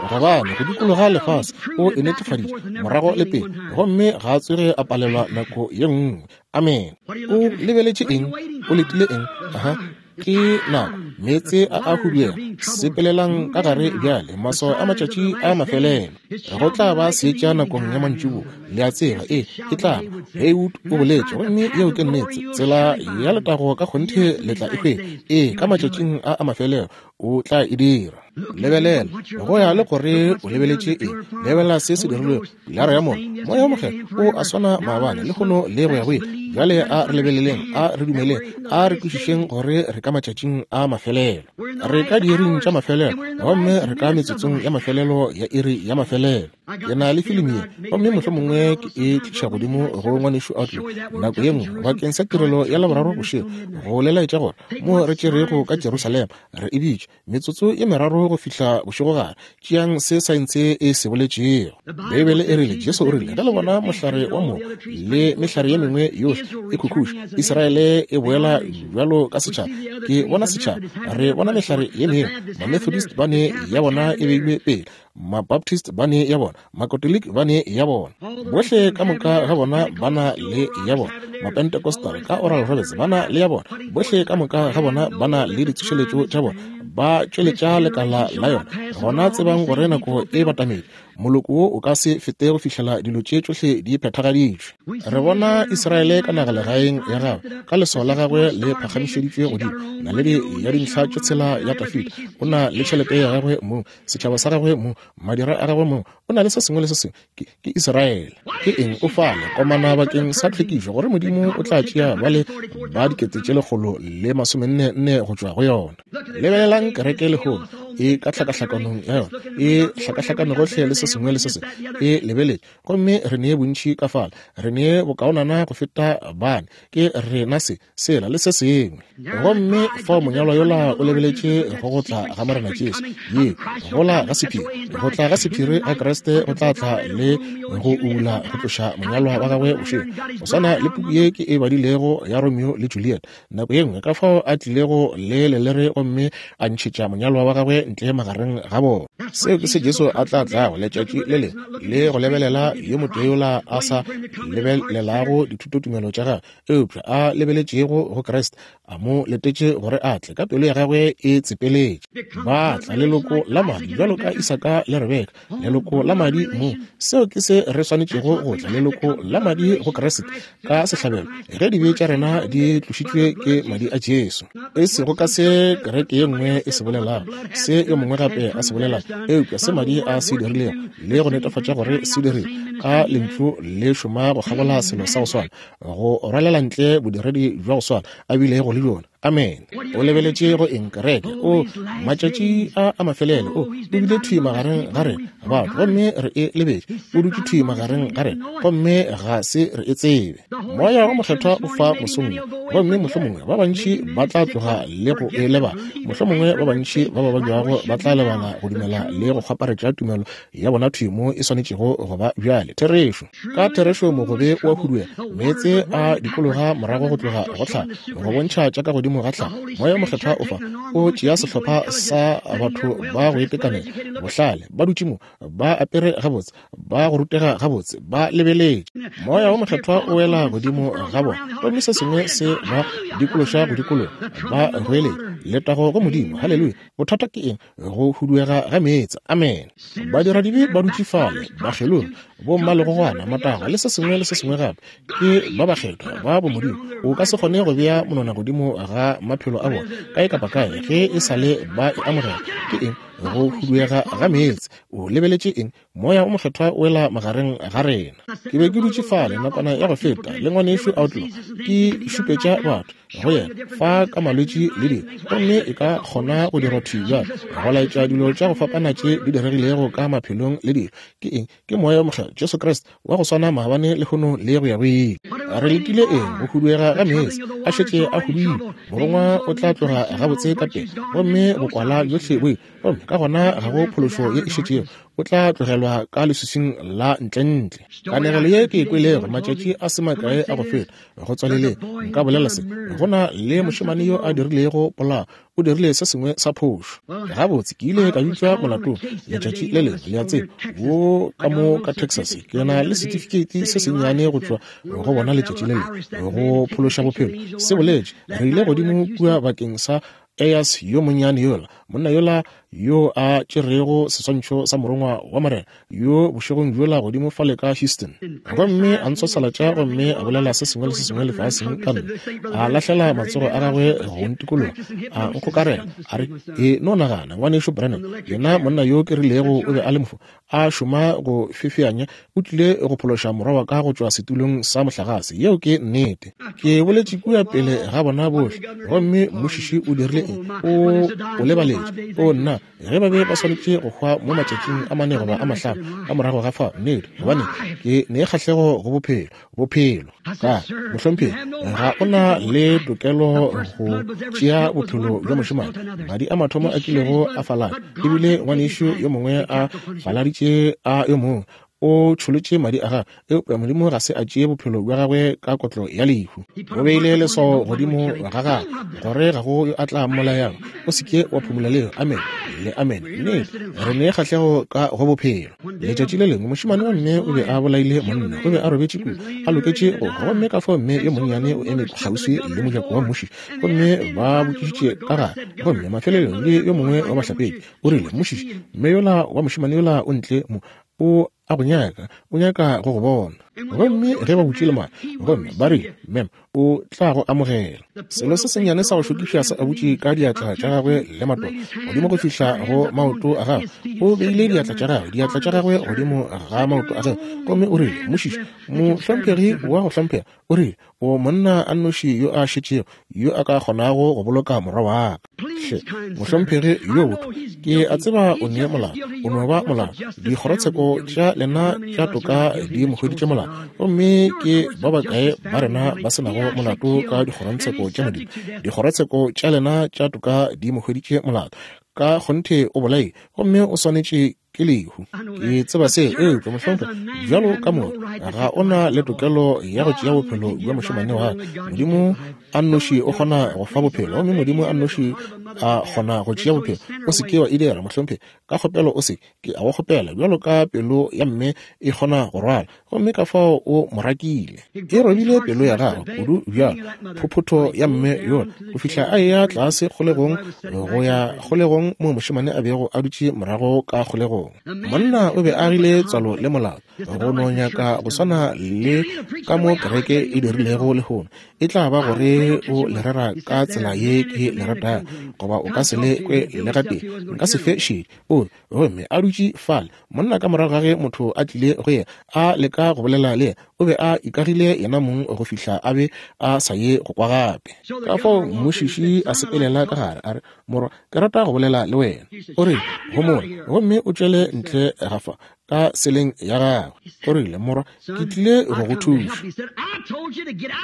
Gobane go dikologa lefase o e netefaditše morago le pele, gomme ga a tsoge a palelwa nako ye nngwe. Amen. O lebeletše eng? O letile eng? Aha. Ke nako, meetse a a huduega. Sepelelang ka gare bjale, maswao a matšatši a mafelelo. Go tla ba seetša nakong ya mantšiboa, le a tseba. Ee, e tla ba. Haywood o boletše, gomme yeo ke nnete. Tsela ya letago ka kgonthe le tla e hwetša. Ee, ka matšatšing a a mafelelo o tla e dira. Lebelela, go ya le gore o lebeletše eng. Lebelela se se dirilwego. Pilara ya Mollo, Moya wo Mokgethwa o a swana maabane, lehono le go ya go ile. Bjale a re lebeleleng, a re dumeleng, a re kwešišeng gore re ka matšatšing a mafelelo. Re ka diiring tša mafelelo, gomme re ka metsotsong ya mafelelo ya iri ya mafelelo. Ke na le filimi ye, gomme mohlomongwe ke e tliša godimo go Ngwanešu Outlaw nako ye nngwe bakeng sa tirelo ya Laboraro bošego, go le laetša gore mo re tšerego ka Jerusalema, re e bitša Metsotso ye meraro go fihla bošegogare. Tšeang se saense e se boletšego. Beibele e rile, Jesu o rile, ge le bona mohlare wa mogo le mehlare ye mengwe yohle e khukhuša, Israele e boela bjalo ka setšhaba. Ke bona setšhaba. Re bona mehlare ye mengwe. Mamethodist ba ne ya bona e beilwe pele. Mabaptist ba ne ya bona. Makatoliki ba ne ya bona. Bohle ka moka ga bona ba na le ya bona. Mapentecostal ka Oral Roberts ba na le ya bona. Bohle ka moka ga bona ba na le ditsošeletšo tša bona. Ba tšweletša lekala la yona. Gona tsebang gore nako e batametše. Moloko wo o ka se fete go fihlela dilo tše tšohle di phethagaditšwe. Re bona Israele ka nagalegaeng ya gagwe, ka leswao la gagwe le phagamišeditšwe godimo, naledi ya dintlha tše tshela ya Dafida. O na le tšhelete ya gagwe mong, setšhaba sa gagwe mong, madira a gagwe mong, o na le se sengwe le se sengwe. Ke, ke Israele. Ke eng o fale komana bakeng sa tlhwekišo, gore Modimo o tla tšea bale ba 144 000 go tšwa go yona. Lebelelang kereke lehono, e ka tlhakahlakanong ya yona, e hlakahlakane gohle le se sengwe le se sengwe, e lebeletše. Gomme re ne bontši ka fale, re ne bokaonana go feta bane, ke rena se, sela le se sengwe. Gomme fao monyalwa yola o lebeletše go go tla ga Morena Jesu, ye gola ga sephiri, go tla ga sephiri ga Kriste go tla tla le go ubula go tloša monyalwa wa gagwe bošego. Go swana le puku ye ke e badilego ya Romeo le Juliet, nako ye nngwe, ka fao a tlilego le lelere gomme a ntšhetša monyalwa wa gagwe ntle magareng ga bona. Seo ke se Jesu a tla tlago letšatši le lengwe le go lebelela yo motee yola a sa lebelelago dithutotumelo tša gagwe, eupša a lebeletšego go Kriste, a mo letetše gore a tle ka pelo ya gagwe e tsepeletše. Ba tla leloko la madi bjalo ka Isaka le Rebeka, leloko la madi mo. Seo ke se re swanetšego go tla, leloko la madi go Kriste ka sehlabelo, ge dibe tša rena di tlošitšwe ke madi a Jesu. E sego ka se kereke ye nngwe e se bolelago, se yo mongwe gape a se bolelago, eupša se madi a se dirilego le go netefatša gore se dirile. Ka Lentšu le šoma go kgabola selo sa go swana, go rwalela ntle bodiredi bja go swana a bilego le bjona. Amene. O lebeletše go eng, kereke? O, matšatši a a mafelelo, o, o bile thwi magareng ga rena, batho, gomme re e lebetše. O dutše thwi magareng ga rena, gomme ga se re e tsebe. Moya wo Mokgethwa o fa mosong wo, gomme mohlomongwe ba bantši ba tla tloga le go e lebala. Mohlomongwe ba bantši ba ba babjago ba tla lebala go dumela le go kgwaparetša tumelo ya bona thwi mo e swanetšego go ba bjale. Therešo. Ka therešo mogobe o a huduega, meetse a dikologa morago go tloga go tlhago, go bontšha tša ka godimo ga tlhago. Moya wo Mokgethwa o fa, o tšea sehlopha sa batho ba go itekanela, bohlale, ba dutše mo, ba apere gabotse, ba go rutega gabotse, ba lebeletše. Moya wo Mokgethwa o wela godimo ga bona, gomme se sengwe se ba dikološa go dikologa, ba goeletša, Letago go Modimo! Haleluya! Bothata ke eng? Go huduega ga meetse. Amene. Badiradibe ba dutše fale, bakgelogi, bommalegogwana, matagwa, le se sengwe le se sengwe gape, ke ba bakgethwa ba bomodimo. O ka se kgone go bea monwana godimo ga maphelo a bona kae kapa kae ge e sa le ba e amogela. Ke eng? Go huduega ga meetse. O lebeletše eng? Moya wo Mokgethwa o wela magareng ga rena. Ke be ke dutše fale nakwana ya go feta le ngwanešu Outlaw, ke šupetša batho go yena fa ka malwetši le dilo, gomme e ka kgona go dirwa thwi bjale go laetša dilo tša go fapana tše di diregilego ka maphelong le dilo. Ke eng? Ke Moya wo Mokgethwa, Jesu Kriste, wa go swana maabane, lehono, le go ya go ile. Re letile eng? Go huduega ga meetse a šetše a huduile. Morongwa o tla tloga gabotse ka pele, gomme bokwala bjohle bo ile, gomme ka gona ga go phološo ye e šetšego. O tla tlogelwa ka leswiswing la ntlentle. Kanegelo ye ke e kwelego matšatši a se makae a go feta, go tswaleleng, nka bolela se. Go na le mošemane yo a dirilego polao, o dirile se sengwe sa phošo. Gabotse, ke ile ka bitšwa molatong letšatši le lengwe, le a tseba, wo ka mo ka Texas. Ke na le setifikeiti se sennyane go tšwa go bona letšatši le lengwe, go phološa bophelo. Se boletše, re ile godimo kua bakeng sa Ayers yo monnyane yola, monna yola yo a tšerego seswantšho sa Morongwa wa Morena yo bošegong bjola godimo fale ka Houston. Gomme a ntswaswalatša gomme a bolela se sengwe le se sengwe lefaseng ka nna. A lahlela matsogo a gagwe go ntikologa, a nkgokarela, a re, E no nagana, Ngwanešu Branham, yena monna yo ke rilego o be a le mofu, a šoma go fefeanya, o tlile go phološa morwa wa ka go tšwa setulong sa mohlagase. Yeo ke nnete. Ke boletše kua pele ga bona bohle, gomme mmušiši o dirile eng? O o lebaletše. O nna, ge ba be ba swanetše go hwa mo matšatšing a mane goba a mahlano ka morago ga fao, nnete, gobane ke ne kgahlego go bophelo, bophelo. Ka mohlomphegi, ga o na le tokelo go tšea bophelo bja mošemane. Madi a mathomo a kilego a falala, ebile ngwanešu yo mongwe a faladitše a yo mongwe, o tšholotše madi a gagwe, eupša Modimo ga se a tšee bophelo bja gagwe ka kotlo ya lehu. O beile leswao godimo ga gagwe, gore ga go yo a tla mmolayago. O se ke wa phumola leo. Amene le amene. Nnete, re ne kgahlego ka go bophelo. Letšatši le lengwe mošemane wa mme o be a bolaile monna. O be a robetše kua, a loketše go hwa, gomme ka fao mme yo monnyane o eme kgauswi le mojako wa mmušiši, gomme ba botšišitše ka gare. Gomme mafelelong le yo mongwe wa bahlapetši o rile, Mmušiši, mme yola wa mošemane yola o ntle mo, o a go nyaka, o nyaka go go bona. Gomme ge ba butše lemati, gomme ba rile, Mem, o tla go amogela. Selo se sennyane sa go šokiša se a butše ka diatla tša gagwe le matolo godimo go fihla go maoto a gagwe. O beile diatla tša gagwe, diatla tša gagwe godimo ga maoto a gagwe, gomme o rile, Mmušiši, mohlomphegi wa go hlomphega, o rile, o monna a nnoši yo a šetšego yo a ka kgonago go boloka morwa wa ka. Hle, mohlomphegi yo botho, ke a tseba o ne molato, o no ba molato. Dikgorotsheko tša lena tša toka di mo hweditše molato, gomme ke ba bakae ba rena ba se nago molato ka dikgorotsheko tša Modimo? Dikgorotsheko tša lena tša toka di mo hweditše molato. Ka kgonthe o bolaile, gomme o swanetše ke lehu. Ke tseba se, eupša mohlomphegi, bjalo ka motho, ga o na le tokelo ya go tšea bophelo bja mošemane wa ka. Modimo a nnoši o kgona go fa bophelo, gomme Modimo a nnoši a kgona go tšea bophelo. O se ke wa e dira, mohlomphegi. Ka kgopelo o se ke, a go kgopela, bjalo ka pelo ya mme e kgona go rwala. Gomme ka fao o mo rakile. E robile pelo ya gagwe kudu bjalo, phophotho ya mme yola, go fihla a eya tlase kgolegong, go ya kgolegong moo mošemane a bego a dutše morago ka kgolegong. sengwe. Monna o be a agile tswalo le molato, go no nyaka go swana le ka mo kereke e dirilego lehono. E tla ba gore o le rera ka tsela ye ke le ratago, goba o ka se le kwe le gatee. Nka se fe šedi. O gomme a dutše fale, monna ka morago ga ge motho a tlile go yena, a leka go bolela le yena, o be a ikagile yena mong go fihla a be a sa ye go kwa gape. Ka fao mmušiši a sepelela ka gare, a re, Morwa, ke rata go bolela le wena. O rile, Homola gomme o tšwele ntle ga fa, ka seleng ya gagwe. O rile, Morwa, ke tlile go go thuša.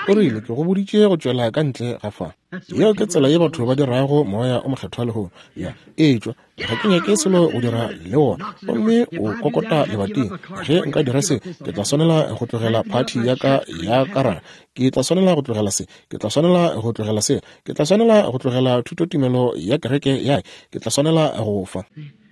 O rile, Ke go boditše go tšwela ka ntle ga fa. Yeo ke tsela ye batho ba dirago Moya o Mokgethwa lehono. Ya, etšwa, ga ke nyake selo go dira le wona. Gomme o kokota lebating. Ge nka dira se, ke tla swanela go tlogela phathi ya ka ya karata. Ke tla swanela go tlogela se. Ke tla swanela go tlogela se. Ke tla swanela go tlogela thutotumelo ya kereke ya. Ke tla swanela go fa.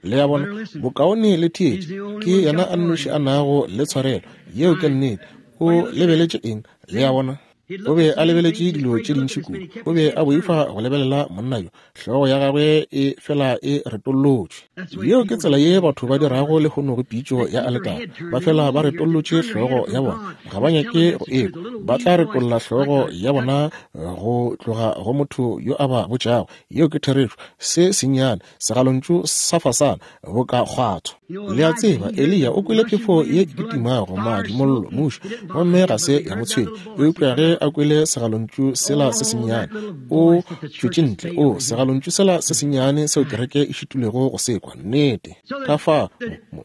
Le a bona, bokaone le theetše. Ke yena a nnoši a nago le tshwarelo. Yeo ke nnete. O lebeletše eng? Le a bona? O be a lebeletše dilo tše dintši kudu. O be a boifa go lebelela monna yo. Hlogo ya gagwe e fela e retollotšwe. Yeo ke tsela ye batho ba dirago lehono go pitšo ya aletara. Ba fela ba retollotše hlogo ya bona. Ga ba nyake go ekwa. Ba tla retolla hlogo ya bona go tloga go motho yo a ba botšago. Yeo ke therešo. Se sennyane, segalontšu sa fasana, boka kgwatho. Le a tseba, Eliya o kwele phefo ye e kitimago, madi, mollo, muši, gomme ga se ya mo tshwenya. Eupša ge a kwele segalontšu sela se sennyane, o tšwetše ntle. O, segalontšu sela se sennyane seo kereke e šitilwego go se kwa. Nnete. Ka fa,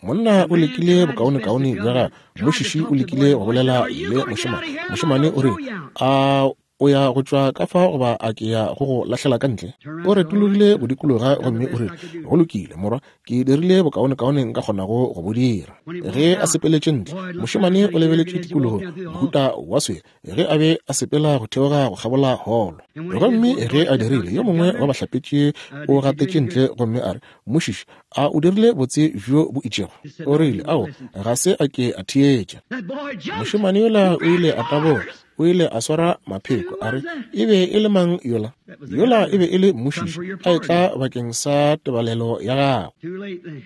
monna o lekile bokaonekaone bja gagwe. Mmušiši o lekile go bolela le mošemane. Mošemane o rile, A O ya go tšwa ka fa goba a ke ya go go lahlela ka ntle? O retologile go dikologa gomme o rile, Go lokile, morwa, ke dirile bokaonekaone nka kgonago go bo dira. Ge a sepeletše ntle, mošemane o lebeletše tikologong, mohuta wa swele, ge a be a sepela go theoga go kgabola holo. Gomme ge a dirile, yo mongwe wa bahlapetši o gatetše ntle gomme a re, Mmušiši, a o dirile botse bjo bo itšego? O rile, Ao, ga se a ke a theetša. Mošemane yola o ile a taboga. O ile a swara mapheko, a re, E be e le mang yola? Yola e be e le mmušiši, a etla bakeng sa tebalelo ya gagwe.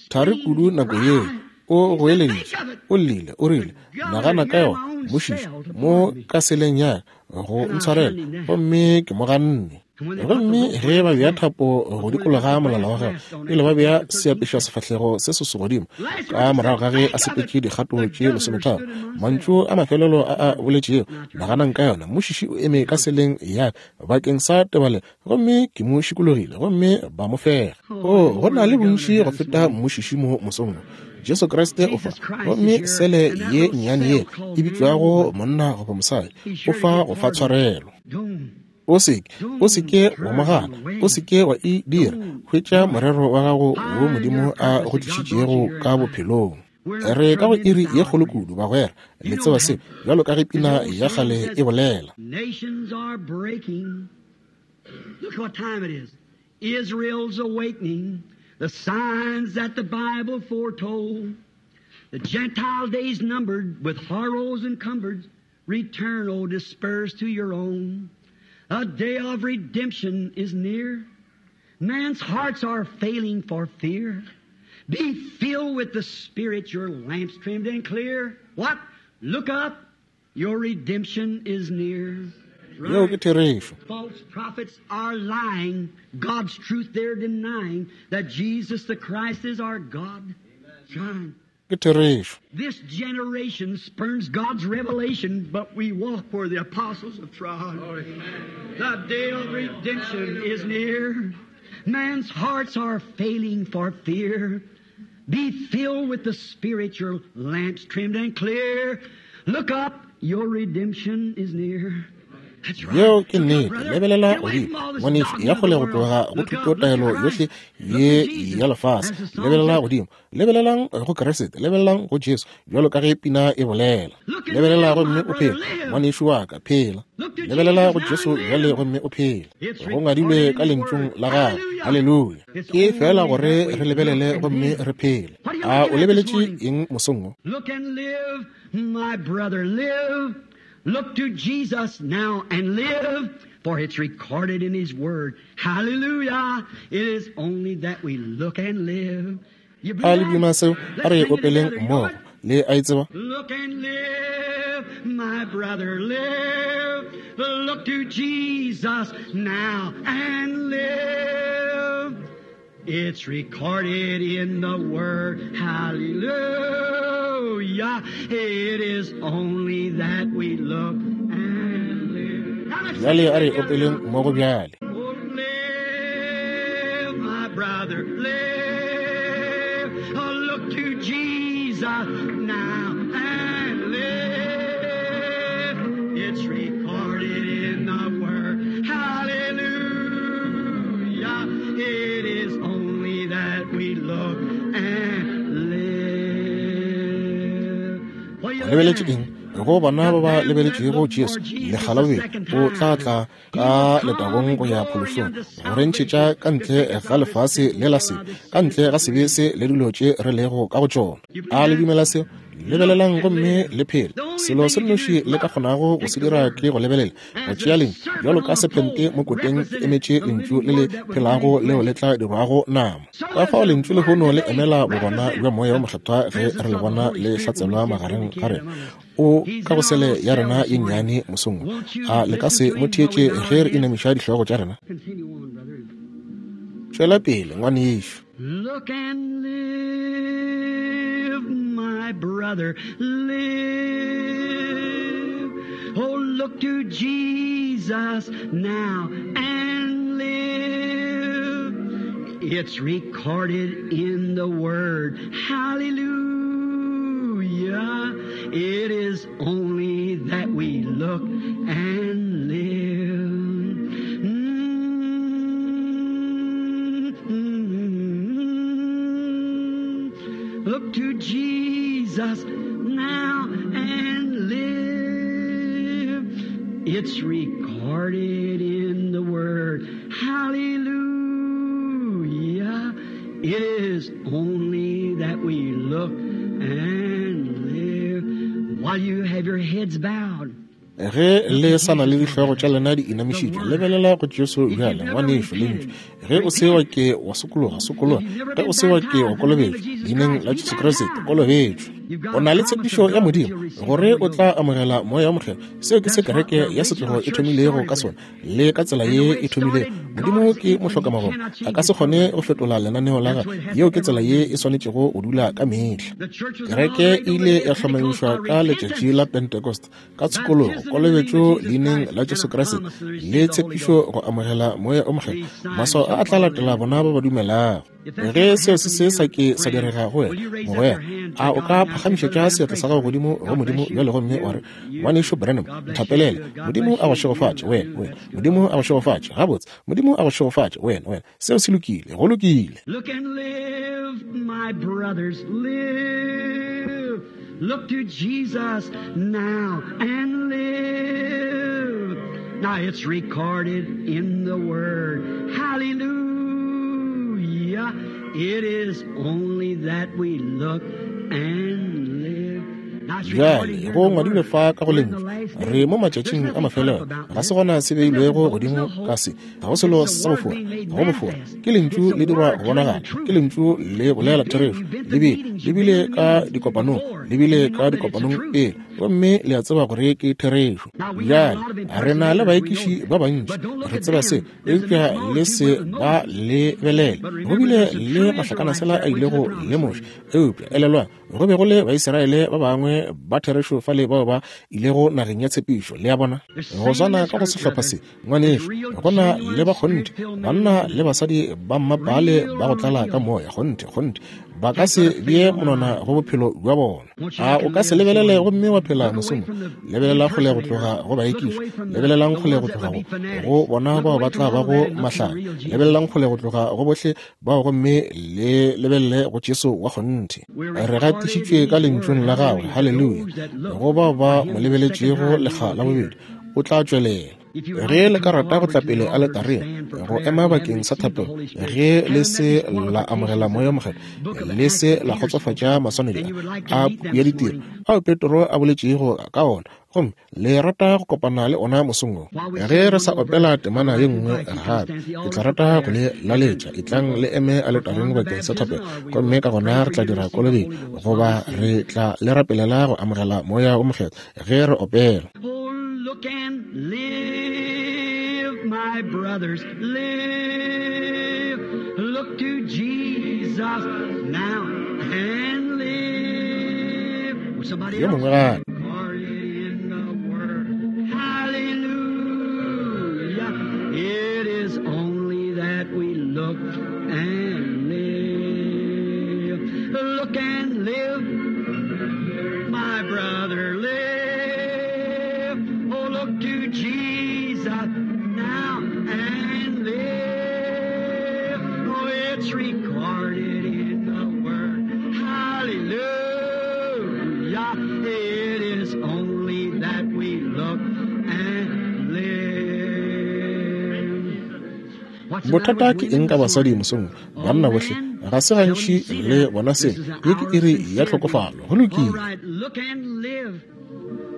Thari kudu nako yeo, o goeleditše, o llile, o rile, Nagana ka yona, mmušiši, mo ka seleng ya ka, go ntshwarela, gomme ke mo ganne. Gomme ge ba bea thapo go dikologa molala wa gagwe, pele ba bea seapešwa sefahlego se se godimo, ka morago ga ge a sepetše dikgato tše lesometharo, mantšu a mafelelo a a boletšego, naganang ka yona, mmušiši o eme ka seleng ya ka bakeng sa tebalelo, gomme ke mo šikologile, gomme ba mo fega. Oo, go na le bontši go feta mmušiši mo mosong wo. Jesu Kriste o fa, gomme sele ye nnyane ye e bitšwago monna goba mosadi, o fa go fa tshwarelo. O se ke, o se ke wa mo gana, o se ke wa e dira. Hwetša morero wa gago wo Modimo a go tlišitšego ka bophelong. Re ka go iri ye kgolo kudu, bagwera. Le tseba se, bjalo ka ge pina ya kgale e bolela. Nations are breaking. Look what time it is. Israel's awakening. The signs that the Bible foretold. The Gentile days numbered with horrors encumbered. Return, O dispersed to your own. A day of redemption is near. Man's hearts are failing for fear. Be filled with the Spirit, your lamps trimmed and clear. What? Look up, your redemption is near. Yeo ke therešo. False prophets are lying, God's truth they're denying, that Jesus the Christ is our God. Shine. Ke therešo. This generation spurns God's revelation, but we walk where the apostles have trod. The day of redemption is near. Man's hearts are failing for fear. Be filled with the Spirit, your lamps trimmed and clear. Look up, your redemption is near. Yeo ke nnete. Lebelela godimo, ngwanešu, ya kgole go tloga go thutotaelo yohle ye ya lefase. Lebelela godimo. Lebelelang go Kriste, lebelelang go Jesu, bjalo ka ge pina e bolela. Lebelela gomme o phele, ngwanešu wa ka, phela. Lebelela go Jesu bjale gomme o phele. Go ngadilwe ka Lentšung la Gagwe. Haleluya. Ke feela gore re lebelele gomme re phele. A o lebeletše eng mosong wo? Look and live, my brother, live. Look to Jesus now and live, for it's recorded in His Word. Hallelujah. It is only that we look and live. A le duma seo? A re opeleng mmogo. Le a e tseba? Look and live, my brother, live. Look to Jesus now and live. It's recorded in the Word. Hallelujah. It is only that we look and live. Now let's Bjale a re sing it opeleng together. mmogo bjale. Oh, live, my brother, live. Oh, look to Jesus now and live. It's recorded in the Word. Hallelujah. It is only that we look and live. What are you O looking lebeletše at? eng? Go bona ba ba lebeletšego Jesu lekga la bobedi, o tla tla ka letagong go ya phološong, go re ntšhetša ka ntle ga lefase le la sebe, ka ntle ga sebe se le dilo tše re lego ka go tšona. A le dumela seo? Lebelelang gomme le phele. Selo se nnoši le ka kgonago go se dira ke go lebelela, go tšea lentšu bjalo ka sephente mo koteng e emetše lentšu le le phelago leo le tla dirwago nama. Ka fao lentšu lehono le emela bogona bja Moya wo Mokgethwa ge re le bona le hlatselwa magareng ga rena. O ka go sele ya rena ye nnyane mosong wo. A le ka se mo theetše ge re inamiša dihlogo tša rena? Continue on, brother. Tšwela pele, ngwanešu. Look and live, my brother, live. Oh, look to Jesus now and live. It's recorded in the Word. Hallelujah. It is only that we look and live. Mm-hmm. Look to Jesus now and live. It's recorded in the Word. Hallelujah. It is only that we look and live while you have your heads bowed. Ge le sa na le dihlogo tša lena di inamišitšwe, lebelela go Jesu bjale, ngwanešu, lentšu. Ge o se wa ke wa sokologa, sokologa. Ge o se wa ke wa kolobetšwa, leineng la Jesu Kriste, kolobetšwa. O na le tshepišo ya Modimo gore o tla amogela Moya wo Mokgethwa. Seo ke se kereke ya setlogo e thomilego ka sona, le ka tsela ye e thomilego. Modimo ke mohlokamagomo, a ka se kgone go fetola lenaneo la gagwe. Yeo ke tsela ye e swanetšego go dula ka mehla. The church was Kereke inaugurated e on the ile day ya of Pentecost hlomamišwa by ka letšatši repentance. la Pentecost ka tshokologo, kolobetšo leineng la Jesu Kriste le tshepišo go amogela Moya o Mokgethwa. Maswao a a tla latela bona ba ba dumelago. Ge seo se se sa ke sa direga go wena, mogwera, a o ka phagamišetša seatla sa gago godimo go Modimo bjale gomme wa re, Ngwanešu Branham, nthapelele. Modimo a go šegofatše, wena, wena. Modimo a go šegofatše. Gabotse, Modimo a go šegofatše, wena, wena. Seo se lokile, go lokile. Look and live, my brothers, live. Look to Jesus now and live. Now it's recorded in the Word. Hallelujah. It is only that we look and live. Now it's recorded Bjale here in go the ngwadilwe Word. fa ka go We're in the lentšu. last Re days. mo There's matšatšing a nothing mafelelo, tough about ga se this. gona se There's nothing beilwego bold, godimo no ka hope. se. Ga go selo It's the sa Word bofora, being made ga go bofora. manifest. Ke lentšu It's le the dirwa Word go telling bonagala, the ke truth. lentšu le bolela You've been, therešo. you've been Le to bile meetings, le you've been bile in ka meetings dikopanong, before, le and bile you know ka that it's the dikopanong truth. pele, gomme le a tseba gore ke therešo. Now we have a Bjale lot of re na le impersonators, we know baekiši that. ba bantši, But don't look re at tseba se, them. There's a eupša mixed le se multitude with ba Moses. lebelele. But Go remember, bile there's a le true mahlakanasela Israelite a that went to the ilego le promised Moshe, land. eupša elelwang, go be go le Baisraele ba bangwe ba therešo fale bao ba ilego nageng ya tshepišo. Le a bona? The Go same in swana this ka go group, sehlopha brother. se, There's ngwanešu, real, go na le genuine, ba kgonthe, spirit-filled men and banna women. le basadi ba mmapale Real ba go tlala ka deal. moya, kgonthe, kgonthe, ba ka Can't se put a bee finger on monwana it. go bophelo bja bona. Won't you A look o and ka se live this lebelele morning? gomme wa phela Look away mosong? from the Lebelelang kgole go tloga impersonators. go Look baekiši, away from the, lebelelang the kgole go ones that tloga would go be fanatics. go bona Look bao away ba from tla all bago that and look to the mahlale, real Jesus. lebelelang kgole go tloga go bohle bao gomme le lebelele go Jesu wa kgonthe. We're Re recorded gatišitšwe in ka His lentšung Word. la gagwe, Hallelujah. haleluya. Those that look Go bao for ba Him mo the second lebeletšego time, He lekga will la appear. bobedi, o tla tšwelela. If you would Ge like to le ka come rata go forward tla to the pele altar to aletareng stand for go prayer, ema if you haven't bakeng sa received the thapelo, Holy Spirit, ge le haven't met se these la amogela qualifications Moya that o the Mokgethwa, book of le Acts se that la Peter spoke kgotsofatša of, maswanedi and you would like a to a meet puku them ya this ditiro morning, ao Petro a boletšego ka ona, Gomme le rata go kopana le ona mosong wo. Ge re sa opela temana ye nngwe gape, ke tla rata go le laletša, etlang le eme aletareng bakeng sa thapelo, gomme ka gona re tla dira kolobetšo, goba re tla le rapelela go amogela Moya wo Mokgethwa ge re opela. Oh, look and live, my brothers, live. Look to Jesus now and live. Oh, somebody Yo else. mongwe gape. In the Word. Hallelujah. It is only that we look and live. Look and live, my brother, live. Oh, look to Jesus now and live. Oh, it's recorded in the Word. Hallelujah. It is only that we look and live. What's the matter Bothata with ke women eng ka this basadi morning? mosong? All Banna bohle men ga se gantši seldom see le that. bona This se. is an Ye ke hour of iri ya sincerity. tlhokofalo. Go All lokile. right, look and live,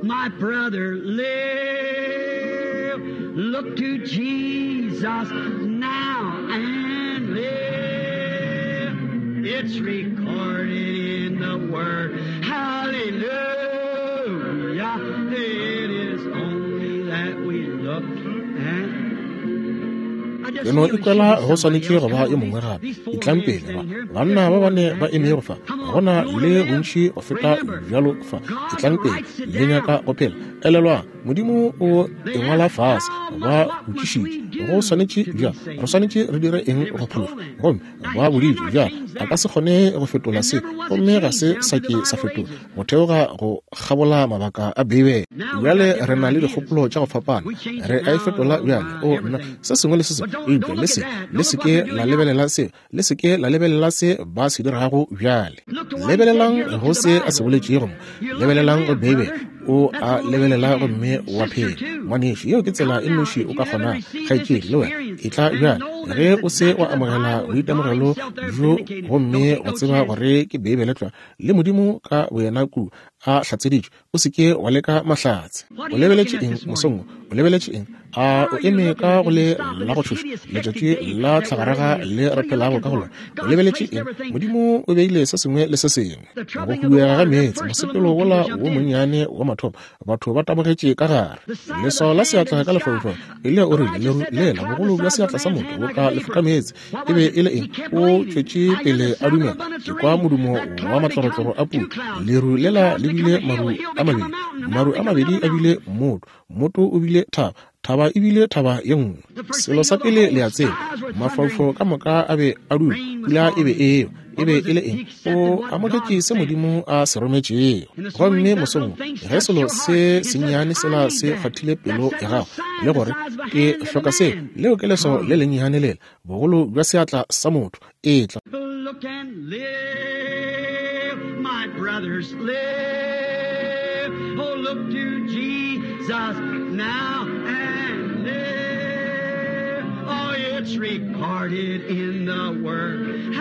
my brother, live. Look to Jesus now and live. It's recorded in the Word. Hallelujah. It is only that we look and I Ke just no feel it ikwela should be go somebody swanetše else. go Come ba yo on, mongwe these, gape. these four Etlang men pele ba. standing here. There's Banna ba more bane than ba that. emego Here. fa. Come Go on, na you want le to live? bontši go feta Remember, bjalo fa. God Etlang pele writes it le nyaka down. go phela. Elelwang, Modimo o They e ngwala asked, fase. how Ba much, what must botšišitše, we go do swanetše to be bjang, re saved? swanetše re dire eng And it go was phološwa? told them. Gomme Now, ba he boditšwe cannot bjang, change a ka that. se kgone go fetola And se, never was it gomme ga changed se down sa through the ke sa Bible fetola ages. go theoga go kgabola mabaka a Beibele. Now we got Bjale re different na le ideas. dikgopolo tša go fapana, We change re it a e now fetola bjale. by O nna, everything. se sengwe le se But sengwe, don't eupša don't le look at se that. le Don't se look what ke they're la doing now. lebelela se, le se ke la lebelela se ba se dirago bjale. Look to what he said Lebelelang here. Look go to the se a se Bible. boletšego mo, You look and lebelelang go live, Beibele. brother. O That's a the only way you lebelela can. gomme wa Sister, phela. too. Ngwanešu, yeo ke tsela Come e now, nnoši if o you ka haven't kgonago. received this Kgaetšedi, le wena experience e tla and bjale. know that Ge it's o se exactly wa the amogela Bible with God boitemogelo Himself there bjo vindicated, gomme don't take wa no tseba chance. gore ke Beibele tlwa le Modimo ka boyena ku a hlatseditšwe, o se ke wa leka mahlatse. What O are you lebeletše looking at eng this mosong morning? wo? O lebeletše eng? A Why o are you eme looking ka at go did you le stop in la go this tšhoša hideous, hectic letšatši day la that we're tlhagaraga living in? le What re are you phelago looking ka go for? lona? O God's lebeletše placed eng? everything. Modimo o beile se sengwe le se sengwe. The Go troubling of the huduega ga water, that meetse, first little mosepelo moon wola people wo jumped in. monnyane wa mathomo, batho ba tabogetše ka gare. The side of the Leswao la hand in seatla the ka sky. lefaufau. Eliya o rile, Elijah leru said that lela, cloud the bogolo bja size of a seatla sa man's motho hand bo like ka a lefoka vapor. meetse. What E was be it? e le He eng? kept O believing. tšwetše I hear the pele a sound of dumela. abundance Ke of kwa rain. modumo That wa cloud become matlorotloro a two pula. clouds. Leru Two lela clouds le become bile a hill. maru A hill a become a mabedi. mountain. A Maru mountain a become mabedi another a bile mountain. mmoto. Mmoto o bile thaba. Thaba e bile thaba ye nngwe. The first Selo thing you sa know, the pele whole le a tseba, skies were thundering. mafaufau ka moka a be a dula. Rain was Pula e be falling. eo. E What be was e le it? He eng? accepted O what God amogetše se sent. Modimo a se rometšego. And this Gomme morning, that mosong little wo, thing ge touched selo your se heart and says, sennyane I sela need se that. kgwathile pelo That's ya that gago little sign le the gore size of a ke hand of a hloka se, man. leo ke leswao le Come. lennyane lela, bogolo bja seatla sa motho. Etla. Look and live, my brothers, live. Oh, look to Jesus now and live. Oh, it's recorded in the Word.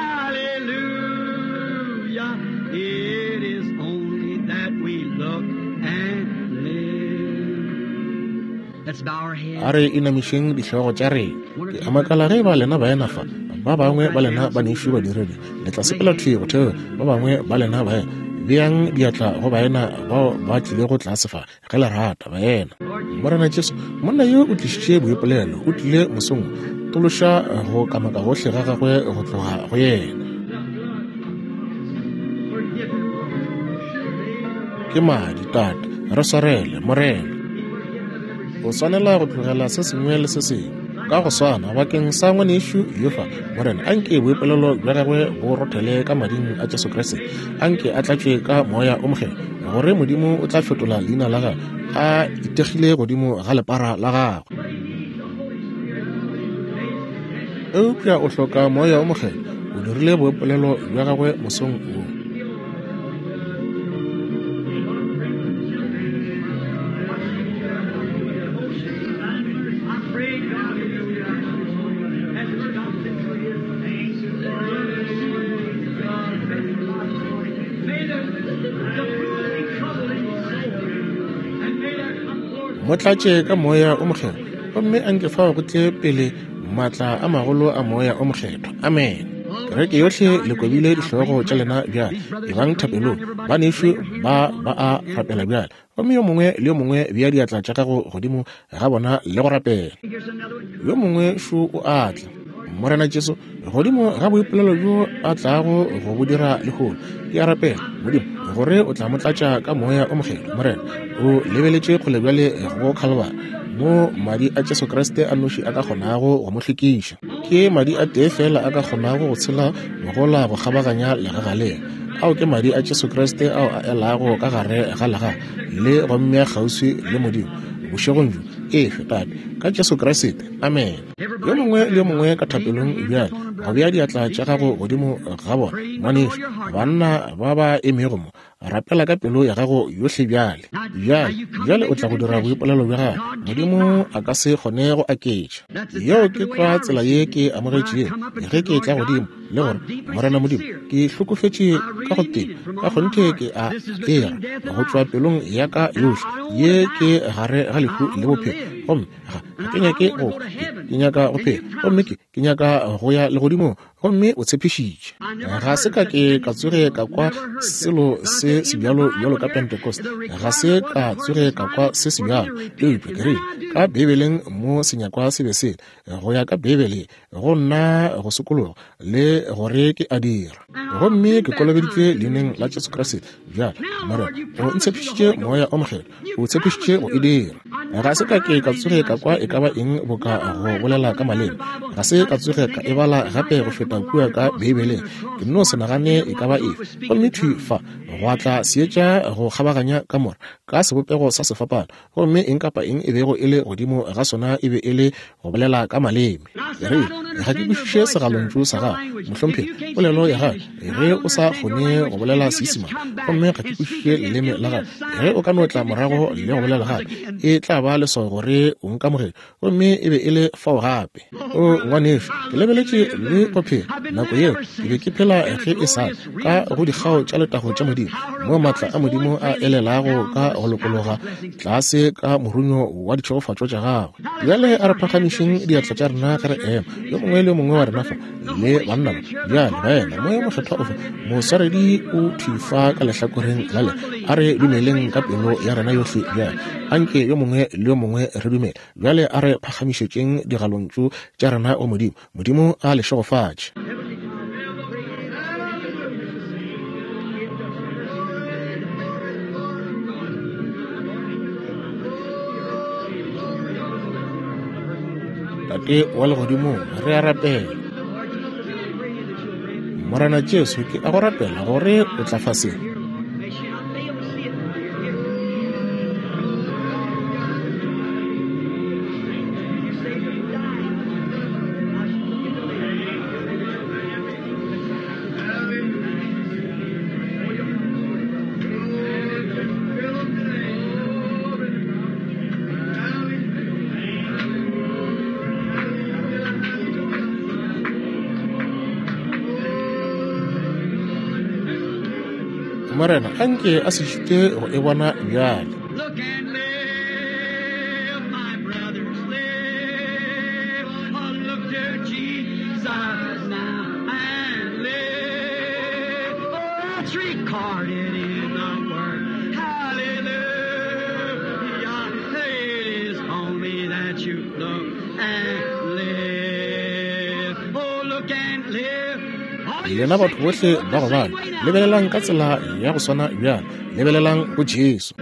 Hallelujah. It is only that we look and live. Let's bow our A heads. re inamišeng dihlogo tša rena. One or Ke two a makala brothers ge and ba lena baena sisters fa, ba walk bangwe right ba lena down ba some nešo brothers. badiredi, le tla Lay sepela hands thwi go on theoga, them. ba bangwe ba lena baena. Beang diatla go baena bao ba tlilego tlase fa, ge le rata baena. Lord Morena Jesus, Jesu, monna yo o tlišitše boipolelo, o tlile mosong wo, tološa go kamaka gohle ga gagwe go tloga go yena. the blood, forgive him, Lord. Ke madi, Tate, re swarele, Morena. O swanela go tlogela se sengwe le se sengwe. Ka go swana, bakeng sa ngwanešu yo fa, Morena, anke boipolelo bja gagwe bo rothele ka mading a Jesu Kriste. Anke a tlatšwe ka Moya o Mokgethwa, gore Modimo o tla fetola leina la gagwe a itegile godimo ga lepara la gagwe. Eupša o hloka Moya o Mokgethwa. O dirile boipolelo bja gagwe mosong wo. I pray God as May the pool be troubled in his soul, and may there Mo tlatše ka Moya o Mokgethwa, gomme a nke fao go tle pele maatla a magolo a Moya o Mokgethwa. Amene. Kereke yohle le kobile dihlogo tša lena bjale. Ebang thapelong. Banešu ba ba a rapela bjale. Gomme yo mongwe le yo mongwe bea diatla tša gago godimo ga bona le go rapela. Yo mongwe šo o a tla. Morena Jesu, godimo ga boipolelo bjo a tlago go bo dira lehono, ke a rapela, Modimo, gore o tla mo tlatša ka Moya o Mokgethwa. Morena, o lebeletše kgole bjale go Khalibari, mo Madi a Jesu Kriste a nnoši a ka kgonago go mo hlwekiša. Ke Madi a tee feela a ka kgonago go tshela mogola go kgabaganya legaga le. Ao ke Madi a Jesu Kriste ao a elago ka gare ga legaga le go mmea kgauswi le Modimo bošegong bjo. Efe, Tate, ka Jesu Kriste. Amene. Yo mongwe le yo mongwe ka thapelong bjale, go bea diatla tša gago godimo ga bona, ngwanešu, banna ba ba emego mo, rapela ka pelo ya gago yohle bjale. Bjale, bjale o tla go dira boipolelo bja gago. Modimo a ka se kgone go aketša. Yeo ke tlwa tsela ye ke amogetšego ge ke etla godimo, le gore, Morena Modimo, ke hlokofetše ka go teba, ka kgonthe ke a era go tšwa pelong ya ka yohle. Ye ke gare ga lehu le bophelo, gomme ga ke nyake go ke nyaka go phela, gomme ke ke nyaka go ya legodimong. Gomme o tshepišitše. Ga se ka ke ka tsoge ka kwa selo se sebjalo bjalo ka Pentecost. Ga se ka tsoge ka kwa se sebjalo. Eupša ke rile, ka Beibeleng mo senyakwa se be se go ya ka Beibele, go nna go sokologa le gore ke a dira. Gomme ke kolobeditšwe leineng la Jesu Kriste. Bjale, Morena, o ntshepišitše Moya o Mokgethwa. O tshepišitše go e dira. Ga se ka ke ka tsoge ka kwa e ka ba eng boka go bolela ka maleme. Ga se ka tsoge ka e bala gape go feta kua ka Beibeleng. Ke nno se nagane e ka ba efe. Gomme thwi fa gwa tla seetša go kgabaganya kamora, ka sebopego sa sefapano, gomme eng kapa eng e bego e le godimo ga sona e be e le go bolela ka maleme. Ke rile, Ga ke kwešiše segalontšu sa gago, mohlomphegi, polelo ya gago, ge o sa kgone go bolela Seisemane, gomme ga ke kwešiše leleme la gago. Ge o ka no tla morago le go bolela gape, e tla ba leswao gore o nkamogetše. Gomme e be e le fao gape. O ngwanešu, ke lebeletše le go phela nako yeo ke be ke phela ge e sa ka go dikgao tša letago tša Modimo, moo maatla a Modimo a elelago ka go lokologa tlase ka morunyo wa ditšhegofatšo tša gagwe. Bjale a re phagamišeng diatla tša rena ge re ema, yo mongwe le yo mongwe wa rena fa, le banna ba. Bjale, baena, Moya wo Mokgethwa o fa, moswaredi o thwi fa ka lehlakoreng la le. A re dumeleng ka pelo ya rena yohle bjale. Anke yo mongwe le yo mongwe re dumele. Bjale a re phagamišetšeng digalontšu tša rena go Modimo. Modimo a le šegofatše. Tate wa legodimong, re a rapela. Morena Jesu, ke a go rapela gore o tla fa se. Morena, a nke a se šite go e bona bjale. Lena batho bohle ba go bala, lebelelang ka tsela ya go swana bjale. Lebelelang go Jesu.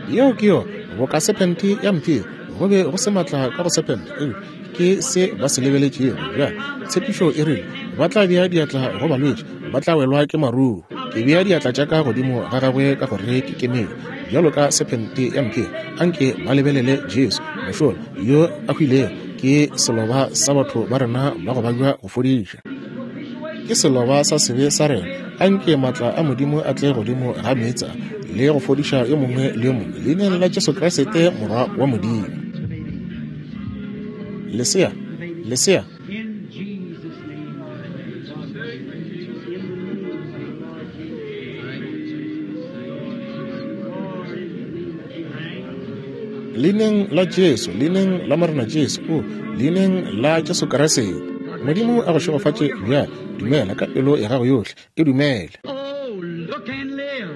Yeo ke yona, boka sephente ya mphiri. Go be go se maatla ka go sephente, eupša ke se ba se lebeletšego. Bjale, tshepišo e rile, Ba tla bea diatla go balwetši, ba tla welwa ke maruo. Ke bea diatla tša ka godimo ga gagwe ka gore ke kemelo, bjalo ka sephente ya mphiri. Anke ba lebelele Jesu, mošola yo a hwilego, ke seloba sa batho ba rena ba go babja go fodiša. Ke seloba sa sebe sa rena. Anke maatla a Modimo a tle godimo ga meetse a le go fodiša yo mongwe le yo mongwe, Leineng la Jesu Kriste, Morwa wa Modimo. Lesea, lesea. Leineng la Jesu, Leineng la Morena Jesu, o, Leineng la Jesu Kriste. Modimo a go šegofatše bjale. Dumela ka pelo ya gago yohle. E dumele. Oh, look and live.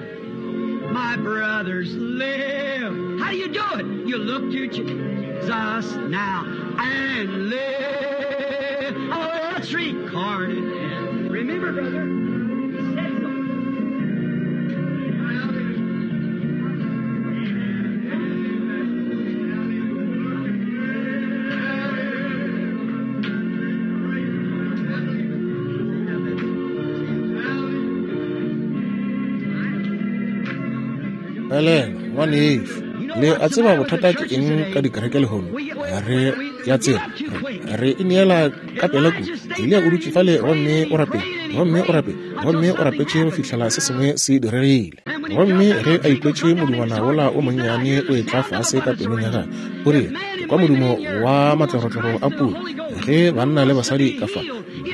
My brothers, live. How do you do it? You look to Jesus now and live. Oh, let's record it. Remember, brother, he said so. Elena, ngwanešu, le a tseba bothata ke eng ka dikereke lehono? Re ya tseba, re ineela ka pela kudu. Eliya o dutše fale gomme o rapetše, gomme o rapetše, gomme o rapetše go fihlela se sengwe se diregile. Gomme ge a ikwetše modingwana wola o monnyane o etla fase ka pelong ya gagwe, o rile, Ke kwa modumo wa matlorotloro a pula, ge banna le basadi ka fa,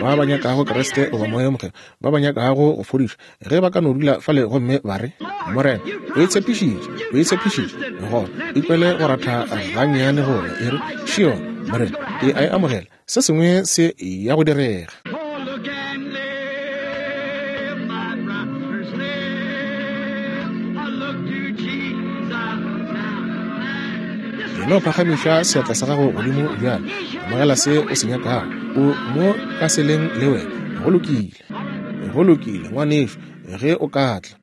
ba ba nyakago Kriste goba Moya wo Mokgethwa, ba ba nyakago go fodišwa, ge ba ka no dula fale gomme ba re, Morena, o e tshepišitše, o e tshepišitše, gona ikwele go ratha gannyane gola, e re, Šio, Morena, ke a e amogela, se sengwe se ya go direga. Oh, look and live, my brothers, live. I look to Jesus now. E no phagamiša seatla sa gago godimo bjale, amogela se o se nyakago, o mo ka seleng le wena. Go lokile. Go lokile, ngwanešu, ge o ka tla.